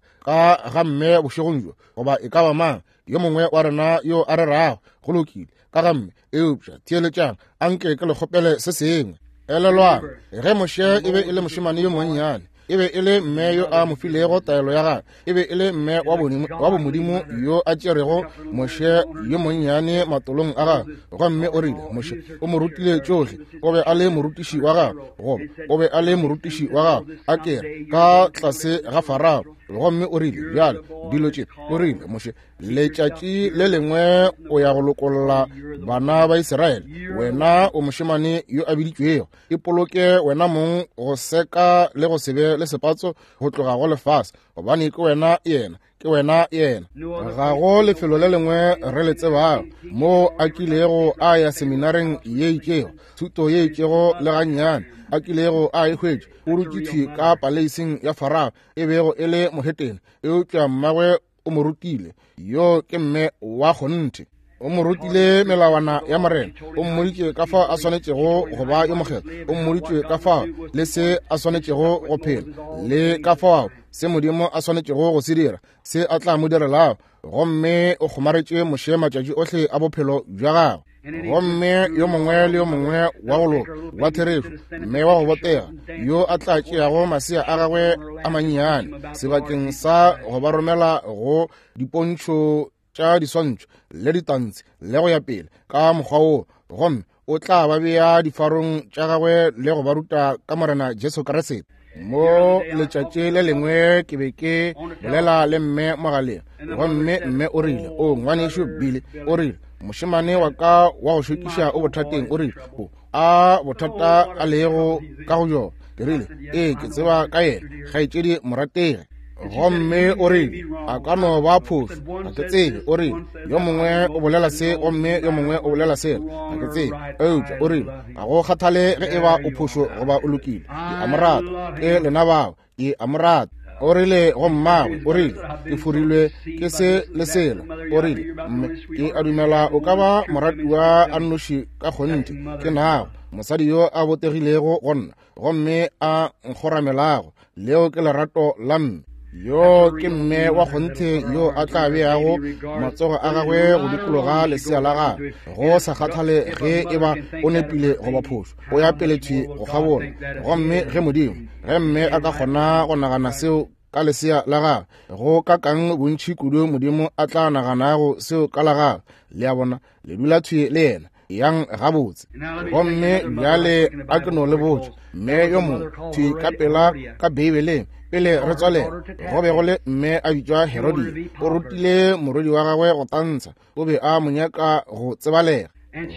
ga mme bošegong bjo, goba e ka ba mang yo mongwe wa rena yo a rerago. Go lokile ka ga mme, eupša theeletšang, anke ke le kgopele se sengwe. Elelwang, ge Moshe e be e le mošemane yo monnyane, E be e le mme yo a mo filego taelo ya gagwe. E be e le mme wa bomodimo yo a tšerego Moshe yo monnyane matolong a gagwe, gomme o rile, Moshe o mo rutile tšohle. O be a le morutiši wa gagwe, goba o be a le morutiši wa gagwe, a kere ka tlase ga Farao. Gomme o rile, bjale dilo tše, o rile, Moshe, letšatši le lengwe o ya go lokolla bana ba Israele. Wena o mošemane yo a biditšwego. Ipoloke wena mong go seka le go se be le sepatso go tloga go lefase, gobane ke wena yena, ke wena yena. Ga go lefelo le lengwe re le tsebago moo a kilego a ya seminareng ye itšego, thuto ye itšego le gannyane a kilego a e hwetša. O dutše thwi ka paleising ya Farao, e bego e le mohetene, eupša mmagwe o mo rutile. Yo ke mme wa kgonthe. O mo rutile melawana ya Morena. O mmoditše ka fao a swanetšego go ba yo mokgethwa. O mmoditše ka fao le se a swanetšego go phela, le ka fao se Modimo a swanetšego go se dira, se a tla mo direlago. Gomme o kgomaretše Moshe matšatši ohle a bophelo bja gagwe. Gomme yo mongwe le yo mongwe wa go loka, wa therešo, mme wa go botega, yo a tla tšeago masea a gagwe a mannyane sebakeng sa go ba romela go dipontšho tša diswantšho le ditantshi le go ya pele ka mokgwa woo, gomme o tla ba bea difarong tša gagwe le go ba ruta ka Morena Jesu Kriste. Mo letšatši le lengwe ke be ke bolela le mme mogaleng, gomme mme o rile, o ngwanešu Billy, o rile, mošemane wa ka wa go šokiša o bothateng. O rile, o a bothata a lego ka go bjona. Ke rile, ee, ke tseba ka yena, kgaetšedi morategi. Gomme o rile, a ka no ba phošo, ga ke tsebe. O rile, yo mongwe o bolela se gomme yo mongwe o bolela sela, ga ke tsebe. Eupša o rile, ga go kgathale ge e ba o phošo goba o lokile, ke a mo rata. Ke lena bao, ke a mo rata. O rile go mmagwe, o rile, ke forilwe ke se le sela. O rile, mme ke a dumela o ka ba moratiwa a nnoši ka kgonthe ke nago, mosadi yo a botegilego go nna gomme a nkgoramelago. Leo ke lerato la mme. Yo ke mme wa kgonthe yo a tla beago matsogo a gagwe go dikologa lesea la gagwe, go sa kgathale ge e ba o nepile goba phošo, o ya pele thwi go kgabola. Gomme ge Modimo, ge mme a ka kgona go nagana seo ka lesea la gagwe, go ka kang bontši kudu Modimo a tla naganago seo ka la gagwe. Le a bona, le dula thwi le yena. Yang gabotse. Gomme bjale a ke no le botša, mme yo mongwe thwi ka pela ka Beibeleng, pele re tswalela, go be go le mme a bitšwa Herodia. O rutile morwedi wa gagwe go tantsha. O be a mo nyaka go tsebalega.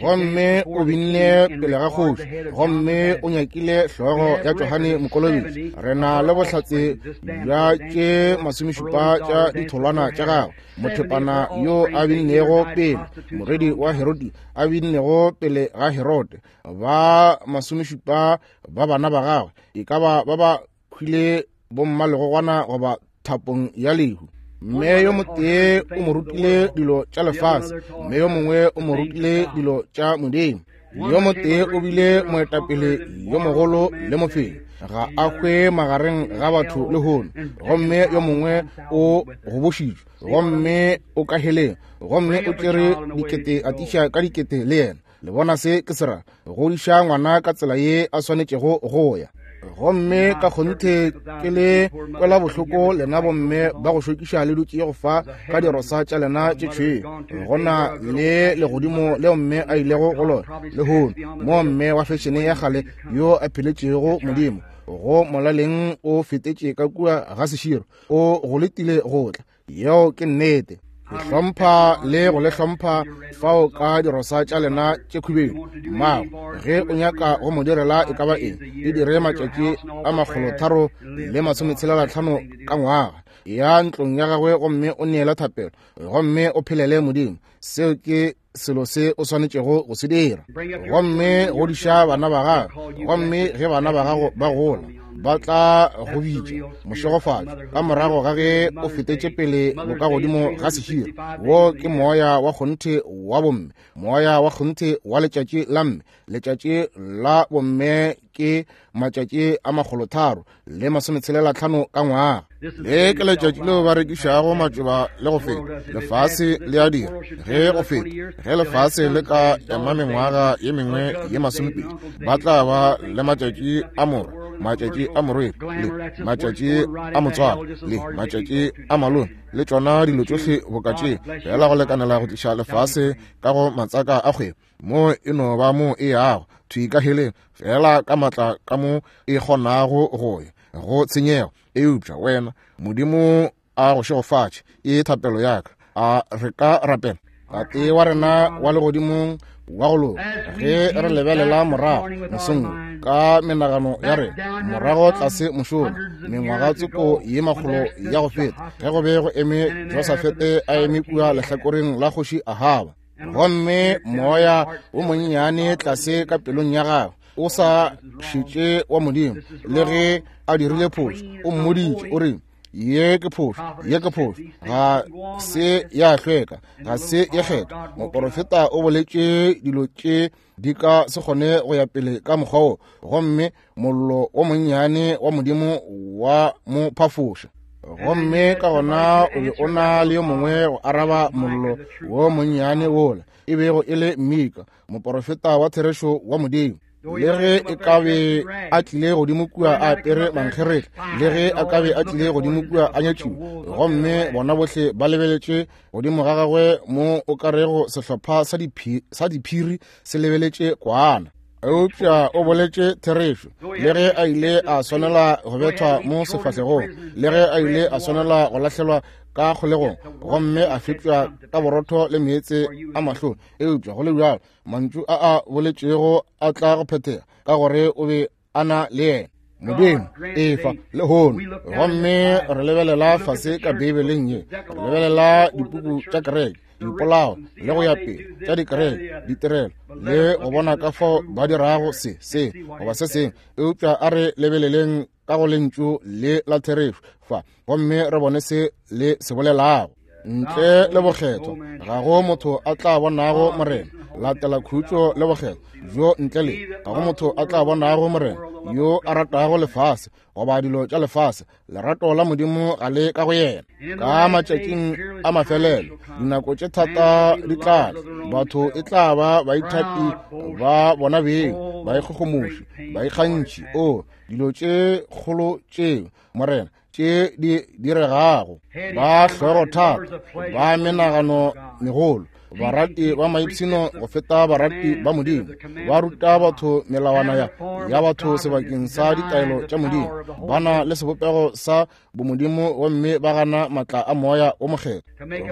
Gomme o binne pele ga kgoši, gomme o nyakile hlogo ya Johane Mokolobetši. Re na le bohlatse bja tše 70 tša ditholwana tša gagwe. Mothepana yo a binnego pele, morwedi wa Herodi a binnego pele ga Herode, ba 70 ba bana ba gagwe, e ka ba ba ba hwile bommalegogwana goba thapong ya lehu. Mme yo motee o mo rutile dilo tša lefase, mme yo mongwe o mo rutile dilo tša Modimo. Yo motee o bile moetapele yo mogolo le mofenyi, ga a hwe magareng ga batho lehono, gomme yo mongwe o gobošitšwe gomme o ka heleng, gomme o tšere dikete atiša ka dikete le yena. Le bona se ke se ra? Godiša ngwana ka tsela ye a swanetšego go ya. Gomme ka kgonthe ke le kwela bohloko lena bomme ba go šokiša le dutše go fa ka dirosa tša lena tše tšhweu. Go na le legodimo leo mme a ilego go lona lehono, mo mme wa fešene ya kgale yo a pheletšego Modimo go molaleng o fetetše ka kua ga seširo, o go letile go tla. Yeo ke nnete. Ke hlompha le go le hlompha fao ka dirosa tša lena tše khubedu. Mmago, ge o nyaka go mo direla e ka ba eng, e dire matšatši a 365 ka ngwaga. Ya ntlong ya gagwe gomme o neele thapelo, gomme o phelele Modimo. Seo ke selo se o swanetšego go se dira. Gomme godiša bana ba gago, gomme ge bana ba gago ba gola, ba tla go bitša mošegofatšo ka morago ga ge o fetetše pele bokagodimo ga seširo. Wo ke moya wa kgonthe wa bomme, moya wa kgonthe wa letšatši la mme. Letšatši la bomme ke matšatši a 365 ka ngwaga. Le ke letšatši leo ba rekišago matšoba le go feta. Lefase le a dira ge go feta. Ge lefase le ka ema mengwaga ye mengwe ye 20, ba tla ba le matšatši a morwa. matšatši a morwedi, le matšatši a motswalo, le matšatši a malome, le tšona dilo tšohle boka tše, fela go lekanela go tliša lefase ka go matsaka a kgwebo. Mo e no ba mo e yago thwi ka heleng, fela ka matla ka mo e kgonago go ya go tshenyego. Eupša wena, Modimo a go šegofatše, e thapelo ya ka. A re ka rapela? Tate wa rena wa legodimong wa go loka, ge re lebelela morago mosong wo ka menagano ya rena morago tlase mošola mengwaga tsoko ye makgolo ya go feta, ge go be go eme Josafete a eme kua lehlakoreng la kgoši Ahaba, gomme moya wo monnyane tlase ka pelong ya gagwe o sa šetše wa Modimo, le ge a dirile phošo, o mmoditše o re, ye ke phošo, ye ke phošo, ga se ya hlweka, ga se ye kgethwa. Moporofeta o boletše dilo tše di ka se kgone go ya pele ka mokgwa wo, gomme mollo wo monnyane wa Modimo wa mo phafoša. Gomme ka gona o be o na le yo mongwe go araba mollo wo monnyane wola, e bego e le Mika, moporofeta wa therešo wa Modimo. Le ge e ka be a tlile godimo kua a apere mankgeretla, le ge a ka be a tlile godimo kua a nyatšiwe, gomme bona bohle ba lebeletše godimo ga gagwe mo o ka rego sehlopha sa diphiri se lebeletše kwana. Eupša o boletše therešo, le ge a ile a swanela go bethwa mo sefahlegong, le ge a ile a swanela go lahlelwa ka kgolegong gomme a fepša ka borotho le meetse a mahlong. Eupša go le bjalo mantšu a a boletšego a tla go phethega, ka gore o be a na le yena Modimo efa lehono. Gomme re lebelela fase ka Beibeleng ye, re lebelela dipuku tša kereke, dipolao le go ya pele tša dikereke, ditirelo, le go bona ka fao ba dirago se, se goba se sengwe. Eupša a re lebeleleng ka go lentšu le la therešo fa, gomme re bone se le se bolelago. Ntle le bokgethwa ga go motho a tla bonago Morena. Latela khutšo le bokgethwa bjo, ntle le ga go motho a tla bonago Morena. Yo a ratago lefase goba dilo tša lefase, lerato la Modimo ga le ka go yena. Ka matšatšing a mafelelo dinako tše thata di tla tla, batho e tla ba baithapi ba bona beng, baikgogomoši, baikgantši. O dilo tše kgolo tšeo, Morena, tše di diregago, ba hlogo thata, ba menagano megolo, barati ba maipshino go feta barati ba Modimo, ba ruta batho melawana ya batho sebakeng sa ditaelo tša Modimo, ba na le sebopego sa bomodimo gomme ba gana matla a Moya o Mokgethwa.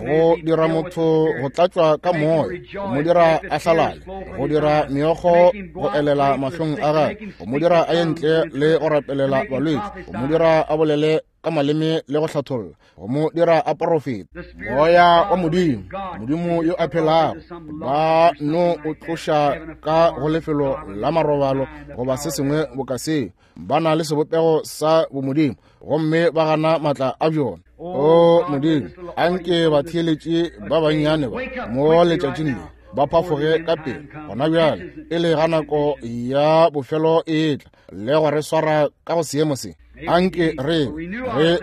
Go dira motho go tlatšwa ka moya, go mo dira a hlalale, go dira meokgo go elela mahlong a gagwe, go mo dira a ye ntle le go rapelela balwetši, go mo dira a bolele ka maleme le go hlatholla, go mo dira a porofeta. Moya wa Modimo, Modimo yo a phelago, ba no o tloša ka go lefelo la marobalo goba se sengwe boka seo. Ba na le sebopego sa bomodimo gomme ba gana matla a bjona. O Modimo, anke batheeletši ba bannyane ba mo letšatšing le ba phafoge ka pele gona bjale, e le ga nako ya bofelo e etla le go re swara ka go seemo se. Anke re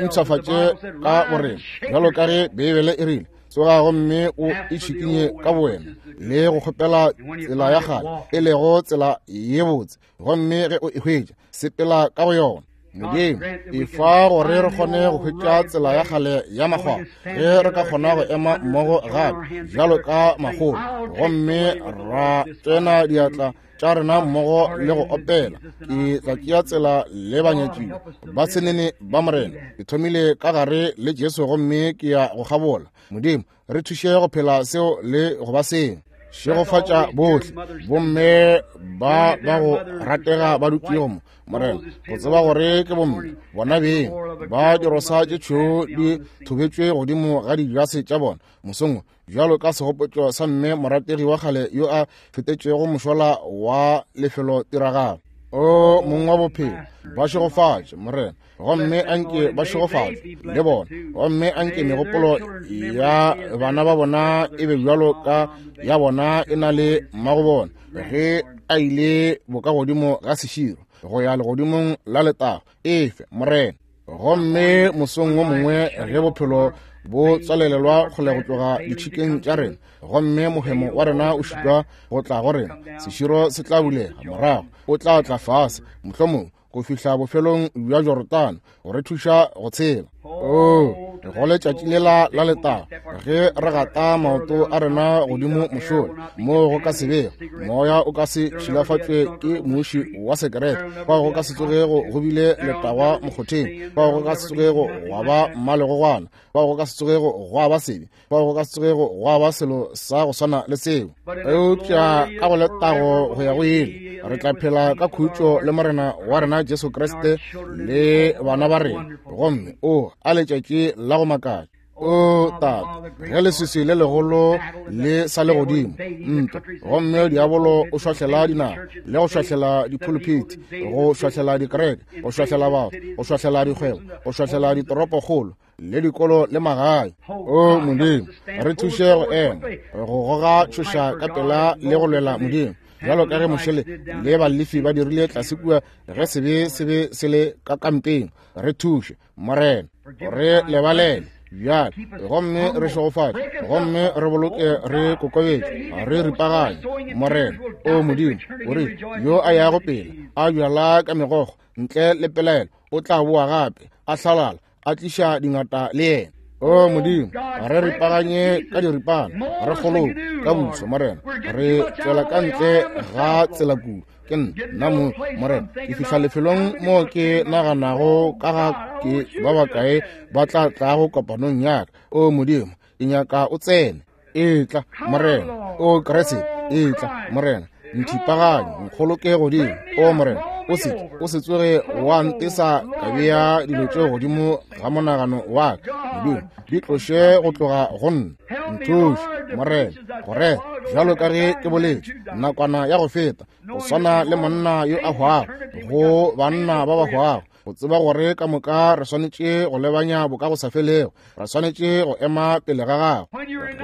mpshafatše ka borena, bjalo ka ge Beibele e rile, tsoga gomme o itšhikinye ka bowena le go kgopela tsela ya kgale, e lego tsela ye botse, gomme ge o e hwetša, sepela ka go yona. Modimo, efa gore re kgone go hwetša tsela ya kgale ya makgwakgwa, ge re ka kgona go ema mmogo gape bjalo ka makgolo, gomme ra tsena diatla tša rena mmogo le go opela, ke tla tšea tsela le banyatšiwa ba senene ba Morena. Ke thomile ka gare le Jesu gomme ke ya go kgabola. Modimo, re thuše go phela seo le go ba seng. Šegofatša bohle bomme ba ba go ratega ba dutšego mo, Morena, go tseba gore ke bomme bona beng ba dirosa tše tšhweu di thobetšwe godimo ga dijase tša bona mosong wo, bjalo ka segopotšo sa mme morategi wa kgale yo a fetetšego mošola wa lefelotiragalo. O mong wa bophelo, ba šegofatše, Morena, gomme anke ba šegofatšwe le bona, gomme anke megopolo ya bana ba bona e be bjalo ka ya bona e na le mmago bona ge a ile bokagodimo ga seširo go ya legodimong la letago. Efe, Morena. Gomme mosong wo mongwe ge bophelo bo tswalelelwa kgole go tloga ditšhikeng tša rena, gomme mohemo wa rena o šitwa go tla go rena, seširo se tla bulega morago, o tla tla fase, mohlomongwe. go fihla bofelong bja Jorodane go re thuša go tshela. Oo, go letšatši lela la letago ge re gata maoto a rena godimo mošola, moo go ka se bego moya o ka se šilafatšwe ke muši wa sekerete, fao go ka se tsogego go bile letagwa mokgotheng, fao go ka se tsogego gwa ba mmalegogwana, fao go ka se tsogego gwa ba sebe, fao go ka se tsogego gwa ba selo sa go swana le seo. Eupša ka go letago go ya go ile re tla phela ka khutšo le Morena wa rena Jesu Kriste le bana ba rena. Gomme o a letšatši la go makatša. O Tate, ge leswiswi le legolo le sa le godimo ntwa, gomme diabolo o šwahlela dinaga le go šwahlela diphuluphithi, go šwahlela dikereke, go šwahlela batho, go šwahlela dikgwebo, go šwahlela ditoropokgolo le dikolo le magae. O Modimo, re thuše go ema go goga tšhoša ka pela le go lwela Modimo, bjalo ka ge Moshe le Balefi ba dirile tlase kua ge sebe se be se le ka kampeng. Re thuše, Morena, re lebalele bjale, gomme re šegofatše, gomme re boloke re kokobetše, re ripaganye, Morena. O Modimo, o re yo a yago pele a bjala ka megokgo ntle le pelaelo o tla boa gape a hlalala, a tliša dingata le yena. O Modimo, re ripaganye ka diripana, re kgoloke ka buso, Morena. Re tswela ka ntle ga tsela kudu. Ke nna mo, Morena, ke fihla lefelong mo ke naganago ka ga ke ba bakae ba tla tlago kopanong ya ka. O Modimo, ke nyaka o tsene. Etla, Morena. O Kriste, etla, Morena. Nthipaganye, nkgoloke godimo. O Morena, o se o se tsoge wa ntesa ka bea dilo tše godimo ga monagano wa ka. Modimo, di tloše go tloga go nna. Nthuše, Morena, gore bjalo ka ge ke boletše nakwana ya go feta, go swana le monna yo a hwago go banna ba ba hwago, go tseba gore ka moka re swanetše go lebanya boka go sa felego, re swanetše go ema pele ga gago.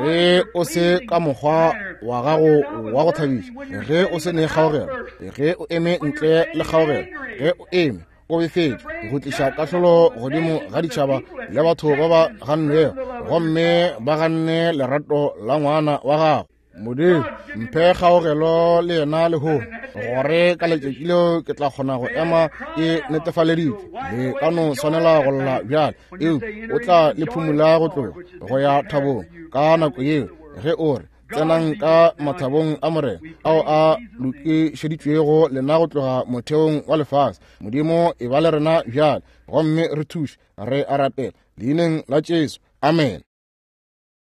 Ge o se ka mokgwa wa gago wa go thabiša, ge o se ne kgaogelo, ge o eme ntle le kgaogelo, ge o eme o befetše go tliša kahlolo godimo ga ditšhaba le batho ba ba gannwego, gomme ba ganne lerato la ngwana wa gago. Modimo, mphe kgaogelo le yena lehono, gore ka letšatši leo ke tla kgona go ema ke netefaleditšwe. Le ka no swanela go lla bjale, eupša o tla le phumula go tloga go ya thabong ka nako yeo, ge o re tsenang ka mathabong a Morena ao a lokišeditšwego lena go tloga motheong wa lefase. Modimo, e ba le rena bjale, gomme re thuše. Re a rapela leineng la Jesu, amen.